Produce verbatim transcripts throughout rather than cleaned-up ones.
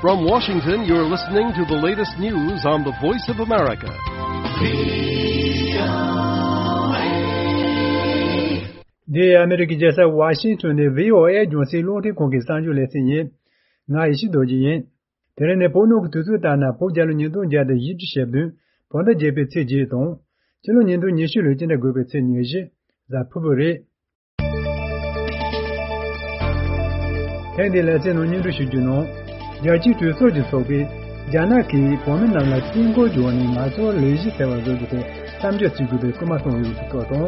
From Washington, you're listening to the latest news on the Voice of America. འདི་ཨ་མེ་རི་ཀའི་རྒྱལ་ས་ཝ་ཤིང་ཊོན་ནས་བྷི་ཨོ་ཨེ་རྒྱང་སྲིང་རླུང་འཕྲིན་ཁང་གི་གསར་འགྱུར་ལེ་ཚན་ཡིན། ང་ཡེ་ཤེས་རྡོ་རྗེ་ཡིན། དེ་རིང་ནི་བོད་ནང་གི་དུས་ཚོད་ལྟར་ན་བོད་རྒྱལ་ལོ་ཉིས་སྟོང་བརྒྱ་དང་བཞི་བཅུ་ཞེ་བདུན་བོད་ཟླ་བརྒྱད་པའི་ཚེས་བརྒྱད་དང་། སྤྱི་ལོ་ཉིས་སྟོང་ཉི་ཤུ་ལོའི་སྤྱི་ཟླ་དགུ་པའི་ཚེས་ཉེར་བཞི། གཟའ་ཕུར་བུ་རེད། ཐེངས་འདིའི་ལེ་ཚན་ནང་སྙན་སྒྲོན་ཞུ་རྒྱུ་ནང་། རྒྱལ་སྤྱིའི་གྲོས་ཚོགས་ཀྱི་ཚོགས་པས་རྒྱ་ནག་གིས་བོད་མི་རྣམས་ལ་རྩིས་འགོ་འཇོག་ནས་ང་ཚོར་ལས་གཞི་ཟེར་བ་བཟོ་རྒྱུ་དེ་མཚམས་འཇོག་བྱེད་དགོས་པའི་སྐུལ་མ་གཏོང་ཡོད་པའི་སྐོར་དང་།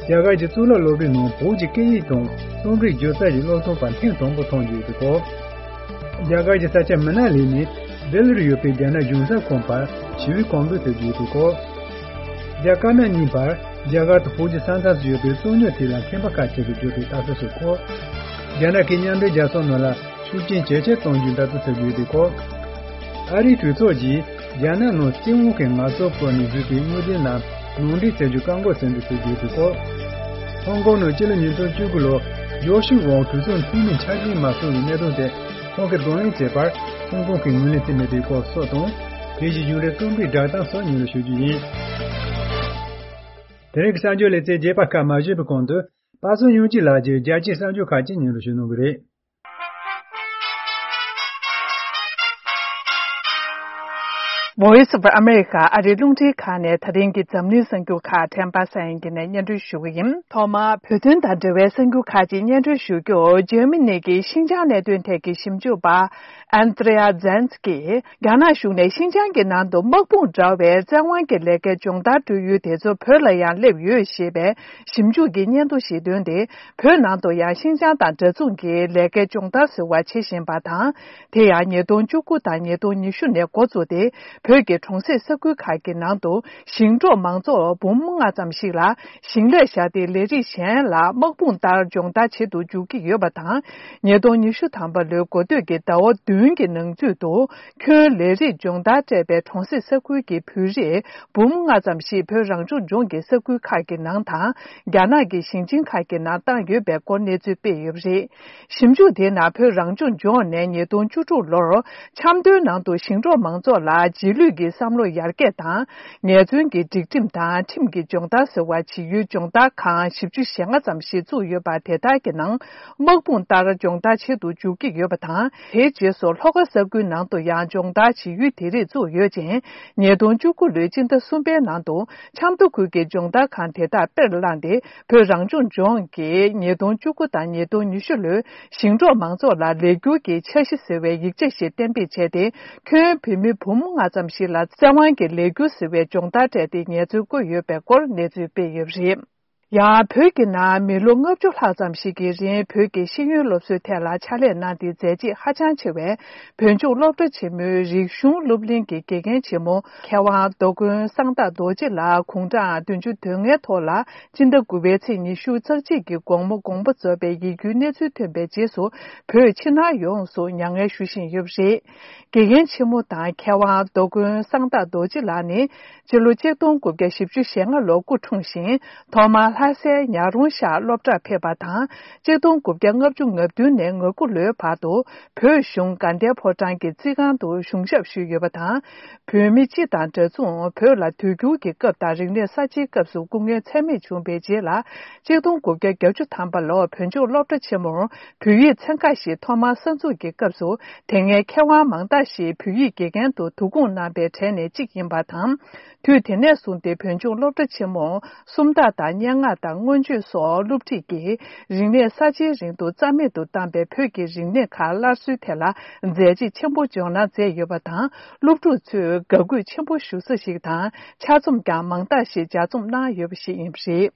རྒྱ་གར་གྱི་གཙུག་ལག་སློབ་གྲྭའི་ནང་བོད་ཀྱི་སྐད་ཡིག་དང་རྩོམ་རིག་སྒྱུ་རྩལ་གྱི་སློབ་སྟོན་པ་ཐེངས་དང་པོ་མཐོང་རྒྱུ་ཡོད་པའི་སྐོར། རྒྱ་གར་གྱི་ས་ཆ་མི་ན་ལི་ནས་ལྡི་ལིར་ཡོད་པའི་རྒྱ་ནག་གཞུང་ཚབ་ཁང་བར་ཞི་བའི་གོམ་བགྲོད་ཐེབས་ཀྱི་ཡོད་པའི་སྐོར། རྒྱ་དཀར་ནག་གཉིས་བར་རྒྱ་གར་དང་བོད་ཀྱི་ས་མཚམས་སུ་ཡོད་པའི་རྩོད་རྙོག་དེ་ལ་ཁྱད་པར་ཁ་ཤས་ཀྱིས་བརྗོད་པའི་ལྟ་ཚུལ་སོགས་སྐོར། རྒྱ་ནག་གིས་མཉམ་འབྲེལ་རྒྱལ་ཚོགས་ནང་ལ་ཤུགས་རྐྱེན་ཇེ་ཆེར་གཏོང་རྒྱུའི་འབད་བརྩོན་བྱེད་ཀྱི་ཡོད་པའི་སྐོར། ཨ་རིའི་གྲོས་ཚོགས་ཀྱིས་རྒྱ་ནག་ནང་བཙན་དབང་གིས་ངལ་རྩོལ་བཀོལ་ནས་བཟོས་པའི་དངུལ་འབྲེལ་རྣམས་ནང་འདྲེན་བྱ་རྒྱུའི་བཀག་འགོག་ཟིན་བྲིས་བྱེད་ཀྱི་ཡོད་པའི་སྐོར། ཧོང་ཀོང་ནང་སྤྱི་ལོ་ཉིས་སྟོང་བཅུ་དགུ་ལོར་ཡོ་ཤུ་ཝང་གྲོས་ཚོགས་འཐུས་མི་འཆར་ཅན་མ་སོང་བའི་གནད་དོན་དེ་ཁོང་གིས་གདོང་ལེན་བྱས་པར་ཧོང་ཀོང་གིས་ངོས་ལེན་བྱས་མེད་པའི་སྐོར་སོགས་དང་། དེ་བཞིན་གཞུང་འབྲེལ་རྩོམ་རིག་བསྒྲགས་གཏམ་སོགས་སྙན་སྒྲོན་ཞུ་རྒྱུ་ཡིན། དེ་རིང་གི་གསར་འགྱུར་ལེ་ཚན་རྒྱས་པ་ཁག་མ་ཞུས་པའི་གོང་དུ། པ་སངས་དབྱངས་སྐྱིད་ལགས་ཀྱིས་རྒྱལ་སྤྱིའི་གསར་འགྱུར་ཁག་ཅིག་སྙན་སྒྲོན་ཞུ་གནང་གི་རེད། Voice of America ཨ་རིའི་རླུང་འཕྲིན་ཁང་ནས་ད་རིང་གི་འཛམ་གླིང་གསར་འགྱུར་ཁག་དྲན་པ་སངས་དབྱངས་སྐྱིད་ནས་སྙན་སྒྲོན་ཞུ་གི་ཡིན། ཐོག་མར་བོད་དོན་དང་འབྲེལ་བའི་གསར་འགྱུར་ཁག་ཅིག་སྙན་སྒྲོན་ཞུ་རྒྱུ། འཇར་མ་ནི་གི་ཤིན་ཅང་གནད་དོན་ཐད་ཀྱི་ཞིབ་འཇུག་པ་ཨན་ཏྲེ་ཡ་ཛན་སི་ཀིས་རྒྱ་ནག་གཞུང་ནས་ཤིན་ཅང་གི་ནང་དུ་དམག་དཔུང་དྲ་བའི་བཙན་དབང་གི་ལས་ཀའི་སྦྱོང་བརྡར་སྤྲོད་ཡུལ་དེ་ཚོ་བོད་ལ་ཡང་སླེབས་ཡོད་ཞེས་པའི་ཞིབ་འཇུག་གི་སྙན་ཐོ་ཞིག་བཏོན་ཏེ། བོད་ནང་དུ་ཡང་ཤིན་ཅང་དང་འདྲ་མཚུངས་ཀྱི་ལས་ཀའི་སྦྱོང་བརྡར་ཟེར་བ་བྱེད་བཞིན་པ་དང་། དེ་ཡང་ཉིས་སྟོང་བཅུ་དགུ་དང་ཉིས་སྟོང་ཉི་ཤུ་ནས་འགོ་བཙུགས་ཏེ། བོད་ཀྱི་གྲོང་གསེབ་ས་ཁུལ་ཁག་གི་ནང་དུ་ཞིང་འབྲོག་མང་ཚོགས་འབུམ་ལྔ་ཙམ་ཞིག་ལ་ཞིང་ལས་བྱ་ཡུལ་ལས་རིགས་གཞན་ལ་དམག་དཔུང་ལྟར་སྦྱོང་བརྡར་བྱེད་དུ་འཇུག་གི་ཡོད་པ་དང་། ཉིས་སྟོང་ཉི་ཤུ་ཐམ་པ་ལོའི་འགོ་སྟོད་ཀྱི་ཟླ་བ་བདུན་གྱི་ནང་ཚུད་དུ། ཁྱོན་ལས་རིགས་སྦྱོང་བརྡར་སྤྲད་པའི་གྲོང་གསེབ་ས་ཁུལ་གྱི་བོད་རིགས་འབུམ་ལྔ་ཙམ་ཞིག་བོད་རང་སྐྱོང་ལྗོངས་ཀྱི་ས་ཁུལ་ཁག་གི་ནང་དང་། རྒྱ་ནག་གི་ཞིང་ཆེན་ཁག་གི་ནང་བཏང་ཡོད་པའི་སྐོར་གནས་ཚུལ་སྤེལ་ཡོད་པ་རེད། ཞིབ་འཇུག་དེའི་ནང་བོད་རང་སྐྱོང་ལྗོངས་ནས་ཉིས་སྟོང་བཅུ་དྲུག་ལོར་ཆབ་མདོའི་ནང་དུ་ཞིང་འབྲོག་མང་ཚོགས་ལ་རྗེས་ལུས་ཀྱི་བསམ་བློ་ཡར་རྒྱས་དང་། ངལ་རྩོལ་གྱི་སྒྲིག་ཁྲིམས་དང་ཁྲིམས་ཀྱི་སྦྱོང་བརྡར་ཟེར་བ་བྱེད་ཡུལ་སྦྱོང་བརྡར་ཁང་བཞི་བཅུ་ཞེ་ལྔ་ཙམ་ཞིག་བཙུགས་ཡོད་པ་དེ་དག་གི་ནང་དམག་དཔུང་ལྟར་སྦྱོང་བརྡར་བྱེད་དུ་འཇུག་གི་ཡོད་པ་དང་། དེའི་རྗེས་སུ་ལྷོ་ཁ་ས་ཁུལ་ནང་དུ་ཡང་སྦྱོང་བརྡར་བྱེད་ཡུལ་དེ་རིགས་བཙུགས་ཡོད་ཅིང་། ཉིས་སྟོང་བཅུ་དགུ་ལོའི་སྤྱི་ཟླ་གསུམ་པའི་ནང་དུ་ཆབ་མདོ་ཁུལ་གྱི་སྦྱོང་བརྡར་ཁང་དེ་དག་དཔེར་བླངས་ཏེ། བོད་རང་སྐྱོང་ལྗོངས་ཀྱིས་ཉིས་སྟོང་བཅུ་དགུ་དང་ཉིས་སྟོང་ཉི་ཤུ་ལོའི་ཞིང་འབྲོག་མང་ཚོགས་ལ་ལས་འཁྱུར་གྱི་འཆར་གཞི་ཟེར་བའི་ཡིག་ཆ་ཞིག་གཏན་འབེབས་བྱས་ཏེ། ཁྱོན་བོད་མི་འབུམ་ལྔ་ཙམ་ཞིག་ལ་བཙན་དབང་གིས་ལས་འཁྱུར་ཟེར་བའི་སྦྱོང་བརྡར་སྤྲད་དེ་ངལ་རྩོལ་བཀོལ་ཡོད་པའི་སྐོར་གནས་ཚུལ་སྤེལ་ཡོད་པ་རེད། ཡང་བོད་ཀྱི་ནང་མི་ལོ་ལྔ་བཅུ་ལྷག་ཙམ་ཞིག་གི་རིང་བོད་ཀྱི་ཤེས་ཡོན་སློབ་གསོའི་ཐད་ལ་ཕྱག་ལས་གནང་སྟེ་མཛད་རྗེས་ཧ་ཅང་ཆེ་བའི་བོད་ལྗོངས་སློབ་གྲྭ་ཆེན་མོའི་རིག་གཞུང་སློབ་གླིང་གི་དགེ་རྒན་ཆེན་མོ་མཁས་དབང་རྡོ་དགོན་གསང་བདག་རྡོ་རྗེ་ལགས་དགུང་གྲངས་བདུན་ཅུ་དོན་ལྔའི་ཐོག་ལ་སྤྱི་ཟླ་དགུ་པའི་ཚེས་ཉི་ཤུ་རྩ་གཅིག་གི་དགོང་མོ་དགོངས་པ་རྫོགས་པའི་ཡིད་སྐྱོའི་གནས་ཚུལ་ཐོན་པའི་རྗེས་སུ་བོད་ཕྱི་ནང་ཡོངས་སུ་མྱ་ངན་ཞུ་བཞིན་ཡོད་པ་རེད། དགེ་རྒན་ཆེན་མོ་དང་མཁས་དབང་རྡོ་དགོན་གསང་བདག་རྡོ་རྗེ་ལགས་ནི། སྤྱི་ལོ་ཆིག་སྟོང་དགུ་བརྒྱ་བཞི་བཅུ་ཞེ་ལྔ་ལོར་སྐུ་འཁྲུངས་ཤིང་། ཐོག་མར་ལྷ་སའི་ཉག་རོང་ཤག་སློབ་གྲྭར་ཕེབས་པ་དང་། ཆིག་སྟོང་དགུ་བརྒྱ་ལྔ་བཅུ་ང་བདུན་ནས་ང་དགུ་ལོའི་བར་དུ། བོད་གཞུང་དགའ་ལྡན་ཕོ་བྲང་གི་རྩིས་ཁང་དུ་གཞུང་ཞབས་ཞུས་ཡོད་པ་དང་། བོད་མི་སྤྱི་དང་འདྲ་མཚུངས་བོད་ལ་དུས་འགྱུར་གྱི་སྐབས་དང་རིག་གནས་གསར་བརྗེའི་སྐབས་སུ་སྐུ་ངལ་ཚད་མེད་བྱུང་བའི་རྗེས་ལ། ཆིག་སྟོང་དགུ་བརྒྱ་བརྒྱད་ཅུ་ཐམ་པ་ལོར་བོད་ལྗོངས་སློབ་གྲྭ་ཆེན་མོར་བོད་ཡིག་ཚན་ཁག་ཞིག་ཐོག་མར་གསར་འཛུགས་ཀྱི་སྐབས་སུ། དེ་སྔའི་མཁས་དབང་མང་དག་ཞིག་བོད་ཡིག་དགེ་རྒན་དུ་དོ་དགོངས་གནང་པའི་གྲས་ནས་གཅིག་ཡིན་པ་དང་། དུས་དེ་ནས་བཟུང་སྟེ་བོད་ལྗོངས་སློབ་གྲྭ་ཆེན་མོར་སུམ་རྟགས་དང་སྙན་ངག་དང་མངོན་བརྗོད་སོགས་སློབ་ཁྲིད་ཀྱིས་རིག་གནས་གསར་བརྗེའི་རིང་དུ་རྩ་མེད་དུ་བཏང་པའི་བོད་ཀྱི་རིག་གནས་ཁག་སླར་གསོའི་ཐད་ལ་མཛད་རྗེས་ཆེན་པོ་འཇོག་གནང་མཛད་ཡོད་པ་དང་། སློབ་ཕྲུག་ཚོས་དགའ་གུས་ཆེན་པོ་ཞུ་ས་ཞིག་དང་ཆ་རྩོམ་ཀྱང་མང་དག་ཞིག་ལྗགས་རྩོམ་གནང་ཡོད་པ་ཞིག་ཡིན་པ་རེད།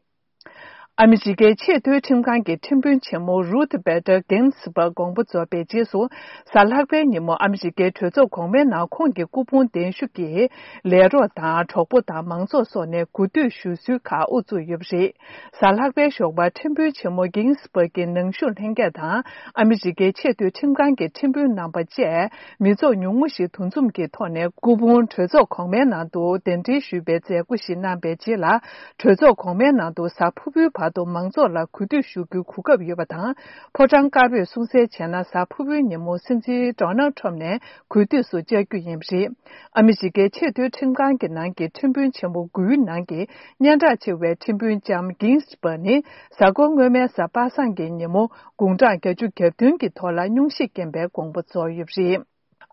ཨ་མི་རི་ཀའི་ཆེས་མཐོའི་ཁྲིམས་ཁང་གི་ཁྲིམས་དཔོན་ཆེན་མོ་རུཐ་བེ་ཏར་གིན་སི་བར་དགོངས་པ་རྫོགས་པའི་རྗེས་སུ། གཟའ་ལྷག་པའི་ཉིན་མོ་ཨ་མི་རི་ཀའི་གྲོས་ཚོགས་གོང་མའི་ནང་ཁོང་གི་སྐུ་ཕུང་གདན་ཞུ་གིས་ལས་རོགས་དང་གྲོགས་པོ་དང་མང་ཚོགས་སོགས་ནས་གུས་འདུད་ཞུ་སྲོལ་ཁག་དབུ་བཙུགས་ཡོད་པ་རེད། གཟའ་ལྷག་པའི་ཞོགས་པར་ཁྲིམས་དཔོན་ཆེན་མོ་གིན་སི་བར་གྱི་ནང་བཞུགས་ལྷན་རྒྱས་དང་ཨ་མི་རི་ཀའི་ཆེས་མཐོའི་ཁྲིམས་ཁང་གི་ཁྲིམས་དཔོན་རྣམ་པ་བཅས། མི་ཚོགས་ཉུང་ངུ་ཞིག་འདུ་འཛོམས་ཀྱི་ཐོག་ནས་སྐུ་ཕུང་གྲོས་ཚོགས་གོང་མའི་ནང་དུ་གདན་འདྲེན་ཞུས་པའི་མཛད་སྒོ་ཞིག་གནང་པའི་རྗེས་ལ། གྲོས་ཚོགས་གོང་མའི་ནང་དུ་གཟའ་ཕུར་བུའི་བར། བར་དུ་མང་ཚོགས་ལ་གུས་འདུད་ཞུ་རྒྱུའི་གོ་སྐབས་ཡོད་པ་དང་། ཕོ་བྲང་དཀར་པོས་གསུང་གསལ་བྱས་ན། གཟའ་ཕུར་བུའི་ཉིན་མོ་སྲིད་འཛིན་ཌོ་ནལ་ཁྲོམ་ནས་གུས་འདུད་སུ་བཅར་རྒྱུ་ཡིན་པ་རེད། ཨ་མི་རི་ཀའི་ཆེས་མཐོའི་ཁྲིམས་ཁང་གི་ནང་གི་ཁྲིམས་དཔོན་ཆེན་པོ་དགུའི་ནང་གི་སྙན་གྲགས་ཆེ་བའི་ཁྲིམས་དཔོན་ལྕམ་གིང་སི་བྷར་ནི། གཟའ་འཁོར་སྔོན་མའི་གཟའ་པ་སངས་ཀྱི་ཉིན་མོ་དགུང་གྲངས་བརྒྱད་ཅུ་གྱ་བདུན་གྱི་ཐོག་ལ་སྙུང་གཞི་རྐྱེན་པས་དགོངས་པ་རྫོགས་ཡོད་པ་རེད།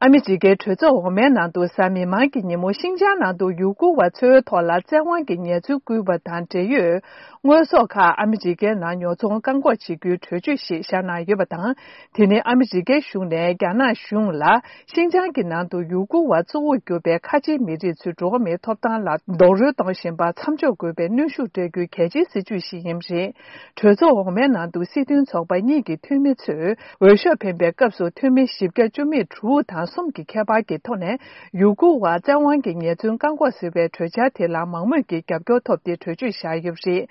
ཨ་མི་རི་ཀའི་གྲོས་ཚོགས་འོག་མའི་ནང་དུ་གཟའ་མིག་དམར་གྱི་ཉིན་མོ་ཤིན་ཅང་ནང་དུ་ཡུ་གུར་བ་ཚོའི་ཐོག་ལ་བཙན་དབང་གི་ཉེས་འཛུགས་བསྐུལ་བ་དང་འབྲེལ་ཡོད་དངོས་ཟོག་ཁག་ཨ་མི་རི་ཀའི་ནང་ཉོ་ཚོང་བཀག་འགོག་བྱེད་རྒྱུའི་གྲོས་ཆོད་ཞིག་བཞག་གནང་ཡོད་པ་དང་། དེ་ནི་ཨ་མི་རི་ཀའི་གཞུང་ནས་རྒྱ་ནག་གཞུང་ལ་ཤིན་ཅང་གི་ནང་དུ་ཡུ་གུར་བ་གཙོ་བོར་གྱུར་པའི་ཁ་ཆེའི་མི་རིགས་ཚོའི་འགྲོ་བ་མིའི་ཐོབ་ཐང་ལ་རྡོག་རོལ་གཏོང་བཞིན་པར་མཚམས་འཇོག་དགོས་པའི་གནོན་ཤུགས་སྤྲད་རྒྱུའི་གལ་ཆེའི་སྲིད་ཇུས་ཤིག་ཡིན་པ་རེད། གྲོས་ཚོགས་འོག་མའི་ནང་དུ་སྲིད་དོན་ཚོགས་པ་གཉིས་ཀྱི་འཐུས་མི་ཚོས་འོས་ཤོག་འཕེན་པའི་སྐབས་སུ་འཐུས་མི་བཞི་བརྒྱ་བཅུ་མེད་དྲུག་དང་གསུམ་གྱི་ཁྱད་པར་གྱི་ཐོག་ནས་ཡུ་གུར་བར་བཙན་དབང་གི་ཉེས་འཛུགས་བཀག་འགོག་ཟེར་བའི་གྲོས་འཆར་དེ་ལ་མང་མོས་ཀྱི་རྒྱབ་སྐྱོར་ཐོབ་སྟེ་གྲོས་ཆོད་བཞག་ཡོད་པ་རེད།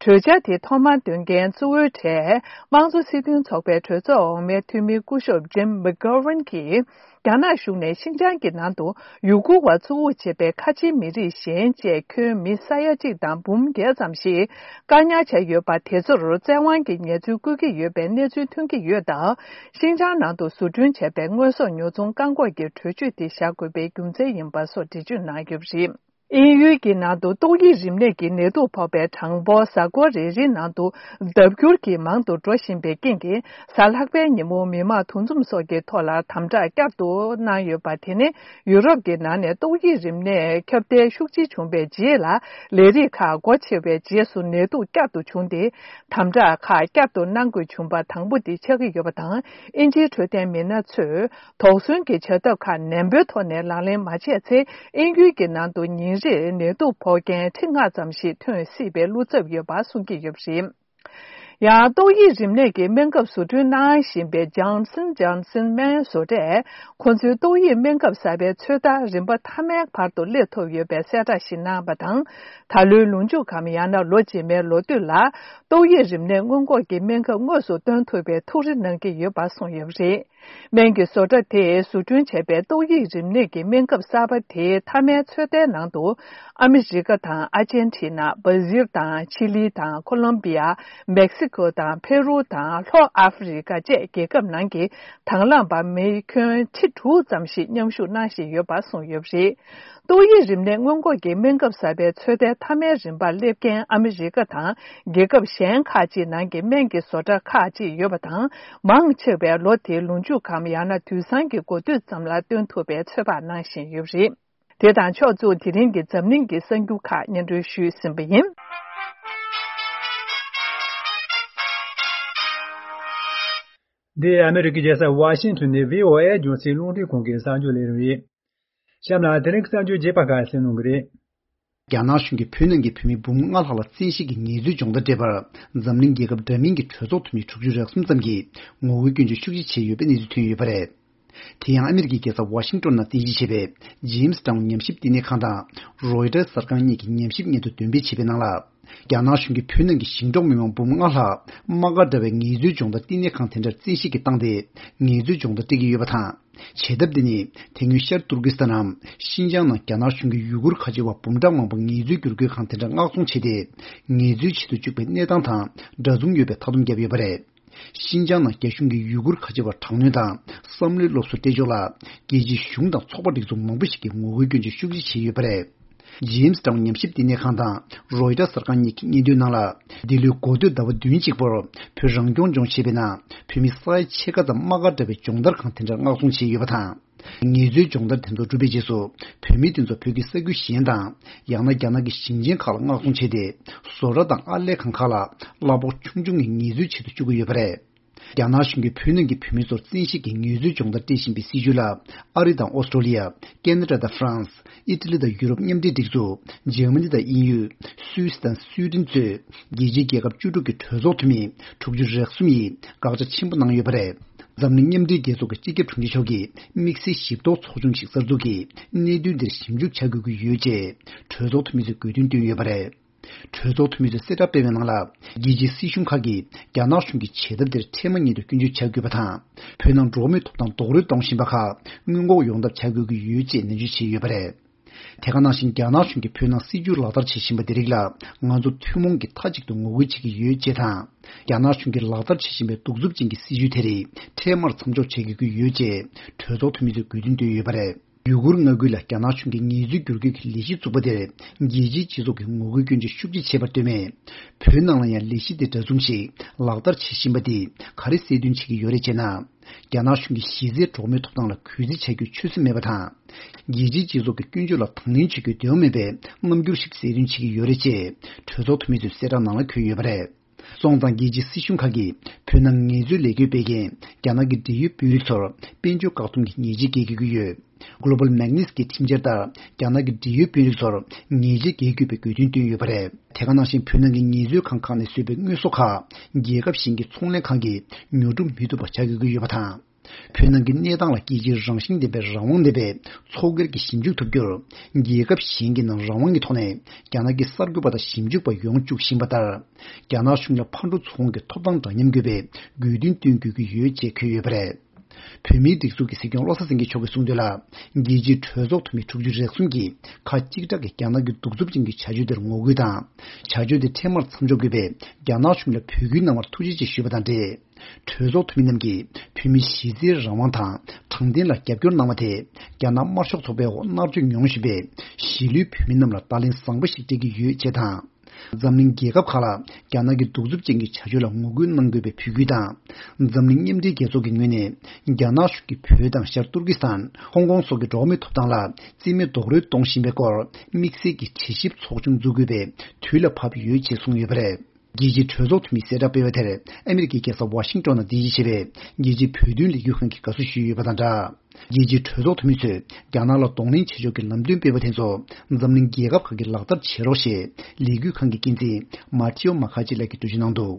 གྲོས་འཆར་དེ་ཐོག་མར་འདོན་མཁན་གཙོ་བོའི་གྲས་དམངས་གཙོ་སྲིད་དོན་ཚོགས་པའི་གྲོས་ཚོགས་འོག་མའི་འཐུས་མི་སྐུ་ཞབས་Jim McGovern་གྱིས། རྒྱ་ནག་གཞུང་ནས་ཤིན་ཅང་གི་ནང་དུ་ཡུ་གུར་བ་གཙོ་བོར་བྱེད་པའི་ཁ་ཆེའི་མི་རིགས་གཞན་བཅས་ཁྱོན་མི་ས་ཡ་གཅིག་དང་འབུམ་བརྒྱད་ཙམ་ཞིག་བཀག་ཉར་བྱས་ཡོད་པ་དེ་ཚོར་བཙན་དབང་གི་ཉེས་འཛུགས་བཀོད་ཀྱི་ཡོད་པའི་གནས་ཚུལ་ཐོན་གྱི་ཡོད་སྟབས། ཤིན་ཅང་ནང་དུ་བཟོ་སྐྲུན་བྱས་པའི་དངོས་ཟོག་ཉོ་ཚོང་བཀག་འགོག་གི་གྲོས་ཆོད་དེ་བཞག་དགོས་པའི་རྒྱུ་མཚན་ཡིན་པ་སོགས་འགྲེལ་བརྗོད་གནང་ཡོད་པ་རེད། དབྱིན་ཡུལ་གྱི་ནང་དུ་ཏོག་དབྱིབས་རིམས་ནད་ཀྱི་ནད་དུག་ཕོག་པའི་གྲངས་འབོར་གཟའ་འཁོར་རེ་རེའི་ནང་དུ་ལྡབ་འགྱུར་གྱིས་མང་དུ་འགྲོ་བཞིན་པའི་རྐྱེན་གྱིས། གཟའ་ལྷག་པའི་ཉིན་མོ་མི་མང་འདུ་འཛོམས་སོགས་ཀྱི་ཐོག་ལ་དམ་དྲག་བསྐྱར་དུ་གནང་ཡོད་པ་དེ་ནི། ཡུ་རོབ་ཀྱི་ནང་ནས་ཏོག་དབྱིབས་རིམས་ནད་ཁྱབ་གདལ་ཤུགས་ཆེ་བྱུང་བའི་རྗེས་ལ། ལས་རིགས་ཁག་སྒོ་ཕྱེ་བའི་རྗེས་སུ་ནད་དུག་བསྐྱར་དུ་བྱུང་སྟེ། དམ་དྲག་ཁག་བསྐྱར་དུ་གནང་དགོས་བྱུང་པ་དང་པོ་དེ་ཆགས་ཀྱི་ཡོད་པ་དང་། དབྱིན་ཇིའི་འཕྲོད་བསྟེན་མི་སྣ་ཚོས། དོགས་ཟོན་གྱི་བྱ་ཐབས་ཁག་ནན་པོའི་ཐོག་ནས་ལག་ལེན་མ་བྱས་ཚེ། དབྱིན་ཡུལ་གྱི་ནང་དུ་ཉིན་རེར་ནད་དུག་ཕོག་མཁན་ཁྲི་ལྔ་ཙམ་ཞིག་ཐོན་སྲིད་པའི་བློ་འཚབ་ཡོད་པ་གསུང་གི་ཡོད་པ་རེད། ཡང་ཏོག་དབྱིབས་རིམས་ནད་ཀྱི་སྨན་ཁབ་བཟོ་སྐྲུན་གནང་བཞིན་པའི་Johnson Johnson སྨན་བཟོ་གྲས་ཁོ་ཚོའི་ཏོག་དབྱིབས་སྨན་ཁབ་གསར་པའི་ཚོད་ལྟ་རིམ་པ་མཐའ་མའི་བར་དུ་སླེབས་ཐུབ་ཡོད་པའི་གསལ་བསྒྲགས་ཤིག་གནང་བ་དང་། ད་ལོའི་ལོ་མཇུག་གམ་ཡང་ན་ལོ་རྗེས་མའི་ལོ་སྟོད་ལ། ཏོག་དབྱིབས་རིམས་ནད་སྔོན་འགོག་གི་སྨན་ཁབ་དངོས་སུ་སྟོན་ཐུབ་པའི་ཐུགས་རེ་གནང་གི་ཡོད་པ་གསུངས་ཡོད་པ་རེད། སྨན་གྱི་བཟོ་གྲྭ་དེས་བཟོ་སྐྲུན་བྱས་པའི་ཏོག་དབྱིབས་རིམས་ནད་ཀྱི་སྨན་ཁབ་གསར་པ་དེའི་མཐའ་མའི་ཚོད་ལྟའི་ནང་དུ། ཨ་མི་རི་ཀ་དང་ཨར་ཇན་ཊི་ན། སྦ་ཟིལ་དང་ཆི་ལི་དང་ཁོ་ལོམ་བི་ཡ། མེག་སི་ཁོ་དང་ཕེ་རུ་དང་ལྷོ་ཨ་ཧྥེ་རི་ཀ་བཅས་རྒྱལ་ཁབ་ནང་གི་དང་བླངས་པ་མི་ཁྱོན་ཁྲི་དྲུག་ཙམ་ཞིག་མཉམ་ཞུགས་གནང་བཞིན་ཡོད་པ་གསུངས་ཡོད་པ་རེད། ཏོག་དབྱིབས་རིམས་ནད་སྔོན་འགོག་གི་སྨན་ཁབ་གསར་པའི་ཚོད་ལྟའི་མཐའ་མའི་རིམ་པར་སླེབས་མཁན་ཨ་མི་རི་ཀ་དང་རྒྱལ་ཁབ་གཞན་ཁག་ཅིག་ནང་གི་སྨན་གྱི་བཟོ་གྲྭ་ཁག་ཅིག་ཡོད་པ་དང་། མང་ཆེ་བས་ལོ་དེའི་ལོ་མཇུག་གམ་ཡང་ན་དུས་སང་གི་འགོ་སྟོད་ཙམ་ལ་སྟོན་ཐུབ་པའི་ཚོད་དཔག་གནང་བཞིན་ཡོད་པ་རེད། དེ་དང་ཕྱོགས་མཚུངས་དེ་རིང་གི་འཛམ་གླིང་གི་གསར་འགྱུར་ཁག་སྙན་སྒྲོན་ཞུས་ཟིན་པ་ཡིན། འདི་ཨ་མེ་རི་ཀའི་རྒྱལ་ས་ཝ་ཤིང་ཐོན་ནས་བྷི་ཨོ་ཨེ་རྒྱང་སྲིང་རླུང་འཕྲིན་ཁང་གི་གསར་འགྱུར་ལས་རིམ་རེད། གཤམ་ལ་དེ་རིང་གི་གསར་འགྱུར་རྒྱས་པ་ཁག་གསན་གནང་གི་རེད། རྒྱ་ནག་གཞུང་གིས་བོད་ནང་གི་བོད་མི་འབུམ་ལྔ་ལྷག་ལ་བཙན་ཤེད་ཀྱིས་ཉེས་འཛུགས་སྦྱོང་བརྡར་སྤྲད་པར། འཛམ་གླིང་རྒྱལ་ཁབ་འདྲ་མིན་གྱི་གྲོས་ཚོགས་འཐུས་མི་དྲུག་ཅུ་རེ་གསུམ་ཙམ་གྱིས་ངོ་རྒོལ་སྐྱོན་བརྗོད་ཤུགས་ཆེ་བྱས་ཡོད་པའི་གནས་ཚུལ་ཐོན་ཡོད་པ་རེད། དེ་ཡང་ཨ་མི་རི་ཀའི་རྒྱལ་ས་ཝ་ཤིང་ཏོན་ནང་རྟེན་གཞི་བྱས་པའི་ཇེམ་སི་ཊའུན་ཉམས་ཞིབ་བསྟི་གནས་ཁང་དང་རོའི་ཊར་གསར་ཁང་གཉིས་ཀྱིས་ཉམས་ཞིབ་སྙན་ཐོ་འདོན་སྤེལ་བྱས་པའི་ནང་ལ། རྒྱ་ནག་གཞུང་གིས་བོད་ནང་གི་ཞིང་འབྲོག་མི་མང་འབུམ་ལྔ་ལྷག་དམག་སྒར་འདྲ་བའི་ངལ་རྩོལ་སྦྱོང་བརྡར་བསྟི་གནས་ཁང་དེ་འདྲར་བཙན་ཤེད་ཀྱིས་བཏང་སྟེ་ངལ་རྩོལ་སྦྱོང་བརྡར་སྤྲད་ཀྱི་ཡོད་པ་དང་། བྱེད་ཐབས་དེ་ནི་དེ་སྔོན་ཤར་ཏུར་ཀི་སི་ཐན་ནམ་ཤིན་ཅང་ནང་རྒྱ་ནག་གཞུང་གིས་ཡུ་གུར་ཁ་ཆེ་བ་འབུམ་ཕྲག་མང་པོ་ངལ་རྩོལ་བསྒྱུར་བཀོད་ཁང་དེ་འདྲར་མངགས་ཚོང་བྱས་ཏེ། ངལ་རྩོལ་བྱེད་དུ་བཅུག་པའི་གནས་སྟངས་དང་འདྲ་མཚུངས་ཡོད་པའི་མཐའ་སྡོམ་བརྒྱབ་ཡོད་པ་རེད། ཤིན་ཅང་ནང་རྒྱ་གཞུང་གིས་ཡུ་གུར་ཁ་ཆེ་བར་དྲག་གནོན་དང་བསམ་བློའི་སློབ་གསོ་སྤྲད་ཕྱོགས་ལ། རྒྱལ་སྤྱིའི་གཞུང་དང་ཚོགས་པ་སྒྲིག་འཛུགས་མང་པོ་ཞིག་གིས་ངོ་རྒོལ་སྐྱོན་བརྗོད་ཤུགས་ཆེ་བྱས་ཡོད་པ་རེད། ཇེམ་སི་ཊའུན་ཉམས་ཞིབ་བསྟི་གནས་ཁང་དང་རོའི་ཊར་གསར་ཁང་གཉིས་ཀྱི་སྙན་ཐོའི་ནང་ལ། འདི་ལོའི་འགོ་སྟོད་ཟླ་བ་བདུན་གཅིག་པོར་བོད་རང་སྐྱོང་ལྗོངས་ཞེས་པའི་ནང་བོད་མི་ས་ཡ་ཕྱེད་ཀ་ཙམ་དམག་སྒར་འདྲ་བའི་སྦྱོང་བརྡར་ཁང་དེ་འདྲར་མངགས་ཚོང་བྱས་ཡོད་པ་དང་། ངལ་རྩོལ་སྦྱོང་བརྡར་དེ་ཚོ་གྲུབ་པའི་རྗེས་སུ་བོད་མི་དེ་ཚོ་བོད་ཀྱི་ས་ཁུལ་གཞན་དང་། ཡང་ན་རྒྱ་ནག་གི་ཞིང་ཆེན་ཁག་ལ་མངགས་ཚོང་བྱས་ཏེ། བཟོ་གྲྭ་དང་ཨར་ལས་ཁང་ཁག་ལ་གླ་ཕོགས་ཆུང་ཆུང་གི་ངལ་རྩོལ་བྱེད་དུ་བཅུག་གི་ཡོད་པ་རེད། རྒྱ་ནག་གཞུང་གིས་བོད་ནང་གི་བོད་མི་ཚོར་བཙན་ཤེད་ཀྱིས་ངལ་རྩོལ་སྦྱོང་བརྡར་སྤྲད་བཞིན་པའི་སྲིད་བྱུས་ལ། ཨ་རི་དང་ཨོ་སི་ཀྲོ་ལི་ཡ། ཁེ་ན་ཌ་དང་ཧྥ་རན་སི། ཨི་ཊ་ལི་དང་ཡུ་རོབ་མཉམ་འབྲེལ་སྒྲིག་འཛུགས། འཇར་མ་ནི་དང་དབྱིན་ཡུལ། སུད་སི་དང་སུའེ་ཌེན་གཙོས། རྒྱལ་སྤྱིའི་རྒྱལ་ཁབ་བཅུ་དྲུག་གི་གྲོས་ཚོགས་འཐུས་མི་དྲུག་ཅུ་རེ་གསུམ་ཡིས་དགག་བྱ་ཆེན་པོ་གནང་ཡོད་པ་རེད། འཛམ་གླིང་མཉམ་འབྲེལ་རྒྱལ་ཚོགས་ཀྱི་སྤྱི་ཁྱབ་དྲུང་ཆེ་མཆོག་གིས་དམིགས་བསལ་ཞིབ་རྟོག་ཚོགས་ཆུང་ཞིག་གསར་འཛུགས་ཀྱིས་གནད་དོན་འདིར་ཞིབ་འཇུག་བྱ་དགོས་ཀྱི་ཡོད་ཅེས་གྲོས་ཚོགས་འཐུས་མི་ཚོས་དགོས་འདུན་བཏོན་ཡོད་པ་རེད། གྲོས་ཚོགས་འཐུས་མི་ཚོས་གསལ་བསྒྲགས་སྤེལ་བའི་ནང་ལ། རྒྱལ་སྤྱིའི་སྲིད་གཞུང་ཁག་གིས་རྒྱ་ནག་གཞུང་གི་བྱེད་ཐབས་དེར་འཕྲལ་མ་ཉིད་དུ་སྐྱོན་བརྗོད་བྱ་དགོས་པ་དང་། བོད་ནང་འགྲོ་བ་མིའི་ཐོབ་ཐང་རྡོག་རོལ་གཏོང་བཞིན་པ་ཁག་སྔོན་འགོག་ཡོང་ཐབས་བྱ་དགོས་ཀྱི་ཡོད་ཅེས་ནན་བརྗོད་བྱས་ཡོད་པ་རེད། དེ་ག་ནང་བཞིན་རྒྱ་ནག་གཞུང་གིས་བོད་ནང་སྲིད་བྱུས་ལག་བསྟར་བྱེད་བཞིན་པ་དེ་རིགས་ལ་ང་ཚོ་ཐུན་མོང་གིས་མཐའ་གཅིག་ཏུ་ངོ་རྒོལ་བྱེད་ཀྱི་ཡོད་ཅེས་དང་། རྒྱ་ནག་གཞུང་གིས་ལག་བསྟར་བྱེད་བཞིན་པའི་གདུག་རྩུབ་ཅན་གྱི་སྲིད་བྱུས་དེ་རིགས་འཕྲལ་མར་མཚམས་འཇོག་བྱེད་དགོས་ཀྱི་ཡོད་ཅེས་གྲོས་ཚོགས་འཐུས་མི་ཚོས་དགོས་འདུན་བཏོན་ཡོད་པ་རེད། ཡུ་གུར་མངའ་ཁུལ་ལ་རྒྱ་ནག་གཞུང་གིས་ངལ་རྩོལ་བསྒྱུར་བཀོད་ཀྱི་ལས་གཞི་བཙུགས་པ་དེར་རྒྱལ་སྤྱིའི་སྤྱི་ཚོགས་ཀྱིས་ངོ་རྒོལ་སྐྱོན་བརྗོད་ཤུགས་ཆེ་བྱས་པར་ལྟོས་མེད། བོད་ནང་ལ་ཡང་ལས་གཞི་དེ་འདྲ་མཚུངས་ཤིག་ལག་བསྟར་བྱེད་བཞིན་པ་འདིས་ག་རེ་གསལ་སྟོན་བྱེད་ཀྱི་ཡོད་རེད་ཅེ་ན། རྒྱ་ནག་གཞུང་གིས་གཞི་རྩའི་གྲོགས་མོའི་ཐོབ་ཐང་ལ་གུས་བརྩི་བྱ་རྒྱུའི་ཆོད་སེམས་མེད་པ་དང་། རྒྱལ་སྤྱིའི་སྤྱི་ཚོགས་ཀྱི་སྐྱོན་བརྗོད་ལ་དང་ལེན་བྱེད་རྒྱུའི་འདོད་པ་མེད་པའི་རྣམ་འགྱུར་ཞིག་གསལ་སྟོན་བྱེད་ཀྱི་ཡོད་རེད་ཅེས་གྲོས་ཚོགས་འཐུས་མི་ཚོས་གསལ་བསྒྲགས་ནང་ལ་འཁོད་ཡོད་པ་རེད། སོང་ཙང་རྒྱལ་སྤྱིའི་སྲིད་གཞུང་ཁག་གིས་བོད་ནང་ངལ་རྩོལ་ལས་བགོས་སྤེལ་མཁན་རྒྱ་ནག་གི་འབྲེལ་ཡོད་དཔོན་རིགས་ཚོར་དཔལ་འབྱོར་བཀག་སྡོམ་གྱི་ཉེས་ཆད་འགེལ་དགོས་ཀྱི་ཡོད། Global Magnitsky་ཁྲིམས་འཆར་ལྟར་རྒྱ་ནག་གི་འབྲེལ་ཡོད་དཔོན་རིགས་ཚོར་ཉེས་ཆད་འགེལ་དགོས་པའི་དགོས་འདུན་བཏོན་ཡོད་པ་རེད། དེ་ག་ནང་བཞིན་བོད་ནང་གི་ངལ་རྩོལ་ཁང་ཁག་ནས་བཟོས་པའི་དངོས་ཟོག་ཁག་རྒྱལ་ཁབ་གཞན་གྱི་ཚོང་ལས་ཁང་གིས་ཉོ་སྒྲུབ་མི་ཐུབ་པ་བྱ་དགོས་ཀྱི་ཡོད་པ་དང་། བོད་ནང་གི་གནས་སྟངས་ལ་རྒྱལ་སྤྱིའི་རང་བཞིན་ལྡན་པའི་རང་དབང་ལྡན་པའི་ཚོགས་སྒེར་གྱིས་ཞིབ་འཇུག་ཐུབ་རྒྱུར་རྒྱལ་ཁབ་གཞན་གྱི་ནང་རང་དབང་གི་ཐོག་ནས་རྒྱ་ནག་གི་གསར་འགོད་པ་དང་ཞིབ་འཇུག་པ་ཡོང་བཅུག་བཞིན་པ་ལྟར། རྒྱ་ནག་གཞུང་ལ་ཕར་འགྲོ་ཚུར་འོང་གི་ཐོབ་ཐང་འདྲ་མཉམ་དགོས་པའི་དགོས་འདུན་བཏོན་དགོས་ཀྱི་ཡོད་ཅེས་འཁོད་ཡོད་པ་རེད། བོད་མིའི་སྒྲིག་འཛུགས་ཀྱི་སྲིད་སྐྱོང་བློ་བཟང་སེང་གེ་མཆོག་གིས་གསུངས་དོན་ལ། རྒྱལ་སྤྱིའི་གྲོས་ཚོགས་འཐུས་མི་དྲུག་ཅུ་རེ་གསུམ་གྱིས་ཁ་གཅིག་གྲགས་ཀྱིས་རྒྱ་ནག་གི་གདུག་རྩུབ་ཅན་གྱི་བྱ་སྤྱོད་དེར་ངོ་རྒོལ་དང་། བྱ་སྤྱོད་དེ་འཕྲལ་མར་མཚམས་འཇོག་དགོས་པའི་རྒྱ་ནག་གཞུང་ལ་འབོད་སྐུལ་གནང་བར་ཐུགས་རྗེ་ཆེ་ཞུས་པ་དང་འབྲེལ། གྲོས་ཚོགས་འཐུས་མི་རྣམས་ཀྱིས་བོད་མིའི་གཞི་རྩའི་རང་དབང་དང་དྲང་བདེན་ལ་རྒྱབ་སྐྱོར་གནང་བ་དེ་རྒྱ་ནག་དམར་ཤོག་ཚོགས་པའི་འོག་མནར་གཅོད་མྱོང་བཞིན་པའི་གཞིས་ལུས་བོད་མི་རྣམས་ལ་བརྡ་ལན་བཟང་པོ་ཞིག་སྤྲད་ཀྱི་ཡོད་ཅེས་དང་། འཛམ་གླིང་རྒྱལ་ཁབ་ཁག་ལ་རྒྱ་ནག་གི་གདུག་རྩུབ་ཅན་གྱི་བྱ་སྤྱོད་ལ་ངོ་རྒོལ་གནང་དགོས་པའི་འབོད་སྐུལ་དང་། འཛམ་གླིང་མཉམ་འབྲེལ་རྒྱལ་ཚོགས་ཀྱི་ངོས་ནས་རྒྱ་ནག་གཞུང་གིས་བོད་དང་ཤར་ཏུར་ཀི་སི་ཐན། ཧོང་ཀོང་སོགས་ཀྱི་འགྲོ་བ་མིའི་ཐོབ་ཐང་ལ་རྩིས་མེད་རྡོག་རོལ་གཏོང་བཞིན་པའི་སྐོར་དམིགས་བསལ་གྱི་དྲི་ཞིབ་ཚོགས་ཆུང་འཛུགས་དགོས་པའི་དུས་ལ་བབ་ཡོད་ཅེས་གསུངས་ཡོད་པ་རེད། རྒྱལ་སྤྱིའི་གྲོས་ཚོགས་འཐུས་མིས་གསལ་བསྒྲགས་སྤེལ་བ་དེར་ཨ་མི་རི་ཀའི་རྒྱལ་ས་ཝ་ཤིང་ཏོན་ནང་རྟེན་གཞི་བྱས་པའི་རྒྱལ་སྤྱིའི་བོད་དོན་ལས་འགུལ་ཁང་གིས་དགའ་བསུ་ཞུས་ཡོད་པ་དང་སྦྲགས། རྒྱལ་སྤྱིའི་གྲོས་ཚོགས་འཐུས་མི་ཚོས་རྒྱ་ནག་ལ་གདོང་ལེན་བྱེད་ཕྱོགས་ཀྱི་ལམ་སྟོན་སྤེལ་བ་དེ་ཚོ་འཛམ་གླིང་རྒྱལ་ཁབ་ཁག་གིས་ལག་བསྟར་བྱེད་རོགས་ཞེས་ལས་འགུལ་ཁང་གི་འགན་འཛིན་མཱ་ཐེའོ་མ་ཁ་ཅི་ལགས་ཀྱིས་འགྲེལ་བརྗོད་གནང་འདུག་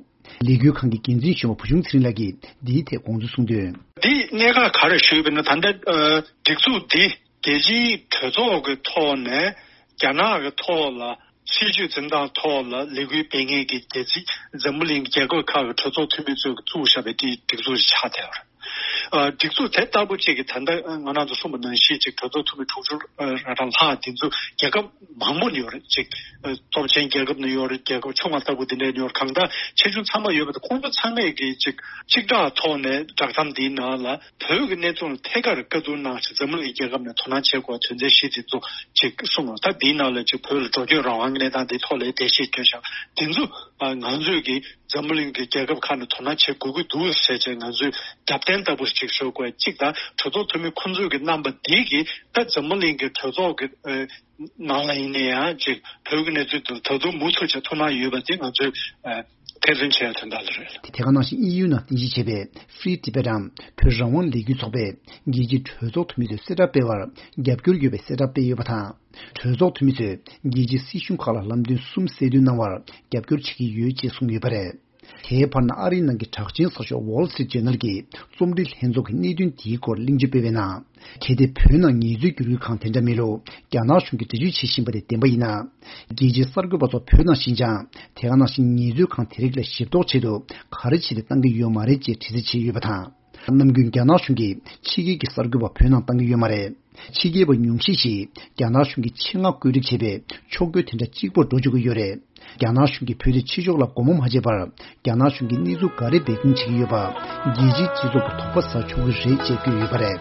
ལས་འགུལ་ཁང་གི་འགན་འཛིན་གཞོན་པ་བུ་ཆུང་ཚེ་རིང་ལགས་ཀྱིས་འདིའི་ཐད་དགོངས་ཚུལ་གསུངས་དོན། འདི་གནད་འགག་ག་རེ་ཞུས་པ་ན་ད་ལྟ་ཨ་སྒྲིག་འཛུགས་འདི་རྒྱལ་སྤྱིའི་གྲོས་ཚོགས་ཀྱི་ཐོག་ནས་རྒྱ་ནག་གི་ཐོག་ལ་སྲིད་བྱུས་འཛིན་སྟངས་ཐོག་ལ་ལས་འགུལ་སྤེལ་མཁན་གྱི་རྒྱལ་སྤྱི་འཛམ་བུ་གླིང་རྒྱལ་ཁབ་ཁག་གི་གྲོས་ཚོགས་འཐུས་མི་ཚོས་བཙུགས་བཞག་པའི་དེའི་སྒྲིག་འཛུགས་ཆགས་བསྡད་ཡོད་རེད། ཨ་སྒྲིག་འཛུགས་དེ་ལྟ་བུ་གཅིག་གིས་ད་ལྟ་ང་རང་ཚོ་གསུངས་པ་ནང་བཞིན་གཅིག་གྲོས་ཚོགས་འཐུས་མི་དྲུག་ཅུ་རེ་གྲངས་ལྷག་འདི་ཚོ་རྒྱལ་ཁབ་མང་པོ་ནས་ཡོད་རེད། གཅིག་ཨ་སྟོབས་ཆེན་རྒྱལ་ཁབ་ནས་ཡོད་རེད། རྒྱལ་ཁབ་ཆུང་བ་ལྟ་བུ་འདི་འདྲ་ནས་ཡོད་རེད། གང་ལྟར་ཆེ་ཆུང་ཚང་མ་ཡོད་པ་དང་ཁོང་ཚོ་ཚང་མས་གི་གཅིག་གཅིག་གྲགས་ཐོག་ནས་བསྒྲགས་གཏམ་འདིའི་ནང་ལ་བོད་ཀྱི་གནས་ཚུལ་ལ་ཐད་ཀར་བཀའ་བསྡུར་གནང་ཞིང་འཛམ་གླིང་རྒྱལ་ཁབ་ནས་དོ་སྣང་བྱེད་དགོས་དོན་ཚན་བཞི་འདི་ཚོ་གཅིག་གསུངས། ད་འདིའི་ནང་ལ་གཅིག་བོད་ལ་འགྲོ་སྐྱོད་རང་དབང་གི་གནས་སྟངས་འདིའི་ཐོག་ལ་འགྲེལ་བཤད་བསྐྱོན་བཞག་འདི་ཚོ་ང་ཚོས་གི་འཛམ་བུ་གླིང་གི་རྒྱལ་ཁབ་ཁག་ནས་དོ་སྣང་བྱེད་དགོས་ཀྱི་འདུག་ཟེར་བྱས་ང་ཚོས་རྒྱབ་རྟེན་ལྟ་བུ་ཞིག་ཞུ་དགོས། གཅིག་དང་གྲོས་ཚོགས་འཐུས་མི་ཁོང་ཚོས་ཀྱི་རྣམ་པ་འདི་གིས་ད་འཛམ་བུ་གླིང་གི་གྲོས་ཚོགས་ཀྱི་ཨ་ནང་ལ་ཡིན་ན་ཡང་གཅིག་བོད་ཀྱི་གནས་ཚུལ་དེ་ད་དུང་མུ་མཐུད་བྱས་ཐུགས་སྣང་ཡོད་པ་དེ་ང་ཚོས་ཨ་ཐེར་འདོན་བྱས་ཡོད་དོན་དག་ལ་རེད། དེ་ག་ནང་བཞིན་དབྱིན་ཡུལ་ནང་རྟེན་གཞི་བྱས་པའི་Free Tibet་འམ་བོད་རང་དབང་ལས་འགུལ་ཚོགས་པས་རྒྱལ་སྤྱིའི་གྲོས་ཚོགས་འཐུས་མི་ཚོས་གསལ་བསྒྲགས་སྤེལ་བར་རྒྱབ་སྐྱོར་ཡོད་པའི་གསལ་བསྒྲགས་སྤེལ་ཡོད་པ་དང་། གྲོས་ཚོགས་འཐུས་མི་ཚོས་རྒྱལ་སྤྱིའི་སྲིད་གཞུང་ཁག་ལ་ལམ་སྟོན་གསུམ་གསལ་སྟོན་གནང་བར་རྒྱབ་སྐྱོར་བྱེད་ཀྱི་ཡོད་ཅེས་གསུངས་ཡོད་པ་རེད། དེའི་བར་ན་ཨ་རིའི་ནང་གི་གྲགས་ཅན་གསར་ཤོག་Wall Street Journal་གྱི་རྩོམ་སྒྲིག་ལྷན་ཚོགས་ཀྱིས་གནད་དོན་དེའི་སྐོར་གླེང་བརྗོད་སྤེལ་བའི་ནང་། གལ་ཏེ་བོད་ནང་ངལ་རྩོལ་བསྒྱུར་བཀོད་ཁང་དེ་འདྲ་མེད་ལུགས་རྒྱ་ནག་གཞུང་གིས་འགྲེལ་བརྗོད་བྱེད་བཞིན་པ་དེ་བདེན་པ་ཡིན་ན། རྒྱལ་སྤྱིའི་གསར་འགོད་པ་ཚོ་བོད་ནང་ཞིན་ཅང་དེ་ག་ནང་བཞིན་ངལ་རྩོལ་ཁང་དེ་རིགས་ལ་ཞིབ་རྟོག་ཆེད་དུ་ག་རེ་བྱས་ཏེ་བཏང་གི་ཡོད་མ་རེད་ཅེས་དྲི་རྩད་བྱས་ཡོད་པ་དང་། ནམ་རྒྱུན་རྒྱ་ནག་གཞུང་གིས་ཕྱི་རྒྱལ་གྱི་གསར་འགོད་པ་བོད་ནང་བཏང་གི་ཡོད་མ་རེད། ཕྱི་རྒྱལ་བ་ཉུང་ཤས་ཤིག་རྒྱ་ནག་གཞུང་གིས་ཆེད་མངགས་བཀོད་སྒྲིག་བྱས་པའི་ཕྱོགས་བསྐྱོད་དེ་འདྲ་གཅིག་པོར་འགྲོ་བཅུག་གི་ཡོད་རེད། རྒྱ་ནག་གཞུང་གིས་བོད་དེ་ཕྱི་ཕྱོགས་ལ་སྒོ་མོ་མ་ཕྱེ་བར། རྒྱ་ནག་གཞུང་གིས་གནས་ཚུལ་ག་རེ་སྦས་སྐུང་བྱེད་ཀྱི་ཡོད་པ། རྒྱལ་སྤྱིའི་སྤྱི་ཚོགས་ཀྱིས་དོགས་པ་ཟ་ཆོག་གི་རེད་ཅེས་བཀོད་ཡོད་པ་རེད།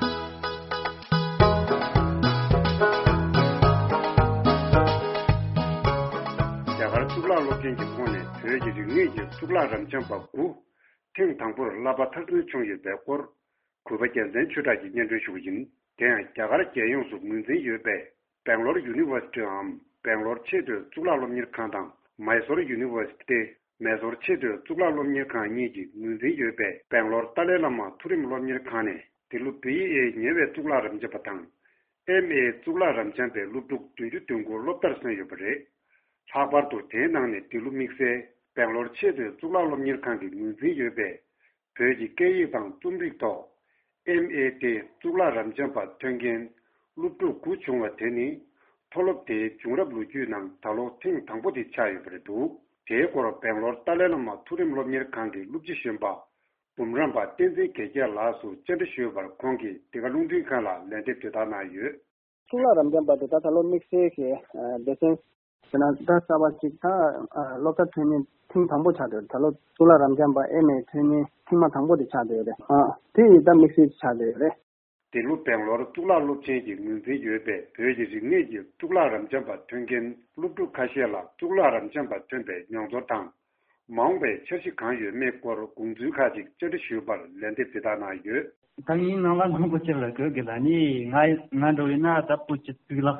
རྒྱ་གར་གཙུག་ལག་སློབ་ཆེན་གྱི་ཁོངས་ནས་བོད་ཀྱི་རིག་གནས་ཀྱི་གཙུག་ལག་རབ་འབྱམས་པ་དགུ་ཐེངས་དང་པོར་བསླབ་པ་མཐར་སོན་བྱུང་ཡོད་པའི་སྐོར། གུས་པ་རྒྱལ་མཚན་ཆོས་གྲགས་ཀྱིས་སྙན་སྒྲོན་ཞུ་གི་ཡིན། དེ་ཡང་རྒྱ་གར་རྒྱལ་ཡོངས་སུ་ངོས་འཛིན་ཡོད་པའི་Bangalore Universityའམ་སྦེང་ལོར་ཡུ་ནི་ཝར་སི་ཊིའམ་སྦེང་ལོར་ཆེས་མཐོའི་གཙུག་ལག་སློབ་གཉེར་ཁང་དང་མའི་སོར་ཡུ་ནི་ཝར་སི་ཊི་མའི་སོར་ཆེས་མཐོའི་གཙུག་ལག་སློབ་གཉེར་ཁང་གཉིས་ཀྱིས་ངོས་འཛིན་ཡོད་པའི་སྦེང་ལོར་ཏཱ་ལའི་བླ་མ་མཐོ་རིམ་སློབ་གཉེར་ཁང་ནས་དེ་ལོ་བི་ཨེ་ཉེ་བའི་གཙུག་ལག་རབ་འབྱམས་པ་དང་། ཨེམ་ཨེ་གཙུག་ལག་རབ་འབྱམས་པའི་སློབ་ཕྲུག་བདུན་ཅུ་དོན་དགུ་སློབ་མཐར་སོན་ཡོད་པ་རེད། ལྷག་པར་དུ་དེའི་ནང་ནས་དེ་ལོ་དམིགས་བསལ་སྦེང་ལོར་ཆེས་མཐོའི་གཙུག་ལག་སློབ་གཉེར་ཁང་གིས་ངོས་འཛིན་ཡོད་པའི་བོད་ཀྱི་སྐད་ཡིག་དང་རྩོམ་རིག་ཐོག་ཨེམ་ཨེ་ཏེ་གཙུག་ལག་རབ་འབྱམས་པ་ཐོན་མཁན་སློབ་ཕྲུག་དགུ་བྱུང་བ་དེ་ནི་མཐོ་སློབ་དེའི་བྱུང་རབས་ལོ་རྒྱུས་ནང་ད་ལོ་ཐེངས་དང་པོ་དེ་ཆགས་ཡོད་པ་རེད་འདུག་དེའི་སྐོར་སྦེང་ལོར་ཏཱ་ལའི་བླ་མ་མཐོ་རིམ་སློབ་གཉེར་ཁང་གི་སློབ་སྤྱི་གཞོན་པ་འབུམ་རམས་པ་བསྟན་འཛིན་དགེ་རྒྱས་ལགས་སུ་བཅར་འདྲི་ཞུས་པར་ཁོང་གིས་འདི་ག་རླུང་འཕྲིན་ཁང་ལ་ལན་འདེབས་དེ་ལྟར་གནང་ཡོད། གཙུག་ལག་རབ་འབྱམས་པ་དེ་ད་ད་ལོ་དམིགས་བསལ་གྱི་ཨ་སྡེ་ཚན་ཟེར་ན་ད་གསར་པ་ཅིག་ད་ཨ་སློབ་གྲྭ་ཐོན་མི་ཐེངས་དང་པོ་ཆགས་བསྡད་ཡོད་རེད། ད་ལོ་གཙུག་ལག་རབ་འབྱམས་པ་ཨེ་མེ་ཐོན་མི་ཐེངས་མ་དང་པོ་དེ་ཆགས་བསྡད་ཡོད་རེད། ཨ་དེ་ཡིས་ད་དམིགས་བསལ་ཆགས་བསྡད་ཡོད་རེད། དེ་ལོ་སྦེང་ལོར་གཙུག་ལག་སློབ་ཆེན་གྱི་ངོས་འཛིན་ཡོད་པའི་བོད་ཀྱི་རིག་གནས་ཀྱི་གཙུག་ལག་རབ་འབྱམས་པ་ཐོན་མཁན་སློབ་ཕྲུག་ཁ་ཤས་ལ་གཙུག་ལག་རབ་འབྱམས་པ་ཐོན་པའི་མྱོང་ཚོར་དང་། མ་འོངས་པའི་འཆར་གཞི་གང་ཡོད་མེད་སྐོར་དགོངས་ཚུལ་ཁག་ཅིག་བཅར་འདྲི་ཞུས་པར་ལན་འདེབས་འདི་ལྟར་གནང་ཡོད། ད་ངའི་ནང་ལ་མང་པོ་ཅིག་ལ་གོ་གི་ལ་ནི་ང་ང་འགྲོ་བའི་ན་ད་བོད་ཀྱི་གཙུག་ལག་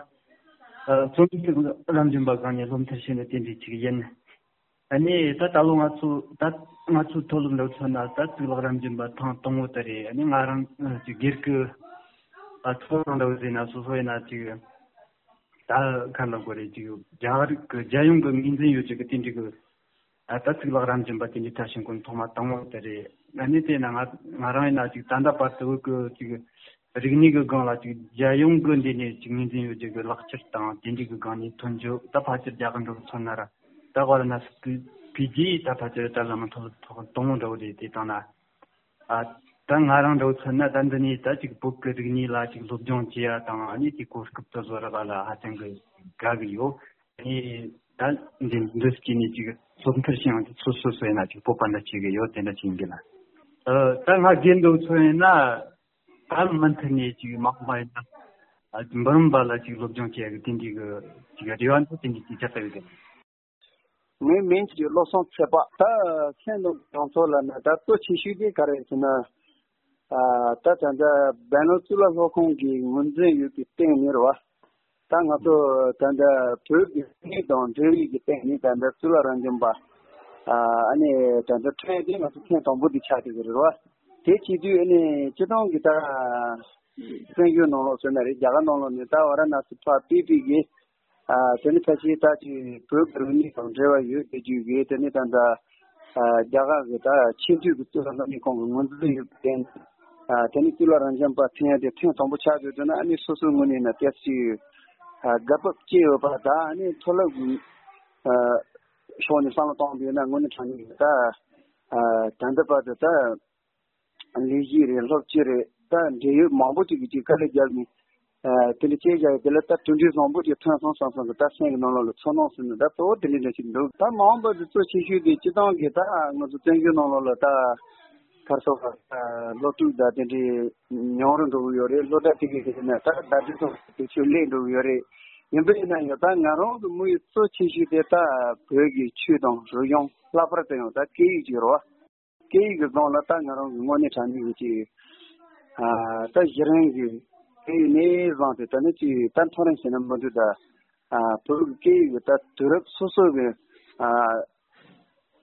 ཨ་རྩོམ་རིག་རབ་འབྱམས་པ་སྒང་ནས་སློབ་མཐར་ཕྱིན་ནས་དེ་འདྲའི་ཅིག་ཡིན། ཨ་ནི་ད་ད་ལོ་ང་ཚོ་ད་ང་ཚོའི་མཐོ་སློབ་འགྲོ་ཚོད་ན་ད་གཙུག་ལག་རབ་འབྱམས་པ་ཐེངས་དང་པོ་དེ་རེད། ཨ་ནི་ང་རང་ཨ་ཅིག་སྒེར་གྱི་ཨ་ཚོར་སྣང་འདྲ་བོ་ཟེར་ན་སོ་སོ་ཡིན་ན་ཅིག་ད་ག་ལ་དགོས་རེད། ཅིག་རྒྱ་རིགས་ཀྱི་རྒྱལ་ཡོངས་ཀྱི་ངོས་འཛིན་ཡོད་ཅིག་གི་དེ་འདྲ་གི་ཨ་ད་གཙུག་ལག་རབ་འབྱམས་པ་དེ་འདྲའི་མཐར་ཕྱིན་གོ་ཐོག་མ་དང་པོ་དེ་རེད། ཨ་ནི་དེ་ན་ང་ང་རང་ཡིན་ན་ཅིག་ད་ལྟ་བར་དུ་གི་ཅིག་རིག་གནས་ཀྱི་སྒང་ལ་ཅིག་རྒྱལ་ཡོངས་ཀྱི་འདི་ནས་ཅིག་ངོས་འཛིན་ཡོད་རྒྱུ་གི་ལག་ཁྱེར་དང་དེ་འདྲའི་གི་སྒང་ནས་ཐོན་རྒྱུ་ད་ཕལ་ཆེར་རྒྱ་གར་འགྲོ་ཚོད་ན་ར་ད་ག་ར་ན་སི་ཀི་པི་ཇི་ད་ཕལ་ཆེར་ད་བླ་མ་མཐོ་སློབ་ཐོག་དང་པོ་འདྲ་བོ་རེད། དེ་དང་ན་ཨ་ད་ང་རང་འདྲ་བོ་མཚོན་ན་ད་འདི་ནས་ད་ཅིག་བོད་ཀྱི་རིག་གནས་ལ་ཅིག་སློབ་སྦྱོང་བྱེད་ཡ་དང་ཨ་ནི་དེ་གོ་སྐབས་དེ་བཟོ་ར་ག་ལ་ཧ་ཅང་གི་དགའ་གི་ཡོད། ཨ་ནི་ད་འདི་འདི་སྐྱེས་ནས་ཅིག་སློབ་མཐར་ཕྱིན་ཡང་ཅིག་སོ་སོ་སོ་ཡིན་ན་ཅིག་སྤོབས་པ་འདྲ་བྱེད་གི་ཡོད། དེ་འདྲ་བྱེད་གི་ལ། ཨ་ད་ང་རྒན་འདྲ་བོ་མཚོན་ཡིན་ན་ད་མུ་མཐུད་ནས་ཅིག་མ་འོངས་པ་ཡིན་ན་ཨ་འབུམ་རམས་པ་ལ་ཅིག་སློབ་སྦྱོང་བྱེད་ཡ་གི་དེ་འདྲའི་གི་ཅིག་རེ་བ་འདུག་དེ་འདྲའི་ཅིག་ཆགས་ཡོད་གི། ངའི་མིང་གི་བློ་བཟང་ཚེ་དཔག་ད་མཚན་དང་གྲངས་ཚོད་ལ་ནི་ད་གཙོ་ཆེ་ཤོས་དེ་ག་རེ་ཟེར་ན། ཨ་ད་ད་ལྟ་སྦེང་ལོར་གཙུག་ལག་སློབ་ཁང་གི་ངོས་འཛིན་ཡོད་པའི་སྟེང་ནས་རེད་བ། ད་ང་ཚོ་ད་ལྟ་བོད་ཀྱི་རིག་གནས་དང་འབྲེལ་བའི་གི་སྟེང་ནས་ད་ལྟ་གཙུག་ལག་རབ་འབྱམས་པ་ཨ་ནི་ད་ལྟ་ཐོན་ཡ་དེ་ང་ཚོ་ཐེངས་དང་པོ་དེ་ཆགས་བསྡད་ཀྱི་རེད་བ། དེ་བྱེད་དུས་ཨ་ནི་སྤྱི་བཏང་གི་ད་བཙན་བྱོལ་ནང་ལོགས་ཟེར་ན་རེད། རྒྱ་གར་ནང་ལོགས་ནས་ད་ཝ་ར་ཎ་སི་ཕར་ཕེབས་པའི་གི་ཨ་དེ་ནི་ཕལ་ཆེར་ད་ཅིག་བོད་ཀྱི་རིག་གནས་དང་འབྲེལ་བ་ཡོད་དེ་རྒྱུ་གི་དེ་ནི་ད་ལྟ་ཨ་རྒྱ་གར་གྱི་ད་ཆེས་མཐོའི་གི་གཙུག་ལག་སློབ་གཉེར་ཁང་གི་ངོས་འཛིན་ཡོད་པའི་རྟེན་ཨ་དེ་ནི་གཙུག་ལག་རབ་འབྱམས་པ་ཐོན་ཡ་དེ་ཐེངས་དང་པོ་ཆགས་ཡོད་དུས་ན་ཨ་ནི་སོ་སོའི་ངོས་ནས་ན་ཏོག་ཙམ་ཨ་དགའ་སྤོབས་སྐྱེ་ཡོད་པ་དང་ཨ་ནི་མཐོ་སློབ་ཀྱི་ཨ་ཕྱོགས་ནས་བསམ་བློ་བཏང་བ་ཡིན་ན་དངོས་གནས་དྲང་གནས་ཀྱི་ད་ཨ་ད་ལྟ་བར་དུ་ད། ལས་གཞི་རེད། སློབ་སྤྱི་རེད། ད་འབྲེལ་ཡོད་མང་པོ་ཅིག་གིས་ཅིག་དཀའ་ལས་བརྒྱབ་ནས་ཨ་དེ་འདྲ་བྱས་བཞག་ཡོད། དེ་ལ་ད་གྲུབ་འབྲས་བཟང་པོ་ཅིག་ཐོན་སོང་བསམ་སོང་གི་ད་སེམས་ཀྱི་ནང་ལོགས་ལ་ཚོར་སྣང་ཟེར་ན་ད་གཙོ་བོ་དེ་འདྲ་འདྲ་ཞིག་འདུག་ད་མ་འོངས་པ་དུ་གཙོ་ཆེ་ཤོས་དེ་སྤྱི་བཏང་གི་ད་ང་ཚོ་བཙན་བྱོལ་ནང་ལོགས་ལ་ད་ག་རེ་ཟེར་བ་ད་སློབ་ཕྲུག་ད་དེ་འདྲའི་ཉུང་རུ་འགྲོ་གི་ཡོད་རེད། སློབ་གྲྭ་དེ་གའི་དེ་ན་ད་ཟླ་སྒྲིལ་སོགས་དེ་ཚོ་སླེབས་འགྲོ་གི་ཡོད་རེད། ཡིན་པ་ཡིན་ན་ཡང་ད་ང་རང་གི་དམིགས་ཡུལ་གཙོ་ཆེ་ཤོས་དེ་ད་བོད་ཀྱི་ཆོས་དང་རིག་གཞུང་ལྷག་པར་དུ་ཡང་ད་སྐད་ཡིག་ཅིག་རེད་བ། སྐད་ཡིག་གི་སྒང་ལ་ད་ང་རང་གི་དངོས་གནས་དྲང་གནས་ཀྱི་ཅིག་ཨ་ད་གཞི་རིམ་གྱི་སྐད་ཡིག་ནས་བཟུང་སྟེ་ད་ནི་ཅིག་ད་མཐོ་རིམ་ཟེར་ན་མི་འདུག་ད་ཨ་བོད་ཀྱི་སྐད་ཡིག་གི་ད་དུས་རབས་སོ་སོ་གི་ཨ་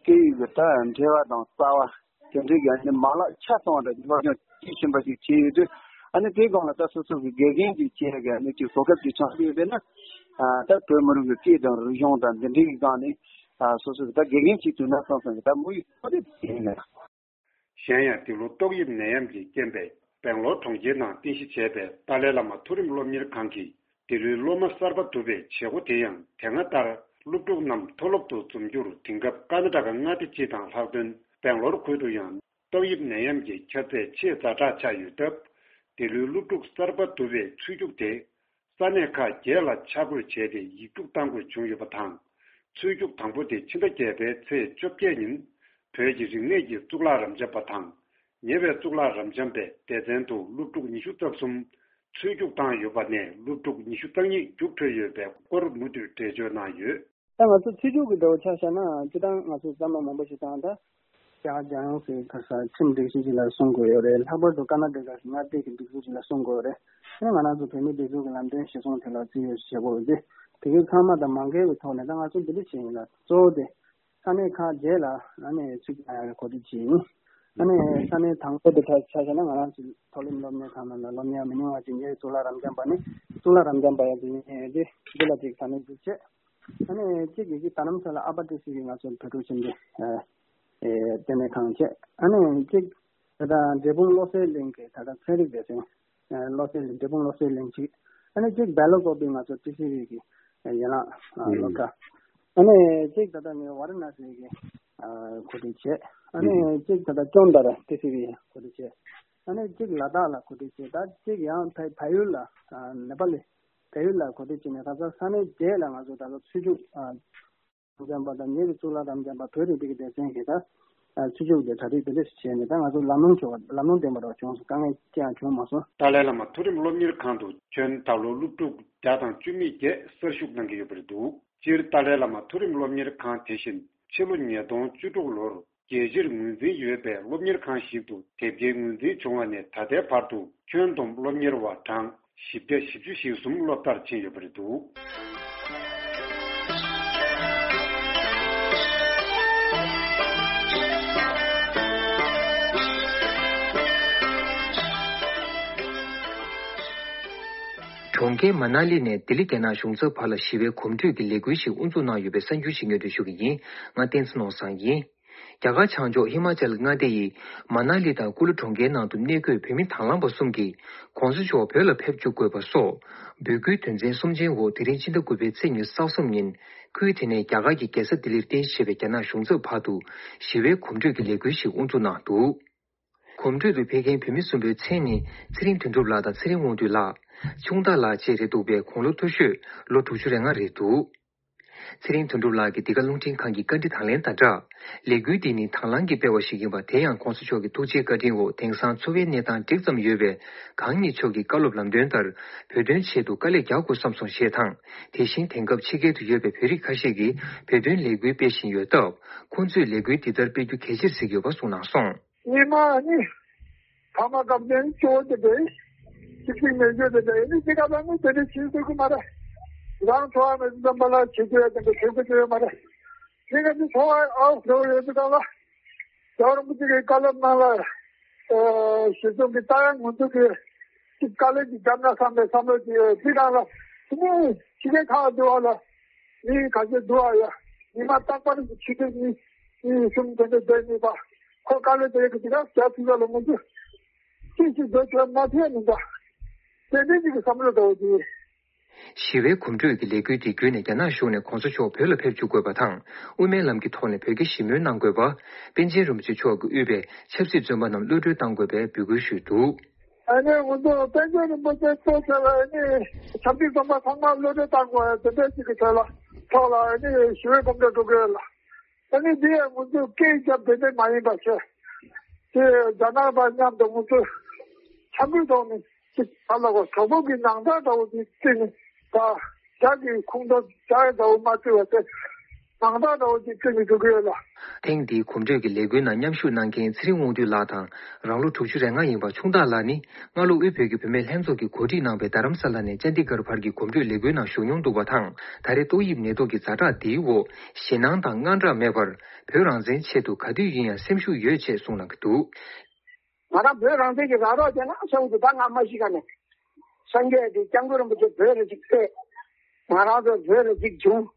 སྐད་ཡིག་གི་ད་འབྲེལ་བ་དང་རྩ་བ་དེ་འདྲའི་གི་ཨ་ནི་མ་ལག་ཆ་ཚང་བ་འདྲ་སློབ་སྦྱོང་བྱེད་བཞིན་པ་ཞིག་བྱས་ཡོད་དུས་ཨ་ནི་དེའི་སྒང་ལ་ད་སོ་སོ་གི་དགེ་རྒན་ཅིག་བྱེད་ཡ་གི་ཨ་ནི་ཅིག་གོ་སྐབས་ཅིག་བྱུང་ཡོད་པས་ན་ཨ་ད་བོད་མི་རིགས་ཀྱི་སྐད་དང་རིག་གཞུང་དང་འདི་འདྲའི་གི་སྒང་ནས་ཨ་སོ་སོ་གི་ད་དགེ་རྒན་ཅིག་ཐུག་ན་བསམ་བསམ་གི་ད་དམིགས་ཡུལ་ཁོ་དེ་དེ་ཡིན་ལ། གཞན་ཡང་འདི་ལོ་ཏོག་དབྱིབས་ནད་ཡམས་ཀྱི་རྐྱེན་པས་སྦེང་ལོར་གྲོང་ཁྱེར་ནང་རྟེན་གཞི་བྱས་པའི་ཏཱ་ལའི་བླ་མ་མཐོ་རིམ་སློབ་གཉེར་ཁང་གིས་འདི་ལོའི་སློབ་མ་གསར་པ་བསྡུ་བའི་བྱེད་སྒོ་དེ་ཡང་དེ་སྔ་ལྟར་སློབ་ཕྲུག་རྣམས་མཐོ་སློབ་ཏུ་འཛོམས་རྒྱུར་དེང་སྐབས་ཀར་ན་ཊ་ཀ་མངའ་སྡེ་སྤྱི་དང་ལྷག་དོན་སྦེང་ལོར་ཁུལ་དུ་ཡང་ཏོག་དབྱིབས་ནད་ཡམས་ཀྱི་ཁྱབ་ཚད་ཆེས་ཛ་དྲག་ཆགས་ཡོད་སྟབས། འདི་ལོའི་སློབ་ཕྲུག་གསར་པ་བསྡུ་བའི་ཚུད་རྒྱུགས་དེ། ས་གནས་ཁག་བརྒྱད་ལ་ཆ་བགོས་བྱས་ཏེ་ཡིག་རྒྱུགས་གཏང་དགོས་བྱུང་ཡོད་པ་དང་། ཚུད་རྒྱུགས་དང་པོ་དེ་ཕྱི་ཟླ་བརྒྱད་པའི་ཚེས་བཅོ་བརྒྱད་ཉིན། བོད་ཀྱི་རིག་གནས་ཀྱི་གཙུག་ལག་རབ་འབྱམས་པ་དང་། ཉེ་བའི་གཙུག་ལག་རབ་འབྱམས་པའི་སྡེ་ཚན་དུ་སློབ་ཕྲུག་ཉི་ཤུ་རྩ་གསུམ་ཚུད་རྒྱུགས་བཏང་ཡོད་པ་ནས་སློབ་ཕྲུག་ཉི་ཤུ་རྩ་གཉིས་རྒྱུགས་འཕྲོད་ཡོད་པའི་སྐོར་མུ་མཐུད་འགྲེལ་བརྗོད་གནང་ཡོད། ད་ང་ཚོ་ཚུད་རྒྱུགས་ཀྱི་འདྲ་བོ་ཆ་བཞག་ན་སྤྱིར་བཏང་ང་ཚོ་བསམ་བློ་མང་པོ་ཞིག་བཏང་ད། རྒྱ་གར་རྒྱལ་ཡོངས་སུ་ཁ་ས་ཁྲིམས་སྒྲིག་གཞི་ཅིག་ལ་སྲུང་དགོས་ཡོད་རེད། ལྷག་པར་དུ་ཀར་ན་ཊ་ཀ་གི་མངའ་སྡེ་གི་སྒྲིག་འཛུགས་ཅིག་ལ་སྲུང་དགོས་ཡོད་རེད། ཨ་ནི་ང་རང་ཚོ་བོད་མིའི་སྒྲིག་འཛུགས་ཀྱི་ལམ་སྟོན་གཞིར་བཟུང་དེ་ལ་བརྩི་ཡོད་ཞེས་པ་འོས་ཏེ། དེ་གའི་ཚང་མ་དང་མ་འགལ་བའི་ཐོག་ནས་ད་ང་ཚོ་འདི་འདྲ་བྱས་ཡིན་ལ་གཙོ་བོ་དེ་ས་གནས་ཁག་བརྒྱད་ལ་ཨ་ནི་ཚུད་ཀྱི་ཡོད་རེད། གོ་སྒྲིག་བྱས་ཡིན། ཨ་ནི་ས་གནས་དང་པོ་དེ་ཆ་བཞག་ན་ང་རང་ཚོའི་མཐོ་རིམ་སློབ་གཉེར་ཁང་ནང་ལ་སློབ་གཉེར་མི་ཉུང་བ་ཅིག་ཉེ་བའི་གཙུག་ལག་རབ་འབྱམས་པ་ནི་གཙུག་ལག་རབ་འབྱམས་པ་ཡང་ཅིག་ཉེ་ཡོད་དེ་འདི་ལ་ཅིག་ས་གནས་འཛུགས་བྱས། ཨ་ནི་གཅིག་གིས་ཀྱི་ད་ནམ་ས་ལ་ཨ་པ་ཏི་སི་གི་ང་ཚོ་བོད་ཕྲུག་ཆེན་པོའི་ལྟེ་གནས་ཁང་བྱས། ཨ་ནི་གཅིག་ད་ལྟ་འབྲས་སྤུངས་བློ་གསལ་གླིང་གི་ད་ལྟ་ཚན་རིག་སྡེ་ཚན་བློ་གསལ་གླིང་འབྲས་སྤུངས་བློ་གསལ་གླིང་གཅིག་ཨ་ནི་གཅིག་སྦེལ་ཀོབ་པའི་ང་ཚོ་ཏི་སི་ཝི་གི་ཡན་ལག་སློབ་གྲྭ། ཨ་ནི་གཅིག་ད་ལྟ་ངས་ཝཱ་ར་ཎ་སི་གི་གོ་སྒྲིག་བྱས། ཨ་ནི་གཅིག་ད་ལྟ་ཅོན་དར་ཏི་སི་ཝི་གོ་སྒྲིག་བྱས། ཨ་ནི་གཅིག་ལ་དྭགས་ལ་གོ་སྒྲིག་བྱས། ད་གཅིག་ཡང་བལ་བལ་ཡུལ་ལ་ནེ་པ་ལི། བལ་ཡུལ་ལ་གོ་སྒྲིག་བྱས་ནས་ད་ལྟ་ས་གནས་བརྒྱད་ལ་ང་ཚོ་ད་ལྟ་ཚུད་ཆུ་ཨ་རབ་འབྱམས་པ་དང་ཉེ་བའི་གཙུག་ལག་རབ་འབྱམས་པ་བོད་རིག་པའི་སྡེ་ཚན་གྱི་ད་ཚུད་ཆུ་དེ་གྲ་སྒྲིག་དེ་འདྲ་ཞིག་བྱས་ནས་ད་ང་ཚོ་ལམ་ལྷོང་བྱུང་བ་ལམ་ལྷོང་ལྡན་པ་འདྲ་བྱུང་སོང་། དཀའ་ངལ་ཅི་ཡང་བྱུང་མ་སོང་། ཏཱ་ལའི་བླ་མ་མཐོ་རིམ་སློབ་གཉེར་ཁང་དུ་ཁྱོན་ད་ལོ་སློབ་ཕྲུག་བརྒྱ་དང་བཅུ་མེད་བརྒྱད་གསར་ཞུགས་གནང་གི་ཡོད་པ་རེད་འདུག་སྤྱིར་ཏཱ་ལའི་བླ་མ་མཐོ་རིམ་སློབ་གཉེར་ཁང་དེ་བཞིན་ཕྱི་ལོ་ཉིས་སྟོང་བཅུ་དྲུག་ལོར་རྒྱལ་སྤྱིར་ངོས་འཛིན་ཡོད་པའི་སློབ་གཉེར་ཁང་ཞིག་ཏུ་དེབ་སྐྱེལ་ངོས་འཛིན་བྱུང་བ་ནས་ད་ལྟའི་བར་དུ་ཁྱོན་བསྡོམས་སློབ་གཉེར་བ་གྲངས་བཞི་བརྒྱ་བཞི་བཅུ་ཞེ་གསུམ་སློབ་མཐར་ཕྱིན་ཡོད་པ་རེད་འདུག་གྲོང་ཁྱེར་མ་ན་ལི་ནས་ལྡི་ལི་རྒྱ་ནག་གཞུང་ཚབ་བར་ལ་ཞི་བའི་གོམ་བགྲོད་ཀྱི་ལས་འགུལ་ཞིག་དབུ་འཛུགས་གནང་ཡོད་པའི་གསར་འགྱུར་ཞིག་སྙན་སྒྲོན་ཞུ་གི་ཡིན། ང་བསྟན་འཛིན་ནོར་བཟང་ཡིན། རྒྱ་གར་བྱང་ཕྱོགས་ཧི་མ་ཅལ་མངའ་སྡེ་ཡི་མ་ན་ལི་དང་ཀུ་ལུ་གྲོང་ཁྱེར་ནང་དུ་གནས་འཁོད་བོད་མི་དང་བླངས་པ་གསུམ་གྱིས་༸གོང་ས་མཆོག་བོད་ལ་ཕེབས་བཅུག་དགོས་པ་སོགས་འབོད་སྐུལ་དོན་ཚན་གསུམ་ཅན་འོག་དེ་རིང་ཕྱི་ཟླ་དགུ་པའི་ཚེས་ཉི་ཤུ་རྩ་གསུམ་ཉིན་ཁུལ་དེ་ནས་རྒྱ་གར་གྱི་རྒྱལ་ས་ལྡི་ལིར་རྟེན་གཞི་བྱས་པའི་རྒྱ་ནག་གཞུང་ཚབ་བར་དུ་ཞི་བའི་གོམ་བགྲོད་ཀྱི་ལས་འགུལ་ཞིག་དབུ་འཛུགས་གནང་འདུག་གོམ་བགྲོད་དུ་ཕེབས་མཁན་བོད་མི་གསུམ་པོའི་མཚན་ནི་ཚེ་རིང་དོན་གྲུབ་ལགས་དང་ཚེ་རིང་དབང་འདུས་ལགས། ཆུང་བདག་ལགས་བཅས་རེད་འདུག་པས་དགུང་ལོ་མཐོ་ཤོས་ལོ་དྲུག་ཅུ་རེ་ལྔ་རེད་འདུག་ཚེ་རིང་དོན་གྲུབ་ལགས་ཀྱིས་འདི་ག་རླུང་འཕྲིན་ཁང་གི་བཀའ་འདྲི་དང་ལེན་དང་སྦྲགས། ལས་འགུལ་འདི་ནི་དང་བླངས་ཀྱིས་སྤེལ་བ་ཞིག་ཡིན་པ། དེ་ཡང་༸གོང་ས་མཆོག་གི་ཐུགས་རྗེའི་བཀའ་དྲིན་འོག་དེང་སང་འཚོ་བའི་གནས་སྟངས་འགྲིག་ཙམ་ཡོད་པས། གང་ཉིད་མཆོག་གི་བཀའ་སློབ་ལམ་སྟོན་ལྟར་བོད་དོན་ཆེད་དུ་དཀའ་ལས་རྒྱག་དགོས་བསམ་སོང་ཞེས་དང་། དེ་བཞིན་དེང་སྐབས་ཕྱི་རྒྱལ་དུ་ཡོད་པའི་བོད་རིགས་ཁ་ཤས་ཀྱིས་བོད་དོན་ལས་འགུལ་སྤེལ་བཞིན་ཡོད་སྟབས། ཁོང་ཚོས་ལས་འགུལ་འདི་ལྟར་སྤེལ་རྒྱུ་གལ་ཆེར་གཟིགས་ཡོད་པ་གསུངས་གནང་སོང་། ཉི་མ་ནི། ཕ་མ་སྐབས་ནས་སྐྱོ་བོ་དེ་འདྲ། གཅིག་གཅིག་མེད་རྒྱུ་དེ་འདྲ་ཡིན་ནི་དེ་ག་ལ་ནི་དེ་འདྲ་བྱེད་ཐུབ་ཀྱི་མ་རེད། རང་འཚོ་བ་མེད་ཙམ་པ་ལ་བྱེད་རྒྱུ་ཡ་དེ་འདྲ་བྱེད་དགོས་ཀྱི་ཡོད་མ་རེད། དེ་ག་ནི་འཚོ་བ་ཨའོ་འགྲོ་ཡོད་དུས་ག་ལ། རྒྱལ་བ་རིན་པོ་ཆེ་གི་བཀའ་སློབ་ནང་ལ། ཞེ་ཚོགས་ཀྱི་ལྟ་ཡ་ངོ་ཐུག་གི། གཅིག་དཀའ་ལས་ཀྱི་རྒྱབ་ན་བསམ་པའི་བསམ་བློ་ཅིག་ཡོད་དེ་ག་ལ། དེ་ནི་ཕྱི་རྒྱལ་ཁག་འདུ་བ་ལ། མི་ཁ་ཤས་འདུག་ཨ་ཡ། ཉི་མ་རྟག་པར་ཕྱི་དྲོ་གཉིས་གཉིས་གསུམ་དེ་འདྲ་བསྡད་ནུས་པ། ཁོ་དཀའ་ལས་དེ་གི་དེ་ག་རྒྱ་ཐུག་ལ་མང་པོ་ཅི་ཞིག་བཟོ་ཆོག་མ་ཐེ་མི་འདྲ། དེ་འདྲ་ཅིག་གི་བསམ་བློ་འདྲ་བོ་དེ། ཞི་བའི་གོམ་བགྲོད་ཀྱི་ལས་འགུལ་དེ་བརྒྱུད་ནས་རྒྱ་ནག་གཞུང་ནས་༸གོང་ས་མཆོག་བོད་ལ་ཕེབས་བཅུག་དགོས་པ་དང་། དབུ་མའི་ལམ་གྱི་ཐོག་ནས་བོད་ཀྱི་ཞི་མོལ་གནང་དགོས་པ། པཎ་ཆེན་རིན་པོ་ཆེ་མཆོག་གིས་དབུས་པའི་ཆབ་སྲིད་བཙོན་པ་རྣམས་གློད་གྲོལ་གཏང་དགོས་པའི་འབོད་སྐུལ་ཞུས་འདུག་ཨ་ནི་ང་ཚོ་པཎ་ཆེན་རིན་པོ་ཆེ་གཙོ་བྱས་པའི་ཨ་ནི་ཆབ་སྲིད་བཙོན་པ་ཚང་མ་གློད་གྲོལ་བཏང་དགོས་ཡ་དེ་འདྲ་ཞིག་གི་ཐོག་ལ་ཐོག་ལ་ཨ་ནི་ཞི་བའི་གོམ་བགྲོད་འགྲོ་གི་ཡོད་ལ། ཨ་ནི་འདི་ཡང་ང་ཚོས་སྐད་བརྒྱབ་དེ་འདྲ་མ་ཡིན་པ་བྱས། དེ་རྒྱ་ནག་པ་མཉམ་དུ་ང་ཚོས་འཆམ་མཐུན་ཐོག་ནས་ཅིག་ཧ་ལ་གོ་གྲོགས་པོ་གི་ནང་ལྟར་འདྲ་བོ་ཅིག་བརྩིས་ནས་ད་རྒྱ་གི་ཁོངས་གཏོགས་རྒྱ་ཡི་འདྲ་བོ་མ་བརྩི་བ་དེ་ནང་ལྟར་འདྲ་བོ་ཅིག་བརྩིས་ནས་འགྲོ་གི་ཡོད་ལ། ཐེངས་འདིའི་གོམ་བགྲོད་ཀྱི་ལས་འགུལ་ནང་མཉམ་ཞུགས་གནང་མཁན་ཚེ་རིང་དབང་འདུས་ལགས་དང་། རང་ལོ་དྲུག་ཅུ་རེ་ལྔ་ཡིན་པ་ཆུང་བདག་ལགས་ནི། སྔ་ལོ་དབུས་བོད་ཀྱི་བུད་མེད་ལྷན་ཚོགས་ཀྱིས་གོ་སྒྲིག་གནང་བའི་རྡ་རམ་ས་ལ་ནས་ཅན་དི་གྷར་བར་གྱི་གོམ་བགྲོད་ལས་འགུལ་ནང་ཞུགས་མྱོང་འདུག་པ་དང་། ད་རེས་ཏོག་དབྱིབས་ནད་དུག་གི་ཛ་དྲག་འདིའི་འོག་ཞེད་སྣང་དང་དངངས་སྐྲག་མེད་པར། བོད་རང་བཙན་ཆེད་དུ་ག་དུས་ཡིན་ཡང་སེམས་ཤུགས་ཡོད་ཅེས་གསུངས་གནང་གི་འདུག་ང་རང་བོད་རང་བཙན་གྱི་ར་རོགས་བྱས་ན་ས་འུ་ཚོ་ད་ང་མ་ཤི་ག་ནས། སངས་རྒྱས་ཀྱི་སྐྱབས་མགོན་རིན་པོ་ཆེ་བོད་ལ་ཅིག་ཕེབས། ང་རང་ཚོ་བོད་ལ་ཅིག་བྱུང་།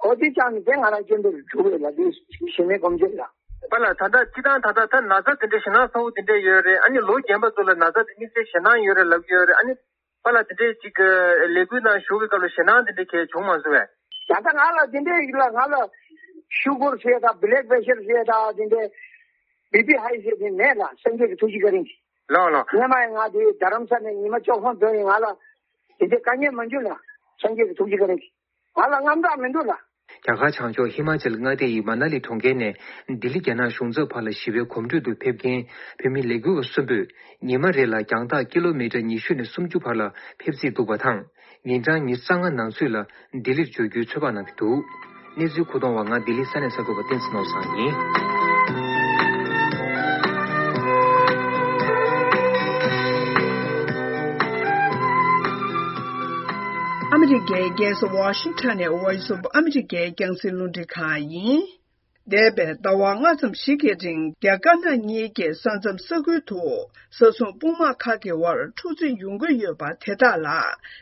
འོ་དེ་ཅང་ནི་དེ་ང་རང་སྐྱོན་འདིར་གྲུབ་ཡོད་ལ་དེ་ཞི་མོལ་གོམ་བགྲོད་ལ། པ་ལ་ད་ལྟ་སྤྱི་བཏང་ད་ལྟ་ད་ན་ཚ་དེ་འདྲའི་ཞེད་སྣང་ཚ་བོ་དེ་འདྲ་ཡོད་རེད། ཨ་ནི་ལོ་རྒན་པ་ཚོ་ལ་ན་ཚ་དེ་དམིགས་བསལ་ཞེད་སྣང་ཡོད་རེད་ལབ་ཀྱི་ཡོད་རེད། ཨ་ནི་པ་ལ་དེ་འདྲའི་ཅིག་ལས་འགུལ་ནང་ཞུགས་པའི་སྐབས་ལ་ཞེད་སྣང་དེ་འདྲ་གས་བྱུང་མ་སོང་བས། ད་ལྟ་ང་ལ་དེ་འདྲའི་ཡིག་ལ་ང་ལ་ཤུ་གུར་ཟེར་དང་བི་ལེག་པེ་ཤར་ཟེར་དང་དེ་འདྲའི་བི་པི་ཧའི་ཟེར་དེ་མེད་ལ་སངས་རྒྱས་ཀྱི་ཐུགས་རྗེ་བཀའ་དྲིན་གྱིས། ལགས་ལགས། སྔོན་མ་ཡང་ང་དེ་རྡ་རམ་ས་ནས་ཉི་མ་བཅུ་གསུམ་འགྲོ་ཡིན། ང་ལ་དེ་འདྲའི་དཀའ་ངལ་མ་བྱུང་ལ་སངས་རྒྱས་ཀྱི་ཐུགས་རྗེ་བཀའ་དྲིན་གྱིས། ང་ལ་དངངས་སྐྲག་མི་འདུག་ལ། རྒྱ་གར་བྱང་ཕྱོགས་ཧི་མ་ཅལ་མངའ་སྡེ་ཡི་མ་ན་ལི་གྲོང་ཁྱེར་ནས་ལྡི་ལི་རྒྱ་ནག་གཞུང་ཚབ་བར་ལ་ཞི་བའི་གོམ་བགྲོད་དུ་ཕེབས་མཁན་བོད་མི་ལས་འགུལ་བ་གསུམ་པོས་ཉི་མ་རེ་ལ་རྒྱང་ཐག་ཀི་ལོ་མི་ཊར་ཉི་ཤུ་ནས་སུམ་ཅུ་བར་ལ་ཕེབས་རྩིས་འདུག་པ་དང་། ཉིན་གྲངས་ཉི་ཤུ་རྩ་ལྔ་ནང་ཚུད་ལ་ལྡི་ལིར་འབྱོར་རྒྱུའི་ཚོད་དཔག་གནང་གི་འདུག་གནས་ཚུལ་མཁོ་གཏོང་བ་ང་ལྡི་ལི་ས་གནས་གསར་འགོད་པ་བསྟན་འཛིན་ནོར་བཟང་ཡིན། ཨ་མི་རི་ཀའི་རྒྱལ་ས་ཝ་ཤིང་ཊོན་ནས་Voice of America རྒྱང་སྲིང་རླུང་འཕྲིན་ཁང་ཡིན། འདས་པའི་ཟླ་བ་ལྔ་ཙམ་ཞིག་གི་རིང་རྒྱ་དཀར་ནག་གཉིས་ཀྱི་ས་མཚམས་ས་ཁུལ་དུ་ས་སྲུང་དཔུང་དམག་ཁག་གི་དབར་འཁྲུག་རྩོད་ཡོང་གི་ཡོད་པ་དེ་དག་ལ་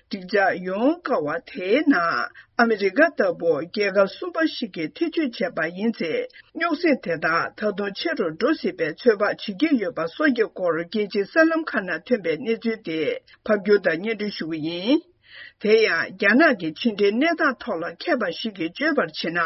འགྲིག་འཇགས་ཡོང་དཀའ་བ་དེའི་ནང་ཨ་མི་རི་ཀ་ལྟ་བུ་རྒྱལ་ཁབ་གསུམ་པ་ཞིག་གིས་ཐེ་བྱུས་བྱས་པ་ཡིན་ཚེ། རྙོག་ཟིང་དེ་དག་ད་དུང་ཆེ་རུ་འགྲོ་སྲིད་པའི་ཚོད་དཔག་བྱེད་ཀྱི་ཡོད་པ་སོགས་ཀྱི་སྐོར་རྒྱལ་སྤྱིའི་གསར་ལམ་ཁག་ནང་ཐོན་པའི་གནས་ཚུལ་དེ་ཕབ་སྒྱུར་དང་སྙན་སྒྲོན་ཞུ་གི་ཡིན། དེ་ཡང་རྒྱ་ནག་གི་ཕྱི་འབྲེལ་གནས་སྟངས་ཐོག་ལ་མཁས་པ་ཞིག་གིས་བརྗོད་པར་བྱས་ན།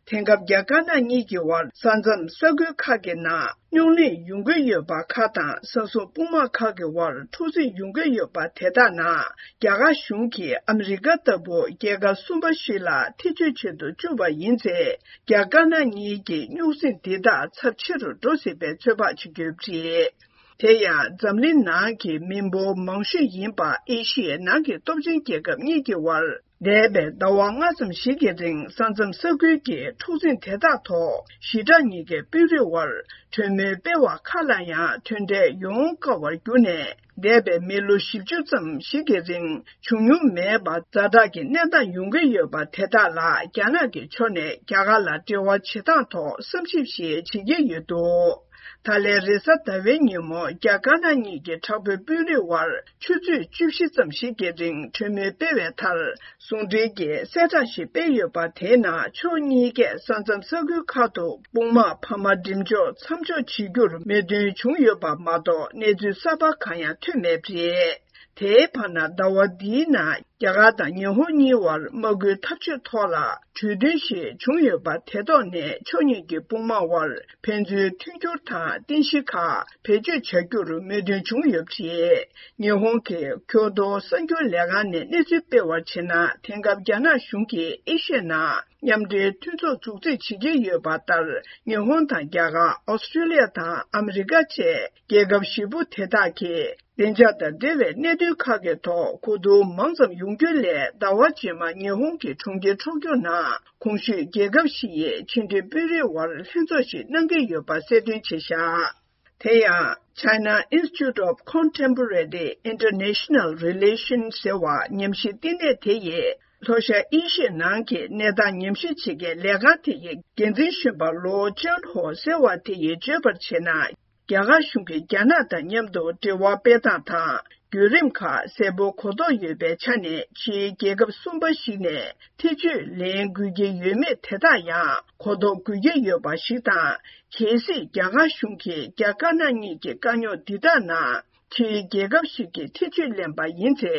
དེང་སྐབས་རྒྱ་དཀར་ནག་གཉིས་ཀྱི་དབར་ས་མཚམས་ས་ཁུལ་ཁག་གི་ནང་རྙོག་གླེང་ཡོང་གི་ཡོད་པ་ཁག་དང་། ས་སྲུང་དཔུང་དམག་ཁག་གི་དབར་འཁྲུག་འཛིང་ཡོང་གི་ཡོད་པ་དེ་དག་ནང་རྒྱ་གར་གཞུང་གིས་ཨ་མི་རི་ཀ་ལྟ་བུ་རྒྱལ་ཁབ་གསུམ་པ་ཞིག་ལ་ཐེ་བྱུས་བྱེད་དུ་བཅུག་པ་ཡིན་ཚེ། རྒྱ་དཀར་ནག་གཉིས་ཀྱི་རྙོག་འཛིང་འདི་དག་ཚབས་ཆེ་རུ་འགྲོ་སྲིད་པའི་ཚོད་དཔག་བྱེད་ཀྱི་ཡོད་པ་རེད། དེ་ཡང་འཛམ་གླིང་ནང་གི་མི་འབོར་མང་ཤོས་ཡིན་པ་ཨེ་ཤི་ཡའི་ནང་གི་སྟོབས་ཆེན་རྒྱལ་ཁབ་གཉིས་ཀྱི་དབར་འདས་པའི་ཟླ་བ་ལྔ་ཙམ་ཞིག་གི་རིང་ས་མཚམས་ས་ཁུལ་གྱི་འཁྲུག་འཛིང་དེ་དག་ཐོག་ཞི་དྲག་གཉིས་ཀའི་དཔོན་རིགས་དབར་གྲོས་མོལ་སྤེལ་བ་ཁག་ལ་ཡང་མཐུན་འབྲེལ་ཡོང་དཀའ་བར་གྱུར་ནས། འདས་པའི་མི་ལོ་བཞི་བཅུ་ཙམ་ཞིག་གི་རིང་བྱུང་མྱོང་མེད་པ་ཛ་དྲག་གི་གནས་སྟངས་ཡོང་གི་ཡོད་པ་དེ་དག་ལ་རྒྱ་ནག་གི་ཕྱོགས་ནས་རྒྱ་གར་ལ་འབྲེལ་བ་བྱེད་སྟངས་ཐོག་བསམ་ཞིབ་ཞིག་བྱེད་ཀྱི་ཡོད་འདུག་ད་ལན་རེས་གཟའ་ཟླ་བའི་ཉིན་མོ་རྒྱ་དཀར་ནག་གཉིས་ཀྱི་དྲག་པོའི་དཔོན་རིགས་དབར་ཆུ་ཚོད་བཅུ་བཞི་ཙམ་ཞིག་གི་རིང་གྲོས་མོལ་སྤེལ་བའི་མཐར། ཟུང་འབྲེལ་གྱི་གསལ་བསྒྲགས་ཤིག་སྤེལ་ཡོད་པ་དེའི་ནང་ཕྱོགས་གཉིས་ཀས་ས་མཚམས་ས་ཁུལ་ཁག་ཏུ་དཔུང་དམག་འཕར་མ་འགྲིམ་འཇོག་མཚམས་འཇོག་བྱེད་རྒྱུར་མོས་མཐུན་བྱུང་ཡོད་པ་མ་གཏོགས་གནས་ཚུལ་གསར་པ་གང་ཡང་ཐོན་མེད་པ་རེད། དེའི་བར་ན་ཟླ་བ་འདིའི་ནང་རྒྱ་གར་དང་ཉི་ཧོང་གཉིས་བར་དམག་སྐུལ་འཐབ་ཇུས་ཐོག་ལ་གྲོས་མཐུན་ཞིག་བྱུང་ཡོད་པ་དེ་ཐོག་ནས་ཕྱོགས་གཉིས་ཀྱི་དཔུང་དམག་དབར་ཕན་ཚུན་མཐུན་འགྱུར་དང་རྟེན་གཞི་ཁག་བེད་སྤྱོད་བྱ་རྒྱུར་མོས་མཐུན་བྱུང་ཡོད་པ་རེད། ཉི་ཧོང་གི་ཁྱོ་དོ་གསར་འགྱུར་ལས་ཁང་ནས་གནས་ཚུལ་སྤེལ་བར་བྱས་ན། དེང་སྐབས་རྒྱ་ནག་གཞུང་གིས་ཨེ་ཤི་ཡའི་ནང་མཉམ་འབྲེལ་མཐུན་ཚོགས་འཛུགས་རྩིས་བྱེད་ཀྱི་ཡོད་པ་ལྟར། ཉི་ཧོང་དང་རྒྱ་གར། ཨོ་སི་ཀྲི་ལི་ཡ་དང་ཨ་མི་རི་ཀ་བཅས་རྒྱལ་ཁབ་བཞི་པོ་དེ་དག་གིས་བདེ་འཇགས་དང་འབྲེལ་བའི་གནད་དོན་ཁག་གི་ཐོག་གོ་བསྡུར་མང་ཙམ་ཡོང་རྒྱུ་ལས། ཟླ་བ་རྗེས་མ་ཉི་ཧོང་གི་གྲོང་ཁྱེར་ཊོ་ཀྱོ་ནང་གོང་ཞུས་རྒྱལ་ཁབ་བཞི་ཡི་ཕྱི་འབྲེལ་དཔོན་རིགས་དབར་ལྷན་ཚོགས་ཤིག་གནང་གི་ཡོད་པ་གསལ་སྟོན་བྱས་བཞག་དེ་ཡང་China Institute of Contemporary International Relations ཟེར་བ་ཉམས་ཞིབ་བསྟི་གནས་དེ་ཡིས། ལྷོ་ཤར་ཨེ་ཤི་ཡའི་ནང་གི་གནས་སྟངས་ཉམས་ཞིབ་བྱེད་མཁན་ལས་ཁང་དེ་ཡི་འགན་འཛིན་གཞོན་པ་ལོ་ཅན་ཧོ་ཟེར་བ་དེ་ཡིས་བརྗོད་པར་བྱས་ན། རྒྱ་གར་གཞུང་གིས་རྒྱ་ནག་དང་མཉམ་དུ་འབྲེལ་བ་སྤེལ་སྟངས་དང་བརྒྱུད་རིམ་ཁག་གསལ་པོ་གོ་རྟོགས་ཡོད་པའི་ཆ་ནས། ཕྱིའི་རྒྱལ་ཁབ་གསུམ་པ་ཞིག་ནས་ཐེ་བྱུས་ལེན་དགོས་ཀྱི་ཡོད་མེད་དེ་དག་ཡང་གོ་རྟོགས་དགོས་ཀྱི་ཡོད་པ་ཞིག་དང་། གལ་སྲིད་རྒྱ་གར་གཞུང་གིས་རྒྱ་དཀར་ནག་གཉིས་ཀྱི་དཀའ་རྙོག་འདི་དག་ནང་ཕྱིའི་རྒྱལ་ཁབ་ཞིག་གིས་ཐེ་བྱུས་ལེན་པ་ཡིན་ཚེ།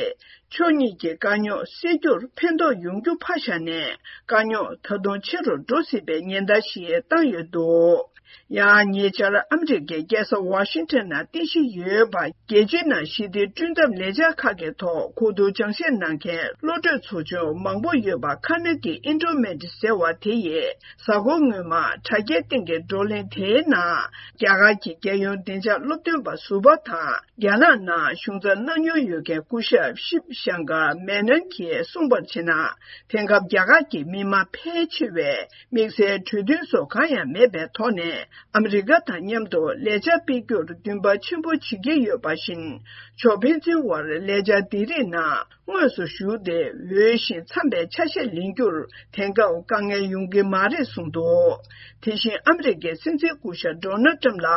ཕྱོགས་གཉིས་ཀྱི་དཀའ་རྙོག་སེལ་རྒྱུར་ཕན་ཐོགས་ཡོང་རྒྱུ་ཕར་བཞག་ནས། དཀའ་རྙོག་ད་དུང་ཆེ་རུ་འགྲོ་སྲིད་པའི་ཉེན་བརྡ་ཞིག་བཏང་ཡོད་འདུག་ཡང་ཉེ་ཆར་ཨ་མི་རི་ཀའི་རྒྱལ་ས་ཝ་ཤིང་ཊོན་ནང་རྟེན་གཞི་ཡོད་པ། རྒྱལ་སྤྱིའི་ནང་ཞི་བདེ་བསྐྲུན་ཐབས་ལས་འཆར་ཁག་གི་ཐོག་གོ་བསྡུར་སྦྱང་བཤད་གནང་མཁན་བློ་གྲོས་ཚོགས་ཆུང་མང་པོ་ཡོད་པ། ཁ་ན་གི་ཨིན་ཌོ་མེན་ཊི་ཟེར་བ་དེ་ཡིས། གཟའ་འཁོར་སྔོན་མ་དྲ་རྒྱའི་སྟེང་གི་བགྲོ་གླེང་དེའི་ནང་། རྒྱ་གར་གྱི་རྒྱལ་ཡོངས་བདེ་འཇགས་སློབ་སྟོན་པ་ཟུར་པ་དང་། རྒྱ་ནག་ནང་གཞུང་འཛིན་གནང་མྱོང་ཡོད་མཁན་སྐུ་ཞབས་ཤིབ་ཤང་ཀར་མེ་ནན་གྱིས་གསུངས་པར་བྱས་ན། དེང་སྐབས་རྒྱ་གར་གྱི་མི་མང་ཕལ་ཆེ་བས་དམིགས་བསལ་གྲོས་མཐུན་སོགས་གང་ཡང་མེད་པའི་ཐོག་ནས། ཨ་མི་རི་ཀ་དང་མཉམ་དུ་ལས་འཆར་སྤེལ་རྒྱུར་འདུན་པ་ཆེན་པོ་བྱེད་ཀྱི་ཡོད་པ་བཞིན། ཕྱོགས་ཕན་ཚུན་དབར་ལས་འཆར་འདི་རིགས་ནང་དངོས་སུ་ཞུགས་ཏེ། འོས་ཤིང་འཚམ་པའི་ཆ་ཤས་ལེན་རྒྱུར་དེང་སྐབས་དཀའ་ངལ་ཡོང་གི་མ་རེད་གསུངས་འདུག་དེ་བཞིན་ཨ་མི་རི་ཀའི་སྲིད་འཛིན་སྐུ་ཞབས་ཌོ་ནལ་ཊམ་ལ་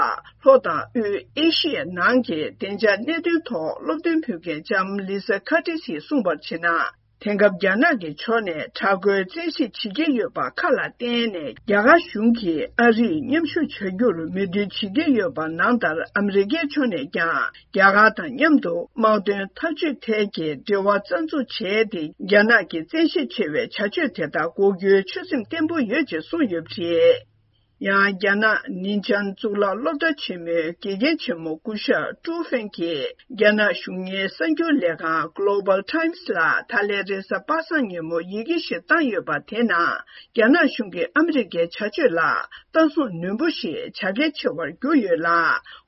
ལྷོ་དང་དབུས་ཨེ་ཤི་ཡའི་ནང་གི་བདེ་འཇགས་གནད་དོན་ཐོག་སློབ་སྟོན་ཕུལ་མཁན་ལྕམ་ལི་ས་ཁ་ཏི་སིས་གསུངས་པར་བྱས་ན། དེང་སྐབས་རྒྱ་ནག་གི་ཕྱོགས་ནས་དྲག་རྒོལ་བཙན་ཤེད་བྱེད་ཀྱི་ཡོད་པ་ཁག་ལ་བརྟེན་ནས། རྒྱ་གར་གཞུང་གིས་ཨ་རིས་མཉམ་ཞུགས་བྱ་རྒྱུར་མོས་མཐུན་བྱེད་ཀྱི་ཡོད་པ་ནང་ལྟར། ཨ་མི་རི་ཀའི་ཕྱོགས་ནས་ཀྱང་རྒྱ་གར་དང་མཉམ་དུ་དམག་དོན་འཐབ་ཇུས་ཐད་ཀྱི་འབྲེལ་བ་རྩ་འཛུགས་བྱས་ཏེ། རྒྱ་ནག་གི་བཙན་ཤེད་ཆེ་བའི་བྱ་སྤྱོད་དེ་དག་འགོག་རྒྱུའི་ཆོད་སེམས་བརྟན་པོ་ཡོད་ཅེས་གསུངས་ཡོད་པ་རེད། ཡང་། རྒྱ་ནག་ནིན་ཅང་གཙུག་ལག་སློབ་གྲྭ་ཆེན་མོའི་དགེ་རྒན་ཆེན་མོ་སྐུ་ཞབས་ཀྲུའུ་ཧྥེང་གིས། རྒྱ་ནག་གཞུང་གཉེར་གསར་འགྱུར་ལས་ཁང་Global Times ལ་ད་ལན་རེས་གཟའ་པ་སངས་ཉིན་མོ་ཡི་གེ་ཞིག་བཏང་ཡོད་པ། དེ་ནང་རྒྱ་ནག་གཞུང་གིས་ཨ་མི་རི་ཀའི་བྱ་སྤྱོད་ལ་ལྟ་སྲུང་ནན་པོ་ཞིག་བྱ་གལ་ཆེ་བར་གྱུར་ཡོད་ལ།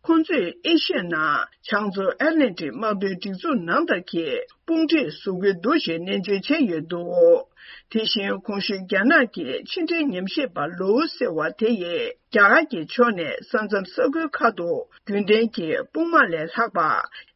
ཁོང་ཚོས་ཨེ་ཤི་ཡའི་ནང་བྱང་མཚོ་ཨེཊ་ལན་ཊིག་དམག་དོན་སྒྲིག་འཛུགས་ནང་ལྟར་གྱི་དཔུང་སྒྲིག་བཟོ་གི་འདུག་ཞེས་ནན་བརྗོད་བྱས་ཡོད་འདུག་དེ་བཞིན་གོང་ཞུས་རྒྱ་ནག་གི་ཕྱི་འབྲེལ་ཉམས་ཞིབ་པ་ལོའུ་ཟེར་བ་དེ་ཡིས། རྒྱ་གར་གྱི་ཕྱོགས་ནས་ས་མཚམས་ས་ཁུལ་ཁག་ཏུ་རྒྱུན་ལྡན་གྱི་དཔུང་དམག་ལས་ལྷག་པ།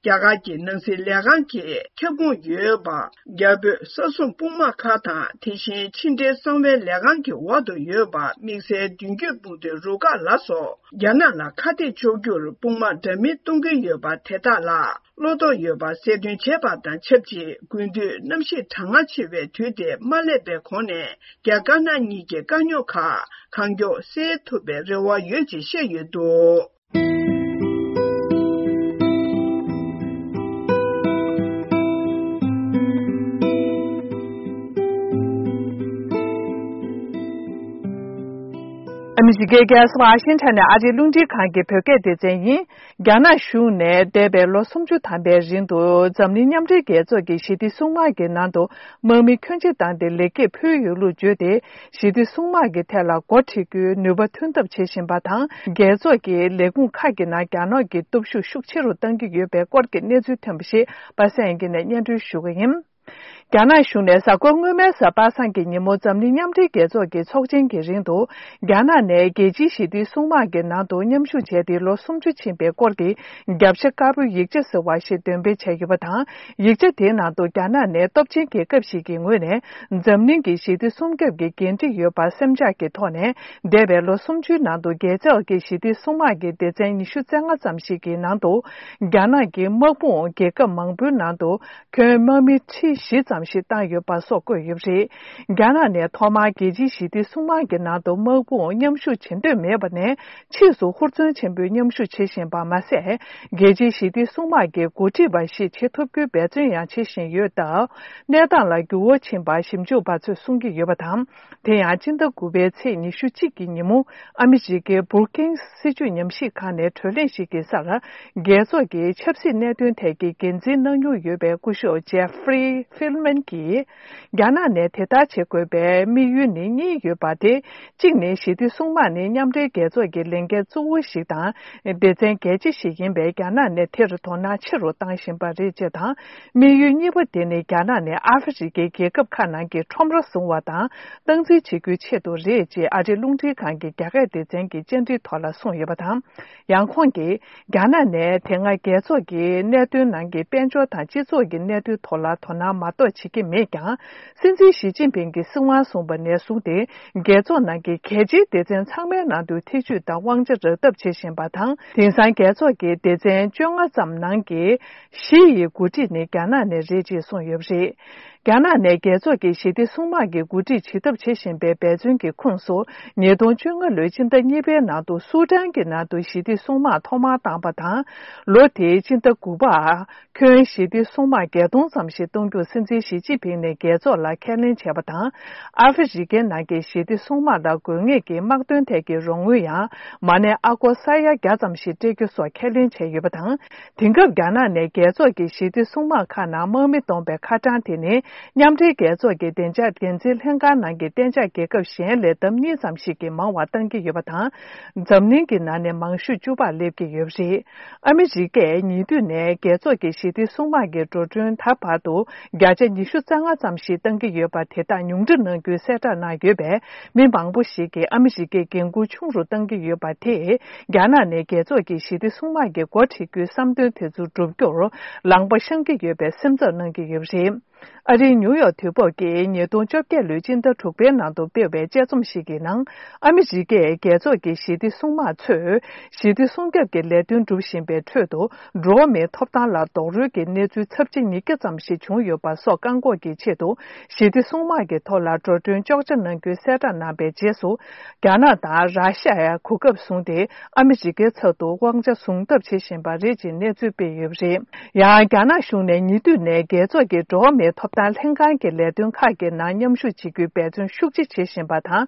རྒྱ་གར་གྱི་ནང་སྲིད་ལས་ཁང་གི་ཁྱབ་ཁོངས་ཡོད་པ། རྒྱ་བོད་ས་སྲུང་དཔུང་དམག་ཁག་དང་། དེ་བཞིན་ཕྱི་འབྲེལ་གསང་བའི་ལས་ཁང་གི་འོག་ཏུ་ཡོད་པ། དམིགས་བསལ་མདུན་སྐྱོད་དཔུང་སྡེ་རུ་ཁག་ལ་སོགས། རྒྱ་ནག་ལ་ཁ་གཏད་གཅོག་རྒྱུར་དཔུང་དམག་འདྲ་མིན་གཏོང་གི་ཡོད་པ་དེ་དག་ལ། བློ་དོགས་ཡོད་པ་གསལ་སྟོན་བྱས་པ་དང་ཆབས་ཅིག་དགུན་དུས་གནམ་གཤིས་གྲང་ངར་ཆེ་བའི་དུས་དེ་མ་སླེབས་པའི་གོང་ནས། རྒྱ་དཀར་ནག་གཉིས་ཀྱི་དཀའ་རྙོག་ཁག་གང་མགྱོགས་སེལ་ཐུབ་པའི་རེ་བ་ཡོད་ཅེས་བཤད་ཡོད་འདུག་ཨ་མི་རི་ཀའི་རྒྱལ་ས་ཝ་ཤིང་ཊོན་ནས་ཨ་རིའི་རླུང་འཕྲིན་ཁང་གི་བོད་སྐད་སྡེ་ཚན་ཡིན། རྒྱ་ནག་གཞུང་ནས་འདས་པའི་ལོ་སུམ་ཅུ་ཐམ་པའི་རིང་དུ་འཛམ་གླིང་མཉམ་འབྲེལ་རྒྱལ་ཚོགས་ཀྱི་ཞི་བདེ་སྲུང་དམག་གི་ནང་དུ་དམག་མི་ཁྱོན་ཆེ་བཏང་སྟེ་ལེགས་སྐྱེས་ཕུལ་ཡོད་ལུགས་བརྗོད་དེ། ཞི་བདེ་སྲུང་དམག་གི་ཐད་ལ་འགོ་ཁྲིད་རྒྱུའི་ནུས་པ་ཐོན་ཐབས་བྱེད་བཞིན་པ་དང་། རྒྱལ་ཚོགས་ཀྱི་ལས་ཁུངས་ཁག་གི་ནང་རྒྱ་ནག་གི་སྟོབས་ཤུགས་ཤུགས་ཆེ་རུ་གཏང་གི་ཡོད་པའི་སྐོར་གྱི་གནས་ཚུལ་ཐོན་པ་ཞིག་པ་སངས་དབྱངས་སྐྱིད་ནས་སྙན་སྒྲོན་ཞུ་གི་ཡིན། རྒྱ་ནག་གཞུང་ནས་གཟའ་འཁོར་སྔོན་མའི་གཟའ་པ་སངས་ཀྱི་ཉིན་མོ་འཛམ་གླིང་མཉམ་འབྲེལ་རྒྱལ་ཚོགས་ཀྱི་ཚོགས་ཆེན་གྱི་རིང་དུ། རྒྱ་ནག་ནས་རྒྱལ་སྤྱིའི་ཞི་བདེའི་སྲུང་དམག་གི་ནང་དུ་མཉམ་ཞུགས་བྱས་ཏེ་ལོ་སུམ་ཅུ་ཕྱིན་པའི་སྐོར་གྱི་རྒྱབ་ཤ་དཀར་པོའི་ཡིག་ཆ་ཟེར་བ་ཞིག་འདོན་སྤེལ་བྱས་ཡོད་པ་དང་། ཡིག་ཆ་དེའི་ནང་དུ་རྒྱ་ནག་ནས་སྟོབས་ཆེན་རྒྱལ་ཁབ་ཞིག་གི་ངོས་ནས་འཛམ་གླིང་གི་ཞི་བདེ་སྲུང་སྐྱོབ་ཀྱི་འགན་འཁྲི་ཡོད་པ་སེམས་འཇགས་ཀྱི་ཐོག་ནས། འདས་པའི་ལོ་སུམ་ཅུའི་ནང་དུ་རྒྱལ་ཚོགས་ཀྱི་ཞི་བདེའི་སྲུང་དམག་གི་སྡེ་ཚན་ཉི་ཤུ་རྩ་ལྔ་ཙམ་ཞིག་གི་ནང་དུ། རྒྱ་ནག་གི་དམག་དཔུང་རྒྱལ་ཁབ་མང་པོའི་ནང་དུ། ཁྱོན་དམག་མི་ཁྲི་བཞི་ཙམ་ཞིག་བཏང་ཡོད་པ་སོགས་བཀོད་ཡོད་པ་རེད། རྒྱ་ནག་ནས་ཐོག་མར་རྒྱལ་སྤྱིའི་ཞི་བདེའི་སྲུང་དམག་གི་ནང་དུ་དམག་དཔུང་མཉམ་ཞུགས་བྱེད་འདོད་མེད་པ་ནས། ཕྱིས་སུ་ཧུར་བརྩོན་ཆེན་པོས་མཉམ་ཞུགས་བྱེད་བཞིན་པ་མ་ཟད། རྒྱལ་སྤྱིའི་ཞི་བདེའི་སྲུང་དམག་གི་འགོ་ཁྲིད་པ་ཞིག་བྱེད་ཐུབ་རྒྱུའི་འབད་བརྩོན་ཡང་བྱེད་བཞིན་ཡོད་སྟབས། གནས་སྟངས་ལ་འགྱུར་བ་ཕྱིན་པ་ཞིབ་འཇུག་པ་ཚོས་གསུང་གི་ཡོད་པ་དང་། དེ་ཡང་སྤྱི་ཟླ་དགུ་པའི་ཚེས་ཉི་ཤུ་གཅིག་གི་ཉིན་མོ། ཨ་མི་རི་ཀའི་བུར་ཀིང་སྲིད་བྱུས་ཉམས་ཞིབ་ཁང་ནས་གྲོས་གླེང་ཞིག་གི་སར། རྒྱལ་ཚོགས་ཀྱི་ཆབ་སྲིད་གནད་དོན་ཐད་ཀྱི་འགན་འཛིན་གནང་མྱོང་ཡོད་པའི་སྐུ་ཞབས་ཇེ་ཧྥེ་རི་ཧྥིལ་མན་གྱིས། རྒྱ་ནག་ནས་དེ་ལྟར་བྱེད་དགོས་པའི་དམིགས་ཡུལ་ནི་གཉིས་ཡོད་པ་སྟེ། གཅིག་ནི་ཞི་བདེ་སྲུང་དམག་ནི་མཉམ་འབྲེལ་རྒྱལ་ཚོགས་ཀྱི་ལས་འགན་གཙོ་བོ་ཞིག་དང་། སྡེ་ཚན་གལ་ཆེ་ཞིག་ཡིན་པས། རྒྱ་ནག་ནས་དེར་དོ་སྣང་ཆེ་རུ་བཏང་བཞིན་པ་རེད་ཅེས་དང་། དམིགས་ཡུལ་གཉིས་པ་དེ་ནི་རྒྱ་ནག་ནས་ཨ་ཧྥེ་རི་ཀའི་རྒྱལ་ཁབ་ཁག་ནང་གི་ཁྲོམ་ར་བཟུང་བ་དང་སྟངས་འཛིན་བྱེད་རྒྱུའི་ཆེད་དུ་རེད་ཅེས་ཨ་རིའི་རླུང་འཕྲིན་ཁང་གི་རྒྱ་སྐད་སྡེ་ཚན་གྱི་བཅར་འདྲིའི་ཐོག་ལ་གསུངས་ཡོད་པ་དང་། ཡང་ཁོང་གིས། རྒྱ་ནག་ནས་དེ་སྔ་རྒྱལ་ཚོགས་ཀྱི་གནད་དོན་ནང་གི་དཔལ་འབྱོར་དང་སྤྱི་ཚོགས་ཀྱི་གནད་དོན་ཐོག་ལ་དོ་སྣང་མ་གཏོགས་བྱེད་ཀྱི་མེད་ཀྱང་། སྲིད་འཛིན་ཞི་ཅིན་ཕིང་གིས་སྲིད་དབང་བཟུང་བ་ནས་བཟུང་སྟེ། རྒྱལ་ཚོགས་ནང་གི་གལ་ཆེའི་སྡེ་ཚན་ཚང་མའི་ནང་དུ་ཐེ་བྱུས་དང་དབང་ཆ་རག་ཐབས་བྱེད་བཞིན་པ་དང་། དེང་སང་རྒྱལ་ཚོགས་ཀྱི་སྡེ་ཚན་བཅོ་ལྔ་ཙམ་ནང་གི་བཞི་ཡི་འགོ་ཁྲིད་ནི་རྒྱ་ནག་ནས་རེད་ཅེས་གསུངས་ཡོད་པ་རེད། རྒྱ་ནག་ནས་རྒྱལ་ཚོགས་ཀྱི་ཞི་བདེ་སྲུང་དམག་གི་འགོ་ཁྲིད་བྱེད་ཐབས་བྱེད་བཞིན་པའི་འབད་བརྩོན་གྱི་ཁོངས་སུ། ཉིས་སྟོང་བཅོ་ལྔ་ལོའི་སྤྱི་ཟླ་གཉིས་པའི་ནང་དུ་སུ་ཏན་གྱི་ནང་དུ་ཞི་བདེ་སྲུང་དམག་ཐོག་མར་བཏང་པ་དང་། ལོ་དེའི་སྤྱི་ཟླ་དགུ་པར། ཁྱོན་ཞི་བདེ་སྲུང་དམག་བརྒྱད་སྟོང་ཙམ་ཞིག་གཏོང་རྒྱུར་སྲིད་འཛིན་ཞི་ཅིན་ཕིང་ནས་རྒྱལ་ཚོགས་ལ་ཁས་ལེན་བྱས་པ་དང་། ཨ་ཧྥེ་རི་ཀའི་ནང་གི་ཞི་བདེ་སྲུང་དམག་ལ་དགོས་ངེས་ཀྱི་དམག་དོན་ཐད་ཀྱི་རོགས་དངུལ་ཡང་མ་གནས་ཨ་སྒོར་ས་ཡ་བརྒྱ་ཙམ་ཞིག་སྤྲད་རྒྱུ་སོགས་ཁས་ལེན་བྱས་ཡོད་པ་དང་། དེང་སྐབས་རྒྱ་ནག་ནས་རྒྱལ་ཚོགས་ཀྱི་ཞི་བདེ་སྲུང་དམག་ཁག་ནང་དམག་མི་གཏོང་པའི་ཁ་གྲངས་དེ་ནི་མཉམ་འབྲེལ་རྒྱལ་ཚོགས་ཀྱི་བདེ་འཇགས་འགན་འཛིན་ལྷན་ཁང་ནང་གི་གཏན་འཇགས་རྒྱལ་ཁབ་གཞན་ལས་ལྡབ་གཉིས་ཙམ་ཞིག་གིས་མང་བ་བཏང་གི་ཡོད་པ་དང་། འཛམ་གླིང་གི་ནང་ནས་མང་ཤོས་བཅུ་པར་སླེབས་ཀྱི་ཡོད་པ་རེད། ཨ་མི་རི་ཀས་ཉེ་དུས་ནས་རྒྱལ་ཚོགས་ཀྱི་ཞི་བདེ་སྲུང་དམག་གི་འགྲོ་གྲོན་ད་བར་དུ་བརྒྱ་ཆ་ཉི་ཤུ་རྩ་ལྔ་ཙམ་ཞིག་བཏང་གི་ཡོད་པ་དེ་དག་ཉུང་འཕྲི་གནང་རྒྱུའི་གསལ་བསྒྲགས་གནང་ཡོད་པས། མི་མང་པོ་ཞིག་གིས་ཨ་མི་རི་ཀས་འགན་འཁུར་ཆུང་རུ་བཏང་གི་ཡོད་པ་དེས། རྒྱ་ནག་ནས་རྒྱལ་ཚོགས་ཀྱི་ཞི་བདེ་སྲུང་དམག་གི་འགོ་ཁྲིད་རྒྱུའི་བསམ་འདུན་དེ་ཚོ་བསྒྲུབ་རྒྱུར་ལམ་པ་བཤང་གི་ཡོད་པའི་སེམས་འཚབ་གནང་གི་ཡོད་པ་རེད། ཨ་རིའི་ནིའུ་ཡོག་དུས་བབ་ཀྱིས་ཉིས་སྟོང་བཅོ་བརྒྱད་ལོའི་སྤྱི་ཟླ་དྲུག་པའི་ནང་དུ་སྤེལ་བའི་དཔྱད་རྩོམ་ཞིག་གི་ནང་། ཨ་མི་རི་ཀས་རྒྱལ་ཚོགས་ཀྱི་ཞི་བདེ་སྲུང་དམག་ཚོས་ཞི་བདེ་སྲུང་སྐྱོབ་ཀྱི་ལས་དོན་སྒྲུབ་བཞིན་པའི་ཁྲོད་དུ། འགྲོ་བ་མིའི་ཐོབ་ཐང་ལ་རྡོག་རོལ་གྱི་གནས་ཚུལ་ཚབས་ཆེ་ཉིས་བརྒྱ་ཙམ་ཞིག་བྱུང་ཡོད་པ་སོགས་བཀག་འགོག་གི་ཆེད་དུ། ཞི་བདེ་སྲུང་དམག་གི་ཐོག་ལ་འགྲོ་གྲོན་གཅོག་ཆ་གནང་རྒྱུའི་གསལ་བསྒྲགས་གནང་པའི་རྗེས་སུ། རྒྱ་ནག་དང་ར་ཤ་ཡ་གོ་སྐབས་བཟུང་སྟེ། ཨ་མི་རི་ཀའི་ཚབ་ཏུ་དབང་ཆ་བཟུང་ཐབས་བྱེད་བཞིན་པ་རེད་ཅེས་གནས་ཚུལ་སྤེལ་ཡོད་པ་རེད། ཡང་། རྒྱ་ནག་གཞུང་ནས་ཉེ་དུས་ནས་རྒྱལ་ཚོགས་ཀྱི་འགྲོ་བ་མིའི་ཐོབ་ཐང་ལྷན་ཁང་གི་ལས་དོན་ཁག་གི་ནང་མཉམ་ཞུགས་བྱེད་རྒྱུའི་འབད་བརྩོན་ཤུགས་ཆེ་བྱེད་བཞིན་པ་དང་།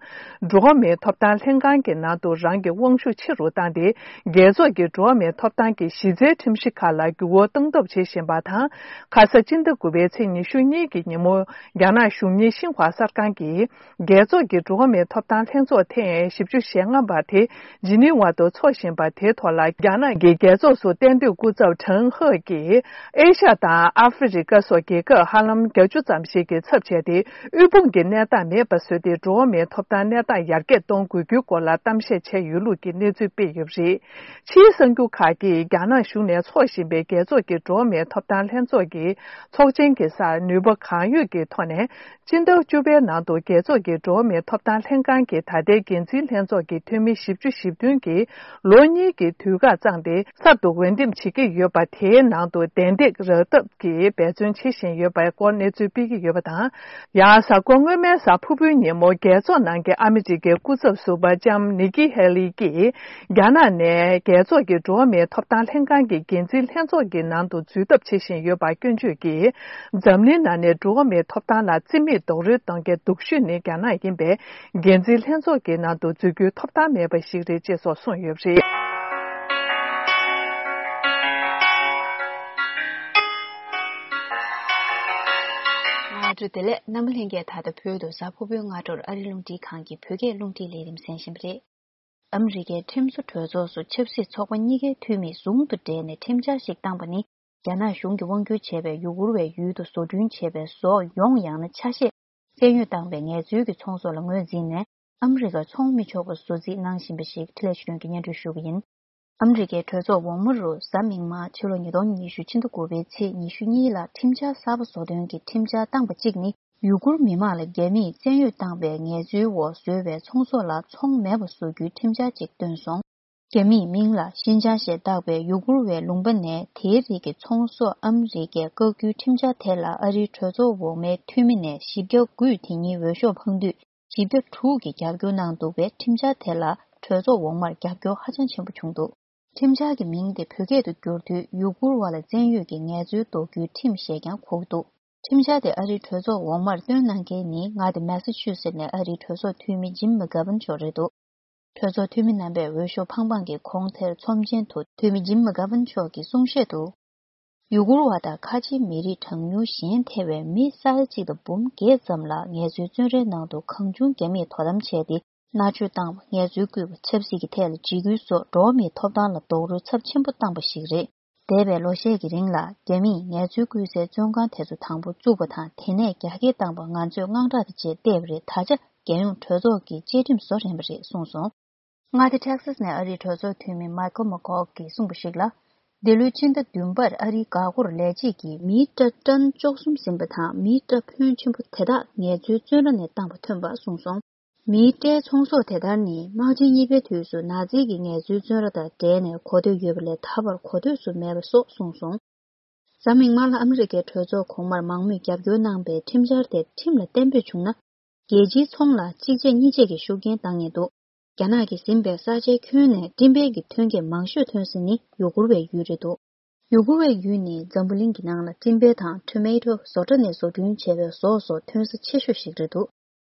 འགྲོ་བ་མིའི་ཐོབ་ཐང་ལྷན་ཁང་གི་ནང་དུ་རང་གི་དབང་ཤུགས་ཆེ་རུ་བཏང་སྟེ། རྒྱལ་ཚོགས་ཀྱི་འགྲོ་བ་མིའི་ཐོབ་ཐང་གི་གཞི་རྩའི་ཁྲིམས་གཞི་ཁག་ལ་འགྱུར་བ་གཏོང་ཐབས་བྱེད་བཞིན་པ་དང་། ཁ་ས་སྤྱི་ཟླ་དགུ་པའི་ཚེས་ཉི་ཤུ་གཉིས་ཀྱི་ཉིན་མོ། རྒྱ་ནག་གཞུང་གཉེར་ཤིན་ཧྭ་གསར་ཁང་གིས། རྒྱལ་ཚོགས་ཀྱི་འགྲོ་བ་མིའི་ཐོབ་ཐང་ལྷན་ཚོགས་ཐེངས་བཞི་བཅུ་ཞེ་ལྔ་པ་དེ་ཇི་ནི་ཝ་དུ་འཚོགས་བཞིན་པ་དེའི་ཐོག་ལ། རྒྱ་ནག་གི་རྒྱལ་ཚོགས་སུ་གཏན་སྡོད་སྐུ་ཚབ་ཁྲེན་ཧེ་གྱིས། ཨེ་ཤ་དང་ཨ་ཧྥེ་རི་ཀ་སོགས་རྒྱལ་ཁབ་ཧ་ལམ་བརྒྱད་ཅུ་ཙམ་ཞིག་གི་ཚབ་བྱས་ཏེ། དབུལ་ཕོངས་ཀྱི་གནས་སྟངས་མེད་པ་བཟོས་ཏེ། འགྲོ་བ་མིའི་ཐོབ་ཐང་གནས་སྟངས་ཡར་རྒྱས་གཏོང་དགོས་རྒྱུའི་སྐོར་ལ་གཏམ་བཤད་བྱས་ཡོད་ལུགས་ཀྱི་གནས་ཚུལ་སྤེལ་ཡོད་པ་རེད། ཕྱིའི་གསར་འགྱུར་ཁག་གིས། རྒྱ་ནག་གཞུང་ནས་འཚོགས་བཞིན་པའི་རྒྱལ་ཚོགས་ཀྱི་འགྲོ་བ་མིའི་ཐོབ་ཐང་ལྷན་ཚོགས་ཀྱི་ཚོགས་ཆེན་གྱི་སར། ནུས་པ་གང་ཡོད་ཀྱི་ཐོག་ནས། སྤྱི་ཟླ་བཅུ་པའི་ནང་དུ་རྒྱལ་ཚོགས་ཀྱི་འགྲོ་བ་མིའི་ཐོབ་ཐང་ལྷན་ཁང་གི་ད་ལྟའི་འགན་འཛིན་ལྷན་ཚོགས་ཀྱི་འཐུས་མི་བཞི་བཅུ་ཞེ་བདུན་གྱིས་ལོ་གཉིས་ཀྱི་དུས་བཀག་བརྩམས་ཏེ། གསར་དུ་འོས་འདེམས་བྱེད་ཀྱི་ཡོད་པ་དེའི་ནང་དུ་གདན་འདེགས་རག་ཐབས་ཀྱི་འབད་བརྩོན་བྱེད་བཞིན་ཡོད་པའི་སྐོར། སྐོར་གནས་ཚུལ་སྤེལ་གྱི་ཡོད་པ་དང་། ཡང་གཟའ་འཁོར་སྔོན་མའི་གཟའ་ཕུར་བུའི་ཉིན་མོ་རྒྱལ་ཚོགས་ནང་གི་ཨ་མི་རི་ཀའི་སྐུ་ཚབ་ཟུར་པ་ལྕམ་ནི་ཀི་ཧེ་ལི་ཀྱིས། རྒྱ་ནག་ནས་རྒྱལ་ཚོགས་ཀྱི་འགྲོ་བ་མིའི་ཐོབ་ཐང་ལྷན་ཁང་གི་འགན་འཛིན་ལྷན་ཚོགས་ཀྱི་ནང་དུ་འཛུལ་ཐབས་བྱེད་བཞིན་ཡོད་པར་སྐྱོན་བརྗོད་ཀྱིས། འཛམ་གླིང་ནང་ནས་འགྲོ་བ་མིའི་ཐོབ་ཐང་ལ་རྩིས་མེད་རྡོག་རོལ་གཏོང་མཁན་སྡུག་ཤོས་ནི་རྒྱ་ནག་ཡིན་པས། འགན་འཛིན་ལྷན་ཚོགས་ཀྱི་ནང་དུ་འཛུལ་རྒྱུའི་ཐོབ་ཐང་མེད་པ་ཞིག་རེད་ཅེས་སོགས་གསུངས་ཡོད་པ་རེད། སྔ་དྲོ་བདེ་ལེགས། རྣམ་པ་ལྷན་རྒྱས། ད་ལྟ་བོད་དུ་གཟའ་ཕུར་བུའི་སྔ་དྲོར་ཨ་རི་རླུང་འཕྲིན་ཁང་གི་བོད་སྐད་རླུང་འཕྲིན་ལས་རིམ་གསན་བཞིན་པ་རེད། ཨ་མི་རི་ཀའི་ཁྲིམས་བཟོ་གྲོས་ཚོགས་སུ་ཆབ་སྲིད་ཚོགས་པ་གཉིས་ཀའི་འཐུས་མིས་ཟུང་དུ་འབྲེལ་ནས་ཁྲིམས་འཆར་ཞིག་བཏང་པ་ནི། རྒྱ་ནག་གཞུང་གིས་དབང་བསྒྱུར་བྱས་པའི་ཡུ་གུར་བའི་ཡུལ་དུ་བཟོ་སྐྲུན་བྱས་པའི་བཟོ་ཡོང་ཡང་ན་ཆ་ཤས་བཙན་གཡོལ་བཏང་བའི་ངལ་རྩོལ་གྱི་ཚོང་ཟོག་ལ་ངོས་འཛིན་ནས། ཨ་མི་རི་ཀར་ཚོང་མི་ཆོག་པ་བཟོ་རྩིས་གནང་བཞིན་པ་ཞིག་འཕྲིན་ལས་ཆོས་སྒྲོན་གྱིས་སྙན་སྒྲོན་ཞུ་གི་ཡིན། ཨ་མི་རི་ཀའི་གྲོས་ཚོགས་འོག་མ་རུ་གཟའ་མིག་དམར་ཕྱི་ལོ་ཉིས་སྟོང་ཉི་ཤུ་ཕྱི་ཟླ་དགུ་པའི་ཚེས་ཉི་ཤུ་གཉིས་ལ་ཁྲིམས་འཆར་གསར་པ་བཟོ་དོན་གྱི་ཁྲིམས་འཆར་བཏང་པ་གཅིག་ནི། ཡུ་གུར་མི་མང་ལ་རྒྱ་མིས་བཙན་གཡོལ་བཏང་བའི་ངལ་རྩོལ་འོག་བཟོས་པའི་ཚོང་ཟོག་ལ་ཚོང་མེད་པ་བཟོ་རྒྱུའི་ཁྲིམས་འཆར་ཅིག་བཏོན་སོང་། རྒྱ་མིའི་མིང་ལ་ཤིན་ཅང་ཞེས་བཏགས་པའི་ཡུ་གུར་བའི་ལུང་པ་ནས་དེའི་རིགས་ཀྱི་ཚོང་ཟོག་ཨ་མི་རི་ཀས་བཀག་རྒྱུའི་ཁྲིམས་འཆར་དེ་ལ་ཨ་རིའི་གྲོས་ཚོགས་འོག་མའི་འཐུས་མི་ནས་བཞི་བརྒྱ་དགུས་དེ་ཉིན་འོས་ཤོག་འཕངས་དུས། བཞི་བརྒྱ་དྲུག་གིས་རྒྱབ་སྐྱོར་གནང་འདུག་པས། ཁྲིམས་འཆར་དེ་ལ་གྲོས་ཚོགས་འོག་མར་རྒྱབ་སྐྱོར་ཧ་ཅང་ཆེན་པོ་བྱུང་འདུག་ཁྲིམས་འཆར་གྱི་མིང་དེ་བོད་སྐད་དུ་བསྒྱུར་དུས། ཡུ་གུར་བ་ལ་བཙན་གཡོལ་གྱི་ངལ་རྩོལ་ཟློག་རྒྱུའི་ཁྲིམས་ཞེས་ཀྱང་གོ་གི་འདུག་ཁྲིམས་འཆར་དེ་ཨ་རིའི་གྲོས་ཚོགས་འོག་མར་བཏོན་གནང་མཁན་ནི། མངའ་སྡེ་མེ་ས་ཆུ་སེ་ནས་ཨ་རིའི་གྲོས་ཚོགས་འཐུས་མི་ཇིམ་མེ་གྷ་ཝན་མཆོག་རེད་འདུག་གྲོས་ཚོགས་འཐུས་མི་རྣམ་པས་འོས་ཤོག་འཕངས་འཕངས་ཀྱིས་གོང་དེར་ཚོམས་ཆེན་དུ་འཐུས་མི་ཇིམ་མེ་གྷ་ཝན་མཆོག་གིས་གསུང་བཤད་དུ། ཡུ་གུར་བ་དང་ཁ་ཆེའི་མི་རིགས་གྲངས་ཉུང་གཞན་ཐེ་བའི་མི་ས་ཡ་གཅིག་དང་འབུམ་བརྒྱད་ཙམ་ལ་ངལ་རྩོལ་བཙོན་རའི་ནང་དུ་གང་བྱུང་རྒྱ་མིས་དོ་དམ་བྱས་ཏེ། མནར་གཅོད་བཏང་བ། ངལ་རྩོལ་བསྐུལ་བ། ཆབ་སྲིད་ཀྱི་ཐད་ལ་འཇིགས་སྐུལ་སོགས་འགྲོ་བ་མིའི་ཐོབ་ཐང་ལ་རྡོག་རོལ་ཚབས་ཆེན་པོ་བཏང་པ་ཞིག་རེད། འདས་པའི་ལོ་ཤས་ཀྱི་རིང་ལ་རྒྱ་མིས་ངལ་རྩོལ་བསྐུལ་སའི་བཙོན་ཁང་དེ་ཚོ་དང་པོ་བཙུགས་པ་དང་། དེ་ནས་རྒྱ་སྐྱེད་བཏང་པ་ང་ཚོས་དངངས་སྐྲག་གི་རྗེས་བལྟས་པ་རེད། ད་ཆ་རྒྱལ་ཡོངས་གྲོས་ཚོགས་ཀྱིས་བཅའ་ཁྲིམས་བཟོ་རན་པ་རེད་གསུངས་སོང་། མངའ་སྡེ་ཊེག་སཱས་ནས་ཨ་རིའི་གྲོས་ཚོགས་འཐུས་མི་མའི་ཁལ་མེག་ཀོག་གིས་གསུངས་པ་ཞིག་ལ། འདི་ལོའི་ཕྱི་ཟླ་བདུན་པར་ཨ་རིའི་འགག་སྒོར་ལས་བྱེད་ཀྱིས་མིའི་སྐྲ་ཊོན་བཅུ་གསུམ་ཟིན་པ་དང་། མིའི་སྐྲ་ཕོན་ཆེན་པོ་དེ་དག་ངལ་རྩོལ་བཙོན་ར་ནས་བཏང་པ་ཐོན་པ་གསུངས་སོང་། མིའི་སྐྲའི་ཚོང་ཟོག་དེ་ལྟར་ནི། དམག་ཆེན་གཉིས་པའི་དུས་སུ་ནཱ་ཛི་གི་ངལ་རྩོལ་བཙོན་ར་དང་འབྲེལ་ནས་གོ་ཐོས་ཡོད་པ་ལས་ད་བར་གོ་ཐོས་སུ་མེད་པ་སོགས་གསུངས་སོང་། གཟའ་མིག་དམར་ལ་ཨ་མི་རི་ཀའི་གྲོས་ཚོགས་གོང་མར་མང་མོས་རྒྱབ་སྐྱོར་གནང་པའི་ཁྲིམས་འཆར་དེ་ཁྲིམས་ལ་གཏན་འབེབས་བྱུང་ན། རྒྱལ་སྤྱིའི་ཚོང་ལ་གཅིག་རྗེས་གཉིས་རྗེས་ཀྱི་ཤུགས་རྐྱེན་བཏང་ངེས་འདུག་རྒྱ་ནག་གིས་ཟིན་པའི་ས་ཆའི་ཁྱོན་ནས་སྤྲིན་པའི་གི་ཐོན་སྐྱེད་མང་ཤོས་ཐོན་ས་ནི་ཡུ་གུར་བའི་ཡུལ་རེད་འདུག་ཡུ་གུར་བའི་ཡུལ་ནི་འཛམ་བུ་གླིང་གི་ནང་ལ་སྤྲིན་པའི་ཐང་། ཊོ་མེ་ཊོ། བཟོ་གྲྭ་ནས་བཟོ་སྐྲུན་བྱས་པའི་ཟོག་སོགས་ཐོན་ས་ཆེ་ཤོས་ཤིག་རེད་འདུག་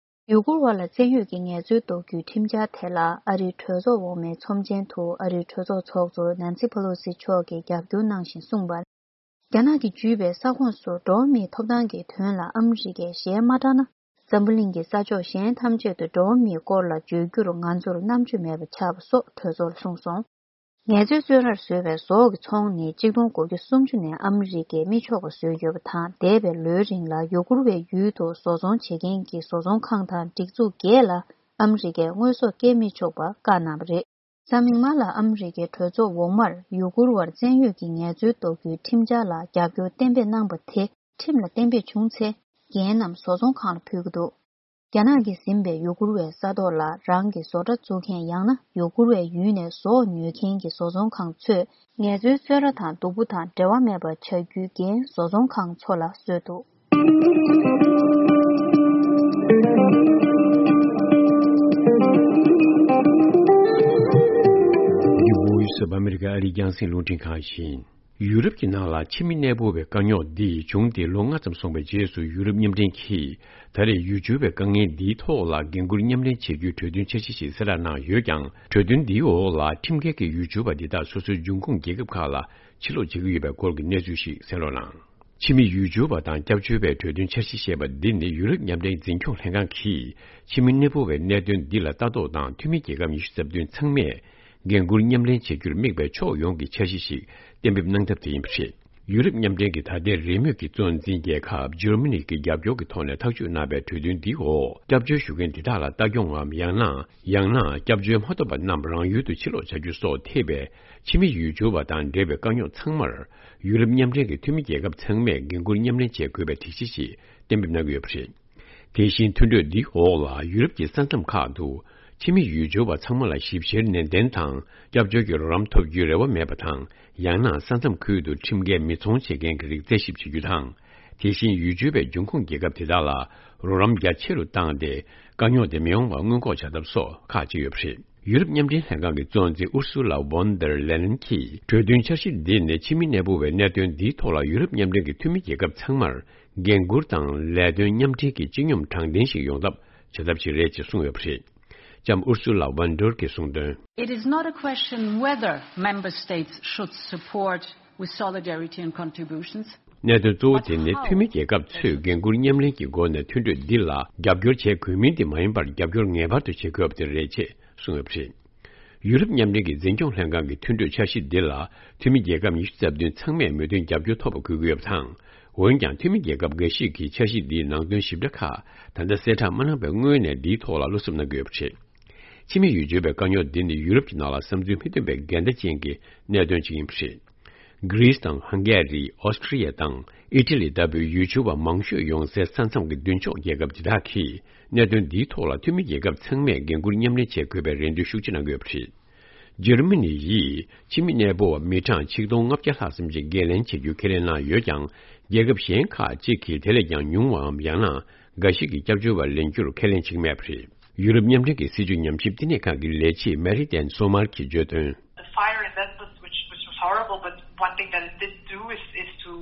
ཡུ་གུར་བ་ལ་བཙན་གཡོལ་གྱི་ངལ་རྩོལ་ཟློག་རྒྱུའི་ཁྲིམས་འཆར་དེ་ལ་ཨ་རིའི་གྲོས་ཚོགས་འོག་མའི་ཚོམས་ཆེན་དུ་ཨ་རིའི་གྲོས་ཚོགས་ཚོགས་གཙོ་ནན་སི་ཕེ་ལོ་སི་མཆོག་གིས་རྒྱབ་སྐྱོར་གནང་བཞིན་གསུངས་པར། རྒྱ་ནག་གིས་བརྒྱུད་པའི་ས་ཁོངས་སུ་འགྲོ་བ་མིའི་ཐོབ་ཐང་གི་དོན་ལ་ཨ་མི་རི་ཀས་ཞལ་མ་དྲངས་ན། འཛམ་བུ་གླིང་གི་ས་ཕྱོགས་གཞན་ཐམས་ཅད་དུ་འགྲོ་བ་མིའི་སྐོར་ལ་བརྗོད་རྒྱུར་ང་ཚོར་རྣམ་དཔྱོད་མེད་པ་ཆགས་པ་སོགས་གྲོས་ཚོགས་ལ་གསུངས་སོང་། ངལ་རྩོལ་བཙོན་རར་བཟོས་པའི་ཟོག་གི་ཚོང་ནི་གཅིག་སྟོང་དགུ་བརྒྱ་སུམ་ཅུ་ནས་ཨ་མི་རི་ཀས་མི་ཆོག་པ་བཟོས་ཡོད་པ་དང་། འདས་པའི་ལོའི་རིང་ལ་ཡུ་གུར་བའི་ཡུལ་དུ་བཟོ་ཚོང་བྱེད་མཁན་གྱི་བཟོ་ཚོང་ཁང་དང་སྒྲིག་འཛུགས་བརྒྱད་ལ་ཨ་མི་རི་ཀས་དངོས་ཟོག་སྐྱེལ་མི་ཆོག་པ་བཀག་གནང་བ་རེད། གཟའ་མིག་དམར་ལ་ཨ་མི་རི་ཀའི་གྲོས་ཚོགས་འོག་མར་ཡུ་གུར་བར་བཙན་གཡོལ་གྱི་ངལ་རྩོལ་ཟློག་རྒྱུའི་ཁྲིམས་འཆར་ལ་རྒྱབ་སྐྱོར་གཏན་འབེབས་གནང་པ་དེ་ཁྲིམས་ལ་གཏན་འབེབས་བྱུང་ཚེ། འགན་རྣམས་བཟོ་ཚོང་ཁང་ལ་ཕུལ་གྱི་འདུག་རྒྱ་ནག་གིས་ཟིན་པའི་ཡུ་གུར་བའི་ས་ཐོག་ལ་རང་གི་བཟོ་གྲྭ་བཙུགས་མཁན། ཡང་ན་ཡུ་གུར་བའི་ཡུལ་ནས་ཟོག་ཉོ་མཁན་གྱི་བཟོ་ཚོང་ཁང་ཚོས་ངལ་རྩོལ་བཙོན་ར་དང་སྡུག་པོ་དང་འབྲེལ་བ་མེད་པ་བྱ་རྒྱུའི་འགན་བཟོ་ཚོང་ཁང་ཚོ་ལ་གསོས་འདུག་འདི་Voice of America ཨ་རིའི་རྒྱང་སྲིང་རླུང་འཕྲིན་ཁང་ཡིན། ཡུ་རོབ་ཀྱི་ནང་ལ་ཕྱི་མི་གནས་སྤོ་བའི་དཀའ་རྙོག་འདི་བྱུང་སྟེ་ལོ་ལྔ་ཙམ་སོང་བའི་རྗེས་སུ། ཡུ་རོབ་མཉམ་འབྲེལ་གྱིས་ད་རེས་ཡུལ་སྦྱོར་བའི་དཀའ་ངལ་འདིའི་ཐོག་ལ་འགན་འཁུར་མཉམ་ལེན་བྱེད་རྒྱུའི་གྲོས་མཐུན་འཆར་གཞི་ཞིག་གསལ་བསྒྲགས་གནང་ཡོད་ཀྱང་། གྲོས་མཐུན་འདིའི་འོག་ལ་ཁྲིམས་འགལ་གྱི་ཡུལ་སྦྱོར་བ་འདི་དག་སོ་སོའི་འབྱུང་ཁུངས་རྒྱལ་ཁབ་ཁག་ལ་ཕྱིར་ལོག་བྱེད་ཀྱི་ཡོད་པའི་སྐོར་གྱི་གནས་ཚུལ་ཞིག་གསན་རོགས་གནང་། ཕྱི་མི་ཡུལ་སྦྱོར་བ་དང་སྐྱབས་བཅོལ་བའི་གྲོས་མཐུན་འཆར་གཞི་ཞེས་པ་འདི་ནི་ཡུ་རོབ་མཉམ་འབྲེལ་འཛིན་སྐྱོང་ལྷན་ཁང་གིས་ཕྱི་མི་གནས་སྤོ་བའི་གནད་དོན་འདི་ལ་ལྟ་རྟོག་དང་། འཐུས་མི་རྒྱལ་ཁབ་ཉི་ཤུ་རྩ་བདུན་ཚང་མས་འགན་འཁུར་མཉམ་ལེན་བྱེད་རྒྱུར་དམིགས་པའི་ཕྱོགས་ཡོངས་ཀྱི་འཆར་གཞི་ཞིག་གཏན་འབེབས་གནང་ཐབས་དེ་ཡིན་པ་རེད། ཡུ་རོབ་མཉམ་འབྲེལ་གྱི་ད་ལྟའི་རེས་མོས་ཀྱི་གཙོ་འཛིན་རྒྱལ་ཁབ་ཇར་མ་ནི་གྱི་རྒྱབ་སྐྱོར་གྱི་ཐོག་ནས་ཐག་གཅོད་གནང་བའི་གྲོས་མཐུན་འདིའི་འོག་སྐྱབས་བཅོལ་ཞུ་མཁན་འདི་དག་ལ་ལྟ་སྐྱོང་ངམ། ཡང་ན། ཡང་ན་སྐྱབས་བཅོལ་མ་ཐོབ་པ་རྣམས་རང་ཡུལ་དུ་ཕྱིར་ལོག་བྱ་རྒྱུ་སོགས་ཐེ་བའི་ཕྱི་མི་ཡུལ་སྦྱོར་བ་དང་འབྲེལ་བའི་དཀའ་རྙོག་ཚང་མར། ཡུ་རོབ་མཉམ་འབྲེལ་གྱི་འཐུས་མི་རྒྱལ་ཁབ་ཚང་མས་འགན་འཁུར་མཉམ་ལེན་བྱེད་དགོས་པའི་སྒྲིག་གཞི་ཞིག་གཏན་འབེབས་གནང་གི་ཡོད་པ་རེད། དེ་བཞིན་མཐུན་གྲོས་འདིའི་འོག་ལ་ཡུ་རོབ་ཀྱི་ས་མཚམས་ཁག་ཏུ་ཕྱི་མི་ཡུལ་སྦྱོར་བ་ཚང་མ་ལ་ཞིབ་བཤེར་ནན་ཏན་དང་སྐྱབས་བཅོལ་གྱི་རོགས་རམ་ཐོབ་རྒྱུའི་རེ་བ་མེད་པ་དང་། ཡང་ན་ས་མཚམས་ཁུལ་དུ་ཁྲིམས་འགལ་མི་ཚོང་བྱེད་མཁན་གྱི་རིགས་རྩད་ཞིབ་བྱེད་རྒྱུ་དང་། དེ་བཞིན་ཡུལ་གྲུའི་བའི་འབྱུང་ཁུངས་རྒྱལ་ཁབ་དེ་དག་ལ་རོགས་རམ་རྒྱ་ཆེ་རུ་བཏང་སྟེ། དཀའ་རྙོག་དེ་མི་ཡོང་བར་སྔོན་འགོག་བྱ་ཐབས་སོགས་ཁག་ཅིག་ཡོད་པ་རེད། ཡུ་རོབ་མཉམ་འབྲེལ་ལྷན་ཁང་གི་གཙོ་འཛིན་ཨུར་སུ་ལ་ཝོན་དར་ལེ་ཡན་གྱིས། གྲོས་མཐུན་འཆར་གཞི་འདི་ནི་ཕྱི་མི་གནས་སྤོ་བའི་གནད་དོན་འདིའི་ཐོག་ལ་ཡུ་རོབ་མཉམ་འབྲེལ་གྱི་འཐུས་མི་རྒྱལ་ཁབ་ཚང་མར་འགན་འཁུར་དང་ལས་དོན་མཉམ་འབྲེལ་གྱི་སྤྱི་སྙོམས་དྲང་བདེན་ཞིག་ཡོང་ཐབས་བྱ་ཐབས་ཤིག་རེད་ཅེས་གསུངས་ཡོད་པ་རེད། ལྕམ་ཨུར་སུ་ལ་ཝོན་དར་གྱིས་གསུངས་དོན། It is not a question whether member states should support with solidarity and contributions. གནད་དོན་གཙོ་བོ་དེ་ནི་འཐུས་མི་རྒྱལ་ཁབ་ཚོས་འགན་འཁུར་མཉམ་ལེན་གྱི་སྒོ་ནས་མཐུན་གྲོས་འདི་ལ་རྒྱབ་སྐྱོར་བྱེད་དགོས་མིན་དེ་མ་ཡིན་པར། རྒྱབ་སྐྱོར་ངེས་པར་དུ་བྱེད་དགོས་པ་དེ་རེད་ཅེས་གསུངས་ཡོད་པ་རེད། ཡུ་རོབ་མཉམ་འབྲེལ་གྱི་འཛིན་སྐྱོང་ལྷན་ཁང་གི་མཐུན་གྲོས་འཆར་གཞི་འདི་ལ་འཐུས་མི་རྒྱལ་ཁབ་ཉི་ཤུ་རྩ་བདུན་ཚང་མས་མོས་མཐུན་རྒྱབ་སྐྱོར་ཐོབ་པ་དགོས་ཀྱི་ཡོད་པ་དང་། འོན་ཀྱང་། འཐུས་མི་རྒྱལ་ཁབ་འགའ་ཞིག་གིས་འཆར་གཞི་འདིའི་ནང་དོན་ཞིབ་ཕྲ་ཁག་ད་ལྟ་གསལ་བསྒྲགས་མ་གནང་བའི་སྔོན་ནས། འདིའི་ཐོག་ལ་བློ་འཚབ་གནང་གི་ཡོད་པ་རེད། ཕྱི་མི་ཡུལ་གྲུའི་བའི་དཀའ་རྙོག་འདི་ནི་ཡུ་རོབ་ཀྱི་ནང་ལ་བསམ་ཚུལ་མི་མཐུན་པའི་འགལ་ཟླ་ཅན་གྱི་གནད་དོན་ཅིག་ཡིན་པ་རེད། གྷི་རིས་དང་ཧང་གེ་རི། ཨོ་སི་ཀྲི་ཡ་དང་ཨི་ཊ་ལི་ལྟ་བུའི་ཡུལ་གྲུ་བ་མང་ཤོས་ཡོང་སའི་ས་མཚམས་ཀྱི་མདུན་ཕྱོགས་རྒྱལ་ཁབ་དེ་དག་གིས་གནད་དོན་འདིའི་ཐོག་ལ་འཐུས་མི་རྒྱལ་ཁབ་ཚང་མས་འགན་འཁུར་མཉམ་ལེན་བྱེད་དགོས་པའི་རེ་འདུན་ཤུགས་ཆེ་གནང་གི་ཡོད་པ་རེད། འཇར་མ་ནི་ཡིས་ཕྱི་མི་གནས་སྤོ་བ་མི་གྲངས་ཆིག་སྟོང་ལྔ་བརྒྱ་ལྷག་ཙམ་ཞིག་འགན་ལེན་བྱེད་རྒྱུ་ཁས་ལེན་གནང་ཡོད་ཀྱང་། རྒྱལ་ཁབ་གཞན་ཁག་ཅིག་གིས་དེ་ལས་ཀྱང་ཉུང་བའམ་ཡང་ན་འགའ་ཞིག་གིས་སྐྱབས་བཅོལ་བ་ལེན་རྒྱུར་ཁས་ལེན་བྱེད་ཀྱི་མེད་པ་རེད། ཡུ་རོབ་མཉམ་འབྲེལ་གྱི་སྲིད་བྱུས་ཉམས་ཞིབ་བསྟི་གནས་ཁང་གི་ལས་བྱེད་མེ་རི་ཏན་སོ་མར་གྱིས་བརྗོད་དོན། The fire in Lesbos, which, which was horrible, but one thing that it did do is, is to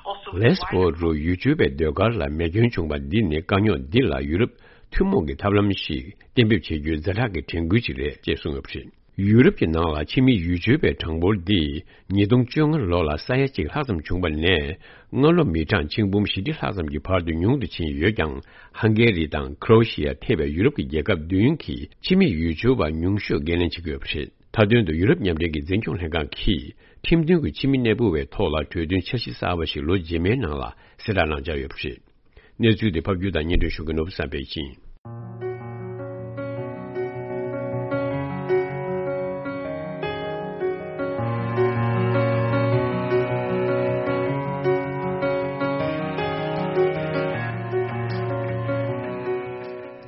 also Lesbos རུ་ཡུལ་གྲུའི་བའི་ཟློས་གར་ལ་མེ་སྐྱོན་བྱུང་བ་འདི་ནི་དཀའ་རྙོག་འདི་ལ་ཡུ་རོབ་ཐུན་མོང་གི་ཐབས་ལམ་ཞིག་གཏན་འབེབས་བྱེད་རྒྱུའི་ཛ་དྲག་གི་དྲན་སྐུལ་ཅིག་རེད་ཅེས་གསུངས་ཡོད་པ་རེད། ཡུ་རོབ་ཀྱི་ནང་ལ་ཕྱི་མི་ཡུལ་གྲུའི་བའི་གྲངས་འབོར་འདི་ཉིས་སྟོང་བཅོ་ལྔ་ལོ་ལ་ས་ཡ་གཅིག་ལྷག་ཙམ་བྱུང་བ་ནས། སྔ་ལོ་མི་གྲངས་ཆིག་འབུམ་བཞི་ཁྲི་ལྷག་ཙམ་གྱི་བར་དུ་ཉུང་དུ་ཕྱིན་ཡོད་ཀྱང་། ཧང་གེ་རི་དང་ཁྲོ་ཨེ་ཤི་ཡ་ཐེ་བའི་ཡུ་རོབ་ཀྱི་རྒྱལ་ཁབ་བདུན་གྱིས་ཕྱི་མི་ཡུལ་གྲུ་བ་ཉུང་ཤོས་འགན་ལེན་བྱེད་ཀྱི་ཡོད་པ་རེད། མཐའ་དོན་དུ་ཡུ་རོབ་མཉམ་འབྲེལ་གྱི་འཛིན་སྐྱོང་ལྷན་ཁང་གིས་ཁྲིམས་མཐུན་གྱི་ཕྱི་མི་གནས་སྤོ་བའི་ཐོག་ལ་གྲོས་མཐུན་འཆར་གཞི་གསར་བ་ཞིག་ལོ་རྗེས་མའི་ནང་ལ་གསལ་བསྒྲགས་གནང་འཆར་ཡོད་པ་རེད། གནས་ཚུལ་དེ་ཕབ་སྒྱུར་དང་སྙན་སྒྲོན་ཞུ་མཁན་ནོར་བུ་བསམ་འཕེལ་ཡིན།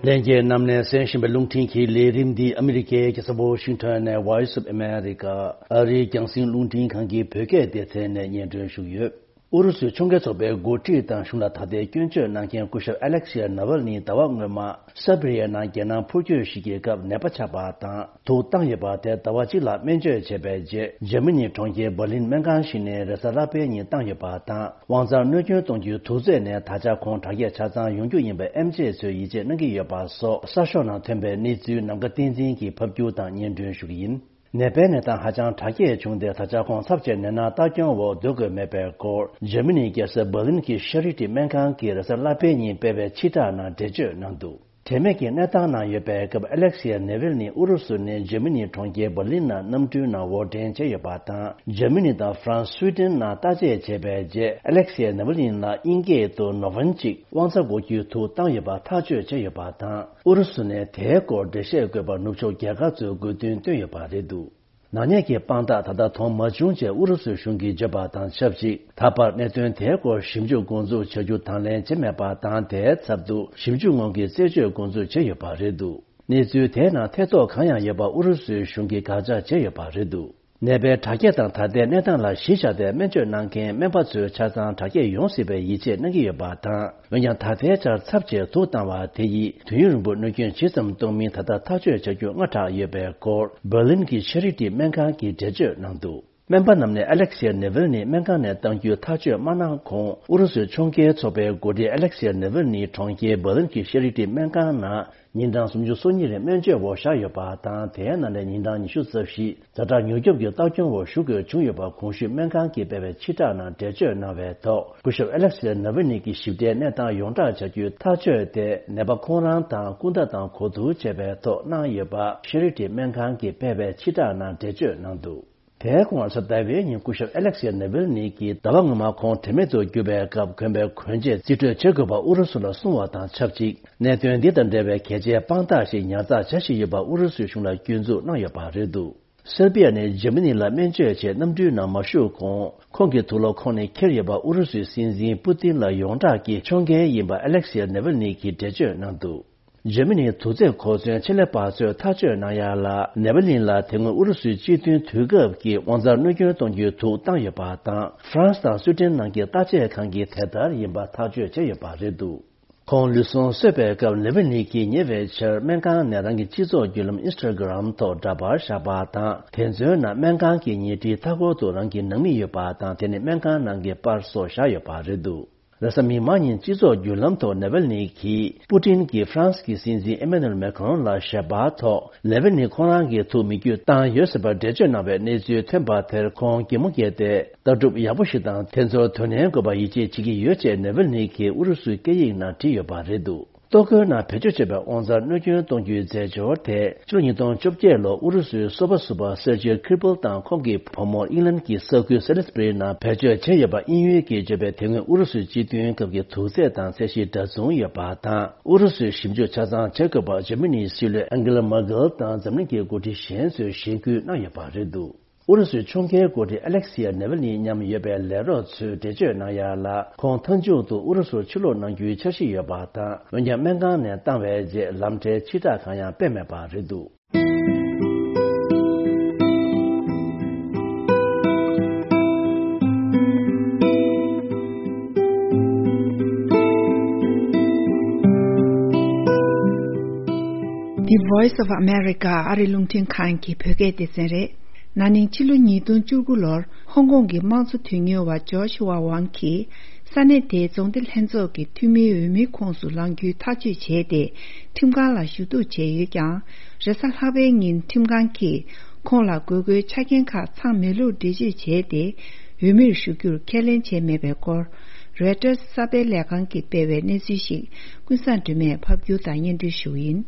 ལྷན་རྒྱས་རྣམས་ནས་གསན་བཞིན་པའི་རླུང་འཕྲིན་གྱི་ལས་རིམ་འདི་ཨ་མི་རི་ཀའི་རྒྱལ་ས་ཝོ་ཤིང་ཊོན་ནས་Voice of America ཨ་རིའི་རྒྱང་སྲིང་རླུང་འཕྲིན་ཁང་གི་བོད་སྐད་སྡེ་ཚན་ནས་སྙན་སྒྲོན་ཞུས་ཡོད། ཨུ་རུ་སུའི་ཕྱོགས་འགལ་ཚོགས་པའི་འགོ་ཁྲིད་དང་གཞུང་ལ་ད་ལྟའི་སྐྱོན་བརྗོད་གནང་མཁན་སྐུ་ཞབས་ཨ་ལེག་སི་ཡ་ནཱ་ཝལ་ནི་ཟླ་བ་སྔོན་མ་སེར་བྷི་རི་ཡའི་ནང་རྒྱལ་ནང་འཕུར་སྐྱོད་ཞིག་གི་སྐབས་ནད་པ་ཆགས་པ་དང་དུག་བཏང་ཡོད་པ་དེ་ཟླ་བ་གཅིག་ལ་སྨན་བཅོས་བྱས་པའི་རྗེས། འཇར་མ་ནིའི་གྲོང་ཁྱེར་འབར་ལིན་སྨན་ཁང་ཞིག་ནས་རེས་གཟའ་ལྷག་པའི་ཉིན་བཏང་ཡོད་པ་དང་། དབང་རྩར་གནོད་སྐྱོན་གཏོང་རྒྱུའི་དུག་རྫས་ནས་ད་ཆ་ཁོང་དྲག་སྐྱེད་ཆ་ཚང་ཡོང་རྒྱུ་ཡིན་པའི་ཨེམ་ཆི་ཚོས་ཡིད་ཆེས་གནང་གི་ཡོད་པ་སོགས་གསར་ཤོག་ནང་ཐོན་པའི་གནས་ཚུལ་ནམ་མཁའ་བསྟན་འཛིན་གྱིས་ཕབ་སྒྱུར་དང་སྙན་སྒྲོན་ཞུ་གི་ཡིན། ནད་པའི་གནས་སྟངས་ཧ་ཅང་དྲག་སྐྱེད་བྱུང་སྟེ། ད་ཆ་ཁོང་ཚབས་ཆེའི་ནད་མནར་ལྟ་སྐྱོང་འོག་སྡོད་དགོས་མེད་པའི་སྐོར། འཇར་མ་ནིའི་རྒྱལ་ས་འབར་ལིན་གྱི་ཤ་རི་ཏི་སྨན་ཁང་གིས་རེས་གཟའ་ལྷག་པའི་ཉིན་སྤེལ་བའི་ཕྱིར་བསྒྲགས་ནང་འགྲེལ་བརྗོད་གནང་འདུག་དྲན་མེད་ཀྱི་གནས་སྟངས་ནང་ཡོད་པའི་སྐབས། ཨ་ལེག་སི་ཡ་ནེ་ཝིལ་ནི་ཨུ་རུ་སུ་ནས་འཇར་མ་ནིའི་གྲོང་ཁྱེར་འབར་ལིན་ནང་གནམ་གྲུའི་ནང་འོར་འདྲེན་བྱས་ཡོད་པ་དང་། འཇར་མ་ནི་དང་ཧྥ་རན་སི། སུའི་ཏན་ནང་བརྟག་དཔྱད་བྱས་པའི་རྗེས། ཨ་ལེག་སི་ཡ་ནེ་ཝིལ་ནི་ལ་དབྱིན་སྐད་དུ་ནོ་ཝན་གཅིག་དབང་རྩ་འགོག་རྒྱུའི་དུག་བཏང་ཡོད་པ་ཐག་གཅོད་བྱས་ཡོད་པ་དང་། ཨུ་རུ་སུ་ནས་དེའི་སྐོར་འགྲེལ་བཤད་དགོས་པར་ནུབ་ཕྱོགས་རྒྱལ་ཁབ་ཚོས་དགོས་འདུན་བཏོན་ཡོད་པ་རེད་འདུག་ནག་ཉེས་ཀྱི་དཔང་རྟགས་ད་ལྟ་མཐོང་མ་བྱུང་ཅེས་ཨུ་རུ་སུའི་གཞུང་གིས་བརྗོད་པ་དང་ཆབས་ཅིག་ད་བར་གནད་དོན་དེའི་སྐོར་ཞིབ་འཇུག་འགོ་འཛུགས་བྱ་རྒྱུ་དང་ལེན་བྱས་མེད་པ་དང་། དེའི་ཚབ་ཏུ་ཞིབ་འཇུག་སྔོན་གྱི་རྩད་གཅོད་འགོ་འཛུགས་བྱས་ཡོད་པ་རེད་འདུག་གནས་ཚུལ་དེའི་ནང་ཐེ་གཏོགས་གང་ཡང་ཡོད་པ་ཨུ་རུ་སུའི་གཞུང་གིས་དགག་བྱ་བྱས་ཡོད་པ་རེད་འདུག་ནད་པའི་དྲག་སྐྱེད་དང་ད་ལྟའི་གནས་སྟངས་ལ་གཞི་བཞག་སྟེ། སྨན་བཅོས་གནང་མཁན་སྨན་པ་ཚོས་ཆ་ཚང་དྲག་སྐྱེད་ཡོང་སྲིད་པའི་ཡིད་ཆེས་གནང་གི་ཡོད་པ་དང་། འོན་ཀྱང་། ད་ལྟའི་ཆར་ཚབས་ཆེའི་དུག་བཏང་བ་དེ་ཡིས་དུས་ཡུན་རིང་པོ་གནོད་སྐྱོན་ཇི་ཙམ་གཏོང་མིན་ད་ལྟ་ཐག་གཅོད་བྱ་རྒྱུ་སྔ་དྲགས་ཡོད་པའི་སྐོར། འབར་ལིན་གྱི་ཤ་རི་ཏི་སྨན་ཁང་གིས་འགྲེལ་བརྗོད་གནང་འདུག་སྨན་པ་རྣམས་ནས་ཨ་ལེག་སི་ཡ་ནེ་ཝིལ་ནི་སྨན་ཁང་ནས་གཏང་རྒྱུའི་ཐག་གཅོད་མ་གནང་གོང་། ཨུ་རུ་སུའི་ཕྱོགས་འགལ་ཚོགས་པའི་འགོ་ཁྲིད་ཨ་ལེག་སི་ཡ་ནེ་ཝིལ་ནི་གྲོང་ཁྱེར་འབར་ལིན་གྱི་ཤ་རི་ཏི་སྨན་ཁང་ནང་ཉིན་གྲངས་སུམ་ཅུ་སོ་གཉིས་རིང་སྨན་བཅོས་འོག་བཞག་ཡོད་པ་དང་། དེའི་ནང་ནས་ཉིན་གྲངས་ཉི་ཤུ་རྩ་བཞི་ཛ་དྲག་མྱུར་སྐྱོབ་ཀྱི་ལྟ་སྐྱོང་འོག་བཞུགས་དགོས་བྱུང་ཡོད་པ། གོང་ཞུས་སྨན་ཁང་གིས་སྤེལ་བའི་ཕྱིར་བསྒྲགས་ནང་འགྲེལ་བརྗོད་གནང་བའི་ཐོག་སྐུ་ཞབས་ཨ་ལེག་སི་ཡ་ནཱ་ཝི་ནི་གི་ཞིབ་ཕྲའི་གནས་སྟངས་ཡོངས་བསྒྲགས་བྱ་རྒྱུའི་ཐག་གཅོད་དེ། ནད་པ་ཁོང་རང་དང་སྐུ་ཟླ་དང་གོ་བསྡུར་བྱས་པའི་ཐོག་གནང་ཡོད་པ། ཤེ་རི་ཏི་སྨན་ཁང་གིས་སྤེལ་བའི་ཕྱིར་བསྒྲགས་ནང་འགྲེལ་བརྗོད་གནང་འདུག་དེའི་གོང་རེས་གཟའ་ཟླ་བའི་ཉིན་སྐུ་ཞབས་ཨ་ལེག་སི་ཡ་ནཱ་ཝི་ནི་གིས་ཟླ་བ་སྔོན་མ་ཁོང་དྲན་མེད་དུ་གྱུར་པའི་སྐབས། གོན་པའི་གོན་ཆས་རྩིས་སྤྲོད་བྱེད་དགོས་པ་ཨུ་རུ་སུ་ལ་གསུངས་བ་དང་ཆབས་ཅིག་གནད་དོན་འདི་དང་འབྲེལ་བའི་གལ་ཆེའི་དཔང་རྟགས་ཤིག་ཉར་ཚགས་བྱ་བཞིན་ཡོད་པ་ཨུ་རུ་སུའི་གཞུང་ལ་སྐྱོན་འཛུགས་གནང་ཡོད་པ་རེད་འདུག་སེར་བྷི་ཡ་ནས་འཇར་མ་ནི་ལ་སྨན་བཅོས་ཆེད་གནམ་གྲུའི་ནང་མ་ཞུགས་གོང་། ཁོང་གི་དུག་ལོག་ཁོག་ནས་འཁྱེར་ཡོད་པ་ཨུ་རུ་སུའི་སྲིད་འཛིན་པུ་ཏིན་ལ་ཡོངས་གྲགས་ཀྱི་ཕྱོགས་འགལ་ཡིན་པ་ཨ་ལེག་སི་ཡ་ནེ་ཝིལ་ནི་གིས་འགྲེལ་བརྗོད་གནང་འདུག་འཇར་མ་ནིའི་དུག་རྫས་གོ་མཚོན་ཆེད་ལས་པ་ཚོས་ཐག་གཅོད་གནང་ཡ་ལ། ནེ་པ་ལིན་ལ་དེ་སྔོན་ཨུ་རུ་སུའི་སྤྱི་མཐུན་དུས་སྐབས་ཀྱི་དབང་རྩར་གནོད་སྐྱོན་གཏོང་རྒྱུའི་དུག་བཏང་ཡོད་པ་དང་། ཧྥ་རན་སི་དང་སུའེ་ཏེན་ནང་གི་བརྟག་དཔྱད་ཁང་གིས་དེ་ལྟར་ཡིན་པ་ཐག་གཅོད་བྱས་ཡོད་པ་རེད་འདུག་ཁོང་ལུས་ཟུངས་གསོས་པའི་སྐབས་ནེ་པ་ལིན་གྱིས་ཉེ་བའི་ཆར་སྨན་ཁང་ནས་རང་གི་སྤྱི་ཚོགས་བརྒྱུད་ལམ་ཨིན་སི་ཊ་གྷི་རམ་ཐོག་འདྲ་པར་བཞག་པ་དང་། དེ་ཚོའི་ནང་སྨན་ཁང་གི་ཉལ་ཁྲིའི་མཐའ་འཁོར་དུ་རང་གི་ནང་མི་ཡོད་པ་དང་། དེ་ནི་སྨན་ཁང་ནང་གི་པར་སོགས་བཞག་ཡོད་པ་རེད་འདུག་རེས་གཟའ་མིག་དམར་ཉིན་སྤྱི་ཚོགས་བརྒྱུད་ལམ་ཐོག་ནེ་པ་ལིན་གྱིས་པུ་ཏིན་གྱིས་ཧྥ་རན་སི་གི་སྲིད་འཛིན་ཨེ་མ་ནུ་ཨེལ་མེ་ཁ་རོན་ལ་ཞལ་པར་ཐོག་ནེ་པ་ལིན་ཁོང་རང་གི་ཐུགས་མི་འཁྱོད་བཏང་ཡོད་ཟེར་བར་འགྲེལ་བརྗོད་གནང་བའི་གནས་ཚུལ་ཐོན་པ་དེར་ཁོང་གད་མོ་བགད་དེ། ལྟ་གྲུབ་ཡག་པོ་ཞིག་དང་དེ་ཚོར་དོ་ནན་དགོས་པ་ཡིད་ཆེས་བྱེད་ཀྱི་ཡོད་ཅེས་ནེ་པ་ལིན་གྱིས་ཨུ་རུ་སུའི་སྐད་ཡིག་ནང་བྲིས་ཡོད་པ་རེད་འདུག་ལྟོ་གོས་ནང་བེད་སྤྱོད་བྱས་པའི་དབང་རྩར་གནོད་སྐྱོན་གཏོང་རྒྱུའི་རྫས་སྦྱོར་དེ་ཕྱི་ལོ་ཉིས་སྟོང་བཅོ་བརྒྱད་ལོར་ཨུ་རུ་སུའི་སོ་པ་ཟུར་པ་སེར་ཇི་ཁི་རི་པལ་དང་ཁོང་གི་བུ་མོར་ཨིང་ལན་གྱི་ས་ཁུལ་སེ་ལི་སི་བྷ་རི་ནང་བེད་སྤྱོད་བྱས་ཡོད་པ་དབྱིན་ཡུལ་གྱིས་བརྗོད་པའི་དེ་སྔོན་ཨུ་རུ་སུའི་སྤྱི་མཐུན་སྐབས་ཀྱི་དུག་རྫས་དང་ཚད་གཞི་འདྲ་མཚུངས་ཡོད་པ་དང་། ཨུ་རུ་སུས་ཞིབ་འཇུག་ཆ་ཚང་བྱེད་དགོས་པ་འཇར་མ་ནིའི་སྲིད་བློན་ཨན་གེ་ལ་མར་ཀེལ་དང་འཛམ་གླིང་གི་འགོ་ཁྲིད་གཞན་ཚོས་གཞེན་སྐུལ་གནང་ཡོད་པ་རེད་འདུག་ཨུ་རུ་སུའི་ཕྱོགས་འགལ་འགོ་ཁྲིད་ཨ་ལེག་སི་ཡ་ནེ་ཝལ་ནི་མཉམ་ཡོད་པའི་ལས་རོགས་ཚོས་འགྲེལ་བརྗོད་གནང་ཡ་ལ། ཁོང་མཐའ་མཇུག་ཏུ་ཨུ་རུ་སུར་ཕྱིར་ལོག་གནང་རྒྱུའི་འཆར་གཞི་ཡོད་པ་དང་། འོན་ཀྱང་སྨན་ཁང་ནས་བཏང་བའི་རྗེས་ལམ་ཁྲལ་ཕྱིར་བསྒྲགས་གང་ཡང་སྤེལ་མེད་པ་རེད་འདུག The Voice of America ཨ་རི་རླུང་འཕྲིན་ཁང་གི་བོད་སྐད་སྡེ་ཚན་རེད། ན་ནིང་ཕྱི་ལོ་ཉིས་སྟོང་བཅུ་དགུ་ལོར་ཧོང་ཀོང་གི་དམངས་གཙོ་དོན་གཉེར་བ་ཇོ་ཤུ་ཝ་ཝང་གིས་ས་གནས་དེའི་རྫོང་སྡེ་ལྷན་ཚོགས་ཀྱི་འཐུས་མིའི་འོས་མིའི་ཁོངས་སུ་ལངས་རྒྱུའི་ཐག་གཅོད་བྱས་ཏེ། ཁྲིམས་ཁང་ལ་ཞུ་གཏུག་བྱས་ཡོད་ཀྱང་། རེས་གཟའ་ལྷག་པའི་ཉིན་ཁྲིམས་ཁང་གིས་ཁོང་ལ་དགོས་མཁོའི་ཆ་རྐྱེན་ཁག་ཚང་མེད་ལུགས་འགྲེལ་བརྗོད་བྱས་ཏེ། འོས་མིར་ཞུགས་རྒྱུར་ཁས་ལེན་བྱས་མེད་པའི་སྐོར། རོའི་ཊར་གསར་སྤེལ་ལས་ཁང་གིས་སྤེལ་བའི་གནས་ཚུལ་ཞིག་ཀུན་བཟང་སྒྲོལ་མས་ཕབ་སྒྱུར་དང་སྙན་སྒྲོན་ཞུ་གི་ཡིན།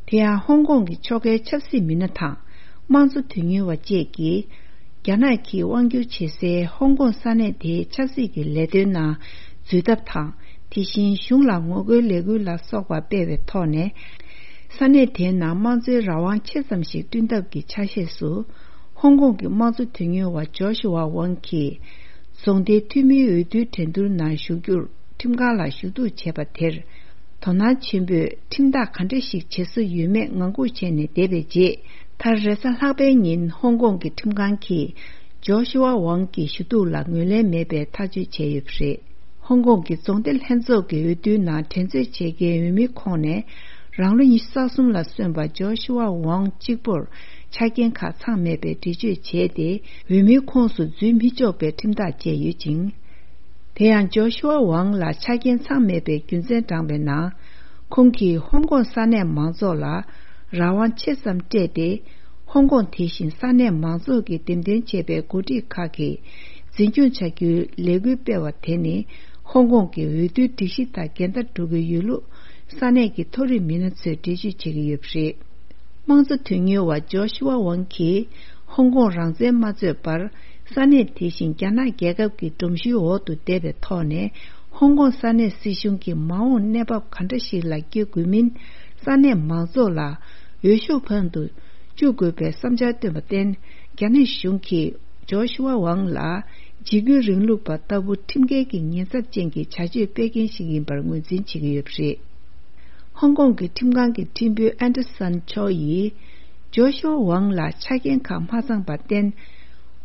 དེ་ཡང་ཧོང་ཀོང་གི་ཕྱོགས་འགལ་ཆབ་སྲིད་མི་སྣ་དང་དམངས་གཙོ་དོན་གཉེར་བ་བཅས་ཀྱིས། རྒྱ་ནག་གིས་དབང་སྒྱུར་བྱེད་སའི་ཧོང་ཀོང་ས་གནས་དེའི་ཆབ་སྲིད་ཀྱི་ལས་དོན་ནང་འཛུལ་ཐབས་དང་། དེ་བཞིན་གཞུང་ལ་ངོ་རྒོལ་ལས་འགུལ་ལ་སོགས་པ་སྤེལ་བའི་ཐོག་ནས། ས་གནས་དེའི་ནང་དམངས་གཙོའི་རང་དབང་ཆེ་ཙམ་ཞིག་བསྐྲུན་ཐབས་ཀྱི་ཆ་ཤས་སུ། ཧོང་ཀོང་གི་དམངས་གཙོ་དོན་གཉེར་བ་ཇོ་ཤུ་ཝ་ཝང་གིས། རྫོང་སྡེའི་འཐུས་མིའི་འོས་བསྡུའི་འགྲན་བསྡུར་ནང་ཞུགས་རྒྱུར་ཁྲིམས་ཁང་ལ་ཞུ་གཏུག་བྱས་པ་དེར། དོ་སྣང་ཆེན་པོས་ཁྲིམས་ཐག་ག་འདྲ་ཞིག་བྱེད་སྲོལ་ཡོད་མེད་ངང་སྒུག་བྱས་ནས་བསྡད་པའི་རྗེས། མཐར་རེས་གཟའ་ལྷག་པའི་ཉིན་ཧོང་ཀོང་གི་ཁྲིམས་ཁང་གིས་ཇོ་ཤུ་ཝ་ཝང་གི་ཞུ་གཏུག་ལ་ངོས་ལེན་མེད་པའི་ཐག་གཅོད་བྱས་ཡོད་པ་རེད། ཧོང་ཀོང་གི་རྫོང་སྡེ་ལྷན་ཚོགས་ཀྱི་འོས་བསྡུའི་ནང་འགྲན་རྩོད་བྱེད་མཁན་འོས་མིའི་ཁོངས་ནས། རང་ལོ་ཉི་ཤུ་རྩ་གསུམ་ལ་སོན་པ་ཇོ་ཤུ་ཝ་ཝང་གཅིག་པུར་ཆ་རྐྱེན་ཁག་ཚང་མེད་པའི་འགྲེལ་བརྗོད་བྱས་ཏེ། འོས་མིའི་ཁོངས་སུ་འཛུལ་མི་ཆོག་པའི་ཁྲིམས་ཐག་བཅད་ཡོད་ཅིང་། དེ་ཡང་ཇོ་ཤུ་ཝ་ཝང་ལ་ཆ་རྐྱེན་ཚང་མེད་པའི་རྒྱུ་མཚན་དྲངས་པའི་ནང་། ཁོང་གིས་ཧོང་ཀོང་ས་གནས་མང་ཚོགས་ལ་རང་དབང་ཆེ་ཙམ་སྤྲད་དེ། ཧོང་ཀོང་དེ་བཞིན་ས་གནས་མང་ཚོགས་ཀྱིས་འདེམས་ཐོན་བྱས་པའི་འགོ་ཁྲིད་ཁག་གིས་འཛིན་སྐྱོང་བྱ་རྒྱུའི་ལས་འགུལ་སྤེལ་བ་དེ་ནི། ཧོང་ཀོང་གི་འོས་བསྡུའི་སྒྲིག་གཞི་དང་འགལ་ཟླ་འགྲོ་གི་ཡོད་ལུགས་ས་གནས་ཀྱི་མཐོ་རིམ་མི་སྣ་ཚོས་འགྲེལ་བརྗོད་བྱེད་ཀྱི་ཡོད་པ་རེད། དམངས་གཙོ་དོན་གཉེར་བ་ཇོ་ཤུ་ཝ་ཝང་གིས་ཧོང་ཀོང་རང་བཙན་མ་རྩོད་པར། ས་གནས་དེ་བཞིན་རྒྱ་ནག་རྒྱལ་ཁབ་ཀྱི་སྒྲོམ་གཞིའི་འོག་ཏུ་བསྡད་པའི་ཐོག་ནས། ཧོང་ཀོང་ས་གནས་སྲིད་གཞུང་གིས་མ་འོངས་གནས་བབ་ག་འདྲ་ཞིག་ལ་སྐྱེལ་དགོས་མིན། ས་གནས་མང་ཚོགས་ལ་འོས་ཤོག་འཕང་དུ་བཅུག་དགོས་པའི་བསམ་འཆར་བཏོན་པར་བརྟེན། རྒྱ་ནག་གཞུང་གིས་ཇོ་ཤུ་ཝ་ཝང་ལ་འཇིགས་སྐུལ་རིང་ལུགས་པ་ལྟ་བུ་ཁྲིམས་འགལ་གྱི་ཉེན་ཚབས་ཅན་གྱི་བྱ་སྤྱོད་སྤེལ་མཁན་ཞིག་ཡིན་པར་ངོས་འཛིན་བྱེད་ཀྱི་ཡོད་པ་རེད། ཧོང་ཀོང་གི་ཁྲིམས་ཁང་གི་ཁྲིམས་དཔོན་ཨན་ཏེར་སན་ཆོ་ཡིས། ཇོ་ཤུ་ཝ་ཝང་ལ་ཆ་རྐྱེན་ཁག་མ་ཚང་བར་བརྟེན།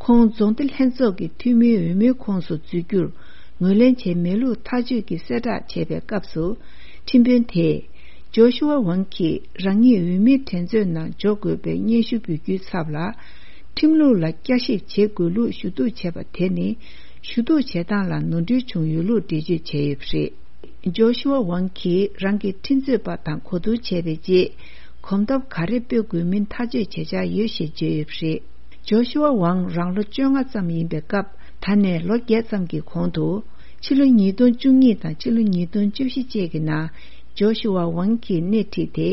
ཁོང་རྫོང་སྡེ་ལྷན་ཚོགས་ཀྱི་འཐུས་མིའི་འོས་མིའི་ཁོངས་སུ་འཛུལ་རྒྱུར་ངོས་ལེན་བྱས་མེད་ལུགས་ཐག་གཅོད་ཀྱིས་གསལ་བསྒྲགས་བྱས་པའི་སྐབས་སུ། ཁྲིམས་དཔོན་དེས། ཇོ་ཤུ་ཝ་ཝང་གིས་རང་ཉིད་འོས་མིའི་འགྲན་རྩོད་ནང་འཇོག་དགོས་པའི་སྙན་ཞུ་འབུལ་རྒྱུའི་ཚབ་ལ། ཁྲིམས་ལུགས་ལ་བསྐྱར་ཞིབ་བྱེད་དགོས་ལུགས་ཞུ་གཏུག་བྱས་པ་དེ་ནི། ཞུ་གཏུག་བྱེད་སྟངས་ལ་ནོར་འཁྲུལ་བྱུང་ཡོད་ལུགས་འགྲེལ་བརྗོད་བྱས་ཡོད་པ་རེད། ཇོ་ཤུ་ཝ་ཝང་གིས་རང་གི་ཁྲིམས་རྩོད་པ་དང་གོ་བསྡུར་བྱས་པའི་རྗེས། གོམ་སྟབས་ག་རེ་སྤོ་དགོས་མིན་ཐག་གཅོད་བྱེད་འཆར་ཡོད་ཞེས་བརྗོད་ཡོད་པ་རེད། ཇོ་ཤུ་ཝ་ཝང་རང་ལོ་བཅོ་ལྔ་ཙམ་ཡིན་པའི་སྐབས། ད་ནས་ལོ་བརྒྱད་ཙམ་གྱི་གོང་དུ། ཕྱི་ལོ་ཉིས་སྟོང་བཅུ་གཉིས་དང་ཕྱི་ལོ་ཉིས་སྟོང་བཅུ་བཞི་བཅས་ཀྱི་ནང་། ཇོ་ཤུ་ཝ་ཝང་གིས་སྣེ་ཁྲིད་དེ།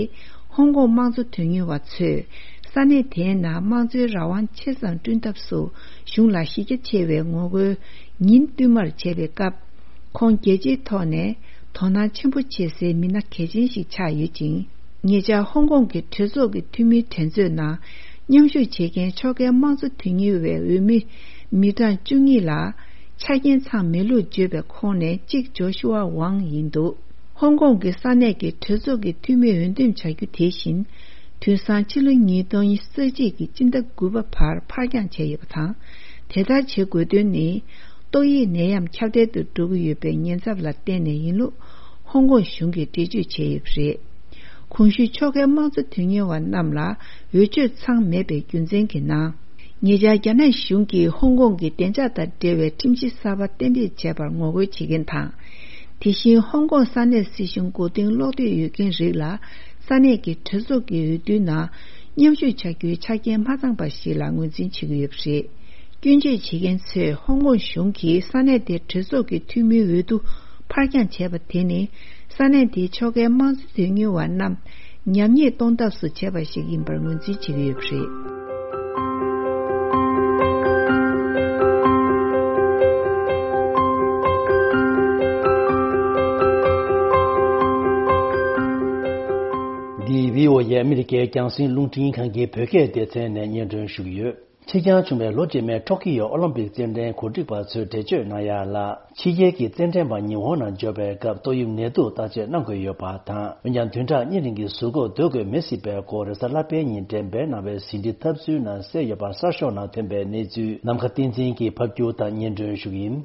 ཧོང་ཀོང་དམངས་གཙོ་དོན་གཉེར་བ་ཚོས། ས་གནས་དེའི་ནང་དམངས་གཙོའི་རང་དབང་ཆེ་ཙམ་བསྐྲུན་ཐབས་སུ། གཞུང་ལ་གཞི་རྒྱ་ཆེ་བའི་ངོ་རྒོལ་ཉིན་བསྟུད་མར་བྱས་པའི་སྐབས། ཁོང་རྒྱལ་སྤྱིའི་ཐོག་ནས་དོ་སྣང་ཆེན་པོ་བྱེད་སའི་མི་སྣ་གལ་ཆེན་ཞིག་ཆགས་ཡོད་ཅིང་། ཉེ་ཆར་ཧོང་ཀོང་གི་གྲོས་ཚོགས་ཀྱི་འཐུས་མིའི་འགྲན་རྩོད་ནང་མཉམ་ཞུགས་བྱེད་མཁན་ཕྱོགས་འགལ་དམངས་གཙོ་དོན་གཉེར་བའི་འོས་མི་མི་གྲངས་བཅུ་གཉིས་ལ་ཆ་རྐྱེན་ཚང་མེད་ལུགས་བརྗོད་པའི་ཁོངས་ནས་གཅིག་ཇོ་ཤུ་ཝ་ཝང་ཡིན་འདུག་ཧོང་ཀོང་གི་ས་གནས་ཀྱི་གྲོས་ཚོགས་ཀྱི་འཐུས་མི་འོས་འདེམས་བྱ་རྒྱུ་དེ་བཞིན། དུས་སང་ཕྱི་ལོ་ཉིས་སྟོང་ཉི་ཤུ་རྩ་གཅིག་གི་སྤྱི་ཟླ་དགུ་པ་བར་ཕར་འགྱངས་བྱས་ཡོད་པ་དང་། དེ་ལྟར་བྱེད་དགོས་དོན་ནི། ཏོག་དབྱིབས་ནད་ཡམས་ཁྱབ་གདལ་དུ་འགྲོ་གི་ཡོད་པའི་ཉེན་ཚབས་ལ་བརྟེན་ནས་ཡིན་ལུགས་ཧོང་ཀོང་གཞུང་གིས་འགྲེལ་བརྗོད་བྱས་ཡོད་པ་རེད། གོང་ཞུས་ཕྱོགས་འགལ་དམངས་གཙོ་དོན་གཉེར་བ་རྣམས་ལ་འོས་ཆོས་ཚང་མེད་པའི་རྒྱུ་མཚན་གྱི་ནང་། ཉེ་ཆར་རྒྱ་ནག་གཞུང་གིས་ཧོང་ཀོང་གི་བདེ་འཇགས་དང་འབྲེལ་བའི་ཁྲིམས་གཞི་གསར་པ་གཏན་འབེབས་བྱས་པར་ངོ་རྒོལ་བྱེད་མཁན་དང་། དེ་བཞིན་ཧོང་ཀོང་ས་གནས་སྲིད་གཞུང་མགོ་རྟིང་སློག་འདོད་ཡོད་མཁན་རིགས་ལ་ས་གནས་ཀྱི་གྲོས་ཚོགས་ཀྱི་འོས་བསྡུའི་ནང་མཉམ་ཞུགས་བྱ་རྒྱུའི་ཆ་རྐྱེན་མ་ཚང་པ་ཞིག་ལ་ངོས་འཛིན་བྱེད་ཀྱི་ཡོད་པ་རེད། སྐྱོན་བརྗོད་བྱེད་མཁན་ཚོས་ཧོང་ཀོང་གཞུང་གིས་ས་གནས་དེའི་གྲོས་ཚོགས་ཀྱི་འཐུས་མིའི་འོས་བསྡུ་ཕར་འགྱངས་བྱས་པ་དེ་ནི། ས་གནས་དེའི་ཕྱོགས་འགལ་དམངས་གཙོ་དོན་གཉེར་བ་རྣམས་ཉམས་ཉེས་གཏོང་ཐབས་སུ་བྱས་པ་ཞིག་ཡིན་པར་ངོས་འཛིན་བྱེད་ཀྱི་ཡོད་པ་རེད། འདི་བྷི་ཨོ་ཨེ་ཨ་མི་རི་ཀའི་རྒྱང་སྲིང་རླུང་འཕྲིན་ཁང་གི་བོད་སྐད་སྡེ་ཚན་ནས་སྙན་སྒྲོན་ཞུ་གི་ཡོད། ཕྱིར་འགྱངས་བྱུང་བའི་ལོ་རྗེས་མའི་ཊོ་ཀི་ཡོ་ཨོ་ལིམ་པིག་རྩེད་འགྲན་གོ་སྒྲིག་པ་ཚོས་འགྲེལ་བརྗོད་གནང་ཡ་ལ། ཕྱི་རྒྱལ་གྱི་རྩེད་འགྲན་པ་ཉི་ཧོང་ནང་འབྱོར་བའི་སྐབས་ཏོག་དབྱིབས་ནད་དུག་བརྟག་དཔྱད་གནང་དགོས་ཡོད་པ་དང་། འོན་ཀྱང་བདུན་ཕྲག་གཉིས་རིང་གི་ཟུར་འགོག་སྡོད་དགོས་མེད་སྲིད་པའི་སྐོར། རེས་གཟའ་ལྷག་པའི་ཉིན་འགྲེམས་སྤེལ་གནང་བའི་ཟིན་བྲིས་ཐབས་ཚུལ་ནང་གསལ་ཡོད་པ་གསར་ཤོག་ནང་ཐོན་པའི་གནས་ཚུལ་ནམ་མཁའ་བསྟན་འཛིན་གྱིས་ཕབ་སྒྱུར་དང་སྙན་སྒྲོན་ཞུ་གི་ཡིན།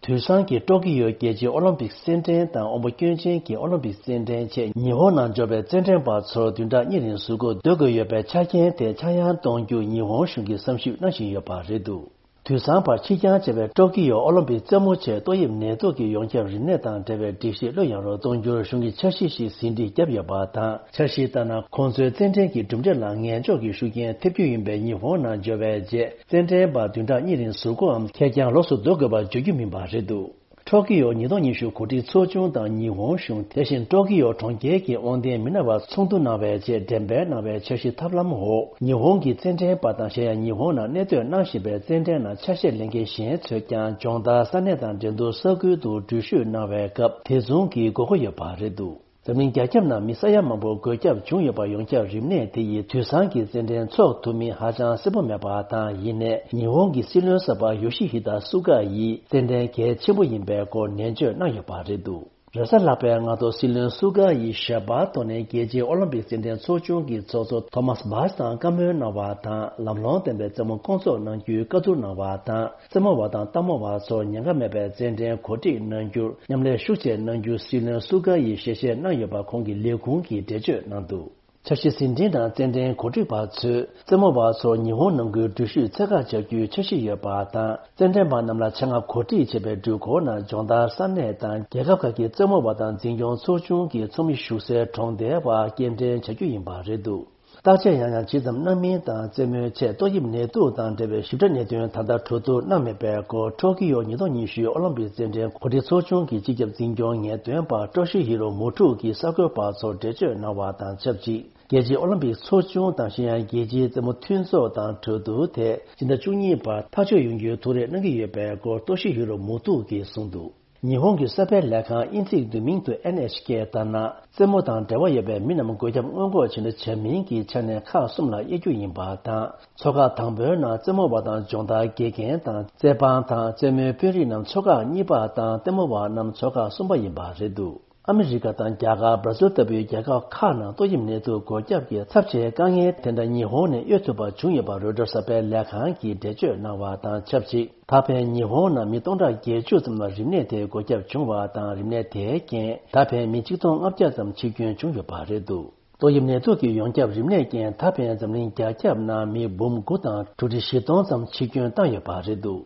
དུས་སང་གི་ཊོ་ཀི་ཡོ་རྒྱལ་སྤྱིའི་ཨོ་ལིམ་པིག་རྩེད་འགྲན་དང་དབང་པོ་སྐྱོན་ཅན་གྱི་ཨོ་ལིམ་པིག་རྩེད་འགྲན་ཆེད་ཉི་ཧོང་ནང་འབྱོར་བའི་རྩེད་འགྲན་པ་ཚོར་བདུན་ཕྲག་གཉིས་རིང་ཟུར་འགོག་སྡོད་དགོས་ཡོད་པའི་ཆ་རྐྱེན་དེ་ཆག་ཡང་གཏོང་རྒྱུ་ཉི་ཧོང་གཞུང་གིས་བསམ་ཞིབ་གནང་བཞིན་ཡོད་པ་རེད་འདུག་དུས་སང་བར་ཕྱིར་འགྱངས་བྱས་པའི་ཊོ་ཀི་ཡོ་ཨོ་ལིམ་པིག་རྩེད་མོ་ཆེད་ཏོག་དབྱིབས་ནད་དུག་གི་ཡོངས་ཁྱབ་རིམས་ནད་དང་འབྲེལ་བའི་སྒྲིག་གཞི་ལྷོད་ཡངས་རུ་གཏོང་རྒྱུར་གཞུང་གིས་འཆར་གཞི་ཞིག་ཟིན་བྲིས་བརྒྱབ་ཡོད་པ་དང་། འཆར་གཞི་ལྟར་ན། ཁོང་ཚོའི་རྩེད་འགྲན་གྱི་གྲུབ་འབྲས་ལ་ངན་ཕྱོགས་ཀྱི་ཤུགས་རྐྱེན་ཐེབས་རྒྱུ་ཡིན་པས། ཉི་ཧོང་ནང་འབྱོར་བའི་རྗེས་རྩེད་འགྲན་པ་བདུན་ཕྲག་གཉིས་རིང་ཟུར་འགོག་འམ་ཁེར་རྐྱང་ལོགས་སུ་སྡོད་དགོས་པར་བརྗོད་རྒྱུ་མིན་པ་རེད་འདུག་ཊོ་ཀི་ཡོ་ཉིས་སྟོང་ཉི་ཤུ་གོ་སྒྲིག་ཚོགས་ཆུང་དང་ཉི་ཧོང་གཞུང་། དེ་བཞིན་ཊོ་ཀི་ཡོ་གྲོང་ཁྱེར་གྱི་དབང་ལྡན་མི་སྣ་བར་ཚོགས་འདུ་གནང་བའི་རྗེས་འགྲེམས་སྤེལ་གནང་བའི་འཆར་གཞི་ཐབས་ལམ་འོག་ཉི་ཧོང་གི་རྩེད་འགྲན་པ་དང་། གཞན་ཡང་ཉི་ཧོང་ནང་གནས་སྡོད་གནང་བཞིན་པའི་རྩེད་འགྲན་ནང་ཆ་ཤས་ལེན་མཁན་གཞན་ཚོས་ཀྱང་སྦྱོང་བརྡར་ས་གནས་དང་འགྲན་བསྡུར་ས་ཁུལ་དུ་འགྲུལ་བཞུད་གནང་བའི་སྐབས་དེ་མཚུངས་ཀྱི་དགོས་མཁོ་ཡོད་པ་རེད་འདུག་འཛམ་གླིང་རྒྱ་ཁྱབ་ནང་མི་ས་ཡ་མང་པོར་འགོས་ཁྱབ་བྱུང་ཡོད་པ། ཡོངས་ཁྱབ་རིམས་ནད་དེ་ཡིས་དུས་སང་གི་རྩེད་འགྲན་འཚོགས་ཐུབ་མིན་ཧ་ཅང་གསལ་པོ་མེད་པ་དང་། ཡིན་ནའི་ཉི་ཧོང་གི་སྲིད་བློན་གསར་པ་ཡོ་ཤི་ཧི་ད་སུ་ག་ཡིས་རྩེད་འགྲན་གལ་ཆེན་པོ་ཡིན་པའི་སྐོར་ནན་བརྗོད་གནང་ཡོད་པ་རེད་འདུག་རེས་གཟའ་ལྷག་པའི་སྔ་དྲོ་སྲིད་བློན་སུ་ག་ཡིས་ཞལ་པར་ཐོག་ནས་རྒྱལ་སྤྱིའི་ཨོ་ལིམ་པིག་རྩེད་འགྲན་ཚོགས་ཆུང་གི་ཚོགས་གཙོ་ཐོ་མཱས་བྷ་ཆ་དང་བཀའ་མོལ་གནང་བ་དང་། ལམ་ལྷོང་ལྡན་པའི་རྩེད་མོ་སྐོང་ཚོགས་གནང་རྒྱུའི་བཀའ་བསྡུར་གནང་བ་དང་། རྩེད་མོ་བ་དང་ལྟད་མོ་བ་ཚོར་ཉེན་ཁ་མེད་པའི་རྩེད་འགྲན་གོ་སྒྲིག་གནང་རྒྱུར་མཉམ་ལས་ཤུགས་ཆེ་གནང་རྒྱུ་སྲིད་བློན་སུ་ག་ཡིས་ཞལ་བཞེས་གནང་ཡོད་པ་ཁོང་གི་ལས་ཁུངས་ཀྱིས་འགྲེལ་བརྗོད་གནང་འདུག་འཆར་གཞི་ཟིན་བྲིས་ནང་རྩེད་འགྲན་གོ་སྒྲིག་པ་ཚོས་རྩེད་མོ་བ་ཚོར་ཉི་ཧོང་ནང་ཁུལ་འགྲུལ་བཞུད་ཚད་བཀག་བྱ་རྒྱུའི་འཆར་གཞི་ཡོད་པ་དང་། རྩེད་འགྲན་པ་རྣམས་ལ་ཆེད་མངགས་གོ་སྒྲིག་བྱས་པའི་འགྲུལ་འཁོར་ནང་སྦྱོང་བརྡར་ས་གནས་དང་རྒྱལ་ཁབ་ཁག་གི་རྩེད་མོ་བ་དང་འཛིན་སྐྱོང་ཚོགས་ཆུང་གི་ཚོགས་མི་བཞུགས་སའི་གྲོང་རྡལ་བར་སྐྱེལ་འདྲེན་བྱ་རྒྱུ་ཡིན་པ་རེད་འདུག་བརྟག་དཔྱད་ཡང་ཡང་ཇི་ཙམ་གནང་མིན་དང་། རྩེད་མོའི་ཆེད་ཏོག་དབྱིབས་ནད་དུག་དང་འབྲེལ་བའི་ཞིབ་ཕྲ་གནད་དོན་ད་ལྟ་གྲོས་བསྡུར་གནང་མེད་པའི་སྐོར། ཊོ་ཀི་ཡོ་ཉིས་སྟོང་ཉི་ཤུའི་ཨོ་ལིམ་པིག་རྩེད་འགྲན་གོ་སྒྲིག་ཚོགས་ཆུང་གི་སྤྱི་ཁྱབ་འཛིན་སྐྱོང་ངེས་སྟོན་པ་ཀྲོ་ཤི་ཧི་རོ་མུ་ཀྲུག་གིས་གསར་འགོད་པ་ཚོར་འགྲེལ་བརྗོད་གནང་བ་དང་ཆབས་ཅིག་རྒྱལ་སྤྱིའི་ཨོ་ལིམ་པིག་ཚོགས་ཆུང་དང་། གཞན་ཡང་རྒྱལ་སྤྱིའི་རྩེད་མོ་མཐུན་ཚོགས་དང་གྲོས་བསྡུར་དེ་སྤྱི་ཟླ་བཅུ་གཉིས་བར་ཐག་གཅོད་ཡོང་རྒྱུའི་ཐུགས་རེ་གནང་གི་ཡོད་པའི་སྐོར། ཀྲོ་ཤི་ཧི་རོ་མུ་ཀྲུག་གིས་གསུངས་འདུག་ཉི་ཧོང་གི་གསར་སྤེལ་ལས་ཁང་དབྱིན་ཚིག་བསྡུས་མིང་དུ་ཨེན་ཨེཆ་ཀེ་ལྟར་ན། རྩེད་མོ་དང་འབྲེལ་བ་ཡོད་པའི་མི་རྣམས་འགོས་ཁྱབ་སྔོན་འགོག་བྱེད་འདོད་བྱ་མིན་གྱི་ཆ་ནས་ཁག་གསུམ་ལ་དབྱེ་རྒྱུ་ཡིན་པ་དང་། ཚོགས་ཁག་དང་པོའི་ནང་རྩེད་མོ་བ་དང་སྦྱོང་བརྡར་དགེ་རྒན་དང་། རྩེད་དཔང་དང་རྩེད་མོའི་དཔོན་རིགས་རྣམས་ཚོགས་ཁག་གཉིས་པ་དང་། ལྟད་མོ་བ་རྣམས་ཚོགས་ཁག་གསུམ་པ་ཡིན་པ་རེད་འདུག་ཨ་མི་རི་ཀ་དང་རྒྱ་གར། བར་ཛིལ་ལྟ་བུའི་རྒྱལ་ཁབ་ཁག་ནང་ཏོག་དབྱིབས་ནད་དུག་འགོས་ཁྱབ་ཀྱི་ཚབས་ཆེའི་དཀའ་ངལ་དེ་འདྲ་ཉི་ཧོང་ནས་གཡོལ་ཐུབ་པ་བྱུང་ཡོད་པ་རོའི་ཊར་གསར་སྤེལ་ལས་ཁང་གིས་འགྲེལ་བརྗོད་གནང་བ་དང་ཆབས་ཅིག་ད་ཕན་ཉི་ཧོང་ནང་མི་སྟོང་ཕྲག་བརྒྱད་ཅུ་ཙམ་ལ་རིམས་ནད་དེ་འགོས་ཁྱབ་བྱུང་བ་དང་། རིམས་ནད་དེའི་རྐྱེན་ད་ཕན་མི་ཆིག་སྟོང་ལྔ་བརྒྱ་ཙམ་འཆི་སྐྱོན་བྱུང་ཡོད་པ་རེད་འདུག་ཏོག་དབྱིབས་ནད་དུག་གི་ཡོངས་ཁྱབ་རིམས་ནད་རྐྱེན་ད་ཕན་འཛམ་གླིང་རྒྱ་ཁྱབ་ནང་མི་འབུམ་དགུ་དང་དྲུག་ཁྲི་བཞི་སྟོང་ཙམ་འཆི་སྐྱོན་བཏང་ཡོད་པ་རེད་འདུག་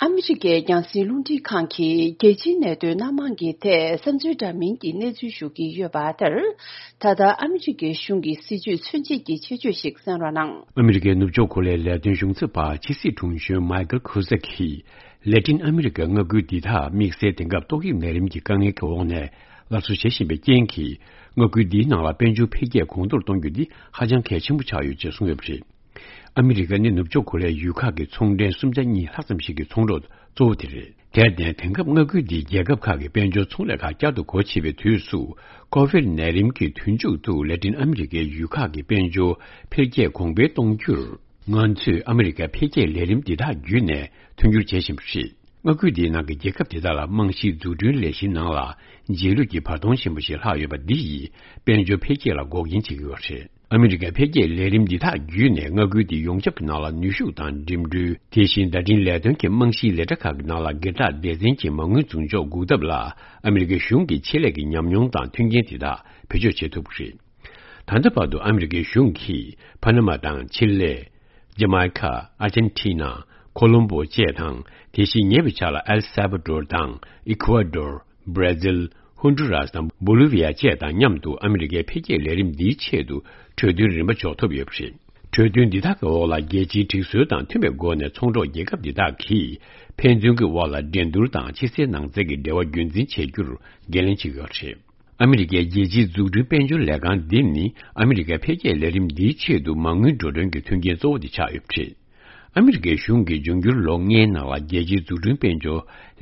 ཨ་མི་རི་ཀའི་རྒྱང་སྲིང་རླུང་འཕྲིན་ཁང་གིས་རྒྱལ་སྤྱིའི་གནད་དོན་སྣ་མང་གི་ཐད་བསམ་ཚུལ་འདྲ་མིན་གྱི་གནས་ཚུལ་ཞུ་གི་ཡོད་པ་ལྟར། ད་ལྟ་ཨ་མི་རི་ཀའི་གཞུང་གི་སྲིད་བྱུས་མཚོན་བྱེད་ཀྱི་ཆེད་བརྗོད་ཞིག་གསན་རོགས་གནང་། ཨ་མི་རི་ཀའི་ནུབ་ཕྱོགས་གོ་ལའི་ལས་དོན་གཞུང་ཚབ་པ་ཕྱི་སྲིད་དྲུང་གཞོན་མའི་ཀལ་ཁུ་ཟེ་གིས། ལེ་ཏིན་ཨ་མི་རི་ཀའི་མངའ་ཁུལ་འདི་དག་དམིགས་བསལ་དེང་སྐབས་ཏོག་དབྱིབས་ནད་རིམས་ཀྱི་དཀའ་ངལ་གྱི་འོག་ནས་སླར་གསོ་བྱེད་བཞིན་པའི་རྐྱེན་གྱིས། མངའ་ཁུལ་འདིའི་ནང་ལ་དཔལ་འབྱོར་འཕེལ་རྒྱས་གོང་མཐོར་གཏོང་རྒྱུ་འདི་ཧ་ཅང་གལ་ཆེན་པོ་ཆགས་ཡོད་ཅེས་གསུངས་ཡོད་པ་རེད། ཨ་མི་རི་ཀ་ནི་ནུབ་ཕྱོགས་གོ་ལའི་ཡུལ་ཁག་གི་ཚོང་འབྲེལ་སུམ་ཆ་གཉིས་ལྷག་ཙམ་ཞིག་གི་ཚོང་རོགས་གཙོ་བོ་དེ་རེད། དེར་བརྟེན། དེང་སྐབས་མངའ་ཁུལ་འདིའི་རྒྱལ་ཁབ་ཁག་གི་དཔལ་འབྱོར་ཚོང་ལས་ཁག་བསྐྱར་དུ་སྒོ་ཕྱེ་བའི་དུས་སུ། ཀོ་ཝིད་ནད་རིམས་ཀྱི་དུས་མཇུག་ཏུ་ལེ་ཏིན་ཨ་མི་རི་ཀའི་ཡུལ་ཁག་གི་དཔལ་འབྱོར་འཕེལ་རྒྱས་གོང་འཕེལ་གཏོང་རྒྱུར། ང་ཚོས་ཨ་མི་རི་ཀའི་འཕེལ་རྒྱས་ལས་རིམ་འདི་དག་བརྒྱུད་ནས་མཐུན་འགྱུར་བྱེད་བཞིན་པ་རེད། མངའ་ཁུལ་འདིའི་ནང་གི་རྒྱལ་ཁབ་དེ་དག་ལ་རྨང་གཞིའི་འཛུགས་སྐྲུན་ལས་གཞིའི་ནང་ལ་རྗེས་ལུས་ཀྱི་བར་སྟོང་ཆེན་པོ་ཞིག་ལྷག་ཡོད་པ་འདི་ཡིས་དཔལ་འབྱོར་འཕེལ་རྒྱས་ལ་འགོག་རྐྱེན་བྱེད་ཀྱི་ཡོད་པ་རེད། ཨ་མི་རི་ཀའི་འཕེལ་རྒྱས་ལས་རིམ་འདི་དག་བརྒྱུད་ནས་མངའ་ཁུལ་དེ་ཡོངས་ཁྱབ་ཀྱི་ནང་ལ་ནུས་ཤུགས་དང་འགྲིམ་འགྲུལ། དེ་བཞིན་བརྡ་འཕྲིན་ལས་དོན་གྱི་རྨང་གཞིའི་ལས་གྲྭ་ཁག་གི་ནང་ལ་སྒེར་བདག་སྡེ་ཚན་གྱི་མ་དངུལ་འཛུགས་འཇོག་འགུག་ཐབས་ལ་ཨ་མི་རི་ཀའི་གཞུང་གི་ཆེད་ལས་ཀྱི་ཉམས་མྱོང་དང་མཐུན་རྐྱེན་དེ་དག་བེད་སྤྱོད་བྱེད་ཐུབ་པ་རེད། ད་ལྟ་བར་དུ་ཨ་མི་རི་ཀའི་གཞུང་གིས་ཕ་ན་མ་དང་ཆི་ལེ། ཇ་མའི་ཁ། ཨར་ཇན་ཊི་ན། ཁོ་ལོམ་བོ་བཅས་དང་། དེ་བཞིན་ཉེ་བའི་ཆར་ལ་ཨེལ་སཱ་བ་ཌོར་དང་། ཨི་ཁུ་ཝ་ཌོར། བྷར་ཛིལ། ཧོན་ཌུ་རཱས་དང་བོ་ལི་བི་ཡ་བཅས་དང་མཉམ་དུ་ཨ་མི་རི་ཀའི་འཕེལ་རྒྱས་ལས་རིམ་འདིའི་ཆེད་དུ་གྲོས་མཐུན་རིམ་པ་འཇོག་ཐུབ་ཡོད་པ་རེད། གྲོས་མཐུན་འདི་དག་གི་འོག་ལ་རྒྱལ་སྤྱིའི་སྒྲིག་སྲོལ་དང་མཐུན་པའི་སྒོ་ནས་ཚོང་གྲོགས་རྒྱལ་ཁབ་འདི་དག་གིས་ཕན་ཚུན་གྱི་དབར་ལ་འགྲན་བསྡུར་དང་ཕྱི་གསལ་ནང་གསལ་གྱི་འབྲེལ་བ་རྒྱུན་འཛིན་བྱེད་རྒྱུར་འགན་ལེན་བྱེད་ཀྱི་ཡོད་པ་རེད། ཨ་མི་རི་ཀའི་རྒྱལ་སྤྱིའི་འཛུགས་སྐྲུན་དཔལ་འབྱོར་ལས་ཁང་འདི་ནི་ཨ་མི་རི་ཀའི་འཕེལ་རྒྱས་ལས་རིམ་འདིའི་ཆེད་དུ་མ་དངུལ་འགྲོ་གྲོན་གྱི་མཐུན་རྐྱེན་གཙོ་བོ་དེ་ཆགས་ཡོད་པ་རེད། ཨ་མི་རི་ཀའི་གཞུང་གིས་འབྱུང་འགྱུར་ལོ་ལྔའི་ནང་ལ་རྒྱལ་སྤྱིའི་འཛུགས་སྐྲུན་དཔལ་འབྱོར་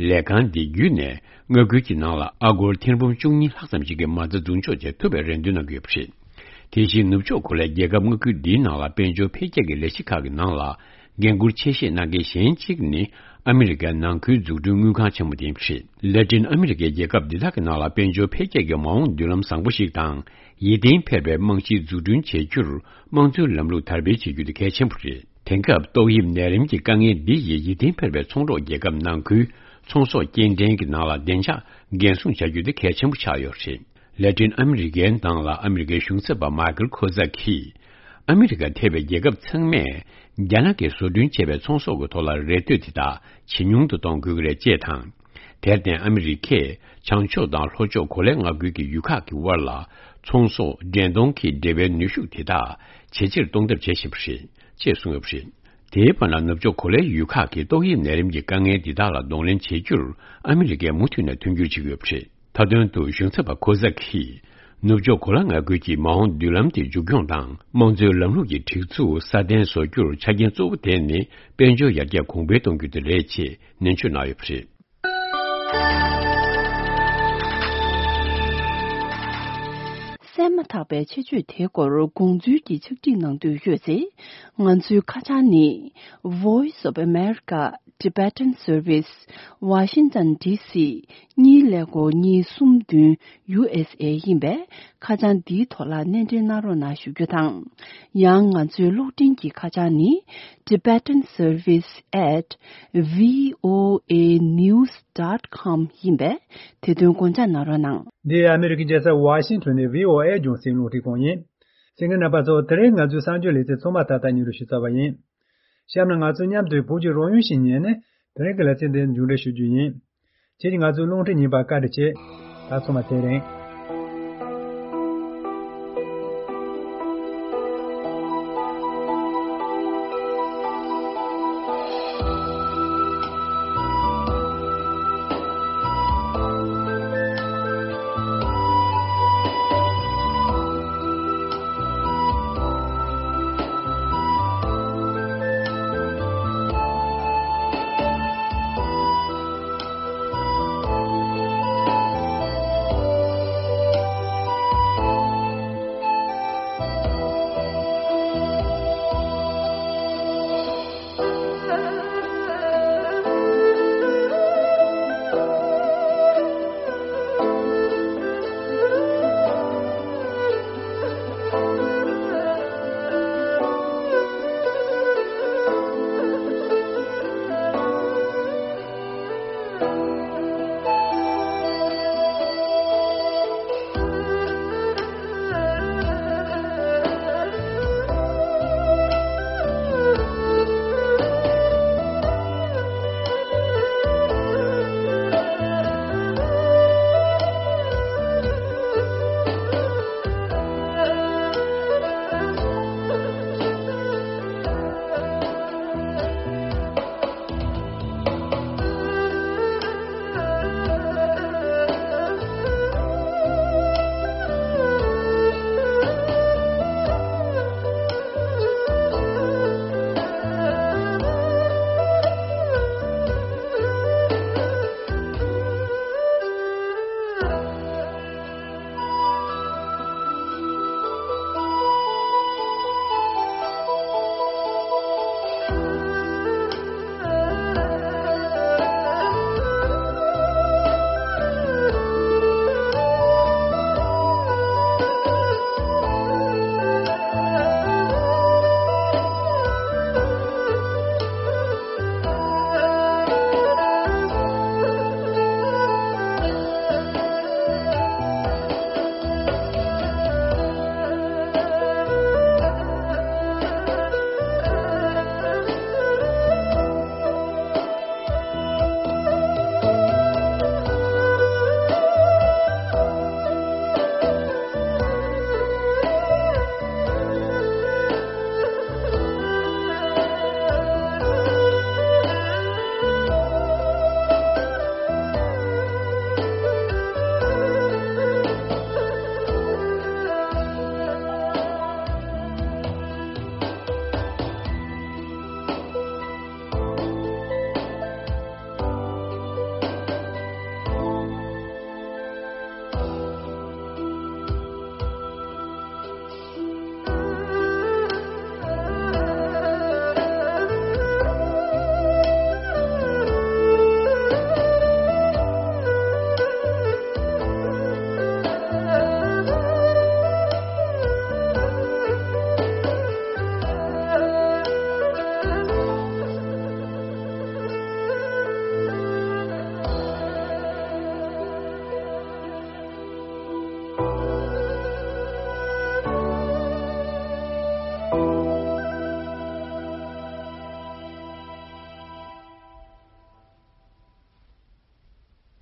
ལས་ཁང་འདི་བརྒྱུད་ནས་མངའ་ཁུལ་གྱི་ནང་ལ་ཨ་སྒོར་ཐེར་འབུམ་བཅུ་གཉིས་ལྷག་ཙམ་ཞིག་གི་མ་རྩ་འཛུགས་འཇོག་བྱེད་ཐུབ་པའི་རེ་འདུན་གནང་གི་ཡོད་པ་རེད། དེ་བཞིན་ནུབ་ཕྱོགས་གོ་ལའི་རྒྱལ་ཁབ་མངའ་ཁུལ་འདིའི་ནང་ལ་དཔལ་འབྱོར་འཕེལ་རྒྱས་ཀྱི་ལས་གཞི་ཁག་གི་ནང་ལ། འགན་འཁུར་ཆེ་བཞེས་གནང་མཁན་གཞན་གཅིག་ནི་ཨ་མི་རི་ཀའི་ནང་ཁུལ་འཛུགས་སྐྲུན་དངུལ་ཁང་ཆེན་མོ་དེ་ཡིན་པ་རེད། ལེ་ཏིན་ཨ་མི་རི་ཀའི་རྒྱལ་ཁབ་འདི་དག་གི་ནང་ལ་དཔལ་འབྱོར་འཕེལ་རྒྱས་ཀྱི་མ་འོངས་མདུན་ལམ་བཟང་པོ་ཞིག་དང་། ཡིད་བརྟན་འཕེར་བའི་རྨང་གཞི་འཛུགས་སྐྲུན་བྱེད་རྒྱུར་དམངས་གཙོའི་ལམ་ལུགས་དར་སྤེལ་བྱེད་རྒྱུ་དེ་གལ་ཆེན་པོ་རེད། དེང་སྐབས་ཏོག་དབྱིབས་ནད་རིམས་ཀྱི་དཀའ་ངལ་འདི་ཡིས་ཡིད་བརྟན་འཕེར་བའི་ཚོང་རོགས་རྒྱལ་ཁབ་ནང་ཁུལ་ཚོང་ཟོག་སྐྱེལ་འདྲེན་གྱི་ནང་ལ་བདེ་འཇགས་འགན་སྲུང་བྱ་རྒྱུ་དེ་གལ་ཆེན་པོ་ཆགས་ཡོད་པ་རེད། ལེ་ཏིན་ཨ་མི་རི་ཀའི་ནང་ལ་ཨ་མི་རི་ཀའི་གཞུང་ཚབ་པ་མཱ་ཀལ་ཁོ་ཛ་གིས། ཨ་མི་རི་ཀ་ཐེ་བའི་རྒྱལ་ཁབ་ཚང་མས་རྒྱ་ནག་གིས་བཟོ་སྐྲུན་བྱས་པའི་ཚོང་ཟོག་གི་ཐོག་ལ་རེ་ལྟོས་དེ་དག་ཇེ་ཉུང་དུ་གཏོང་དགོས་ཀྱི་རེད་ཅེས་དང་། དེར་བརྟེན་ཨ་མི་རི་ཀས་བྱང་ཕྱོགས་དང་ལྷོ་ཕྱོགས་གོ་ལའི་མངའ་ཁུལ་གྱི་ཡུལ་ཁག་གི་དབར་ལ་ཚོང་ཟོག་འགྲན་གཏོང་གི་འབྲེལ་བའི་ནུས་ཤུགས་དེ་དག་ཇེ་ཆེར་གཏོང་ཐབས་བྱེད་བཞིན་པ་རེད་ཅེས་གསུངས་ཡོད་པ་རེད། དེའི་བར་ན་ནུབ་ཕྱོགས་གོ་ལའི་ཡུལ་ཁག་གིས་ཏོག་དབྱིབས་ནད་རིམས་ཀྱི་དཀའ་ངལ་འདི་དག་ལ་གདོང་ལེན་བྱེད་རྒྱུར་ཨ་མི་རི་ཀས་མུ་མཐུད་ནས་མཐུན་འགྱུར་བྱེད་ཀྱི་ཡོད་པ་རེད། མཐའ་དོན་དུ་གཞུང་ཚབ་པ་ཁོ་ཛ་གིས་ནུབ་ཕྱོགས་གོ་ལ་མངའ་ཁུལ་གྱི་མ་འོངས་མདུན་ལམ་དེ་མཇུག་སྐྱོང་དང་དམངས་གཙོའི་ལམ་ལུགས་ཀྱི་སྒྲིག་འཛུགས་སྲ་བརྟན་བཟོ་རྒྱུར་ཆ་རྐྱེན་གཙོ་བོ་དེ་ནི་དཔལ་འབྱོར་ཡར་རྒྱས་གོང་འཕེལ་གཏོང་རྒྱུ་དེ་རེད་ཅེས་ནན་བརྗོད་གནང་ཡོད་པ་རེད། གསན་མ་ཐག་པའི་ཆེད་བརྗོད་དེའི་སྐོར་དགོངས་ཚུལ་གྱི་ཕྱག་བྲིས་གནང་འདོད་ཡོད་ཚེ། ང་ཚོའི་ཁ་བྱང་ནི། Voice of America Tibetan Service Washington D C གཉིས་ཀླད་ཀོར་གཉིས་གསུམ་བདུན་U S A ཡིན་པས། ཁ་བྱང་འདིའི་ཐོག་ལ་སྣེ་འདྲེན་གནང་རོགས་གནང་ཞུ་རྒྱུ་དང་། ཡང་ང་ཚོའི་གློག་འཕྲིན་གྱི་ཁ་བྱང་ནི། Tibetan Service at V O A News dot com ཡིན་པས། དེ་དོན་དགོངས་འཇགས་གནང་རོགས་གནང་། འདི་ཨ་མི་རི་ཀའི་རྒྱལ་ས་ཝ་ཤིང་ཊོན་ནས་V O A རྒྱང་སྲིང་རླུང་འཕྲིན་ཁང་ཡིན། གསན་མཁན་རྣམ་པ་ཚོ། དེ་རིང་ང་ཚོའི་གསར་འགྱུར་ལེ་ཚན་ཚང་མ་ད་ལྟ་སྙན་སྒྲོན་ཞུས་ཚར་བ་ཡིན། གཤམ་ལ་ང་ཚོ་མཉམ་དུ་བོད་ཀྱི་རང་ཡུལ་ཞིག་ཉན་ནས་དེ་རིང་གི་ལེ་ཚན་འདི་མཇུག་སྒྲིལ་ཞུ་རྒྱུ་ཡིན། ཁྱེད་ཀྱིས་ང་ཚོའི་རླུང་འཕྲིན་ཉན་པར་བཀའ་དྲིན་ཆེ། ད་ཚང་མ་ཚེ་རིང་།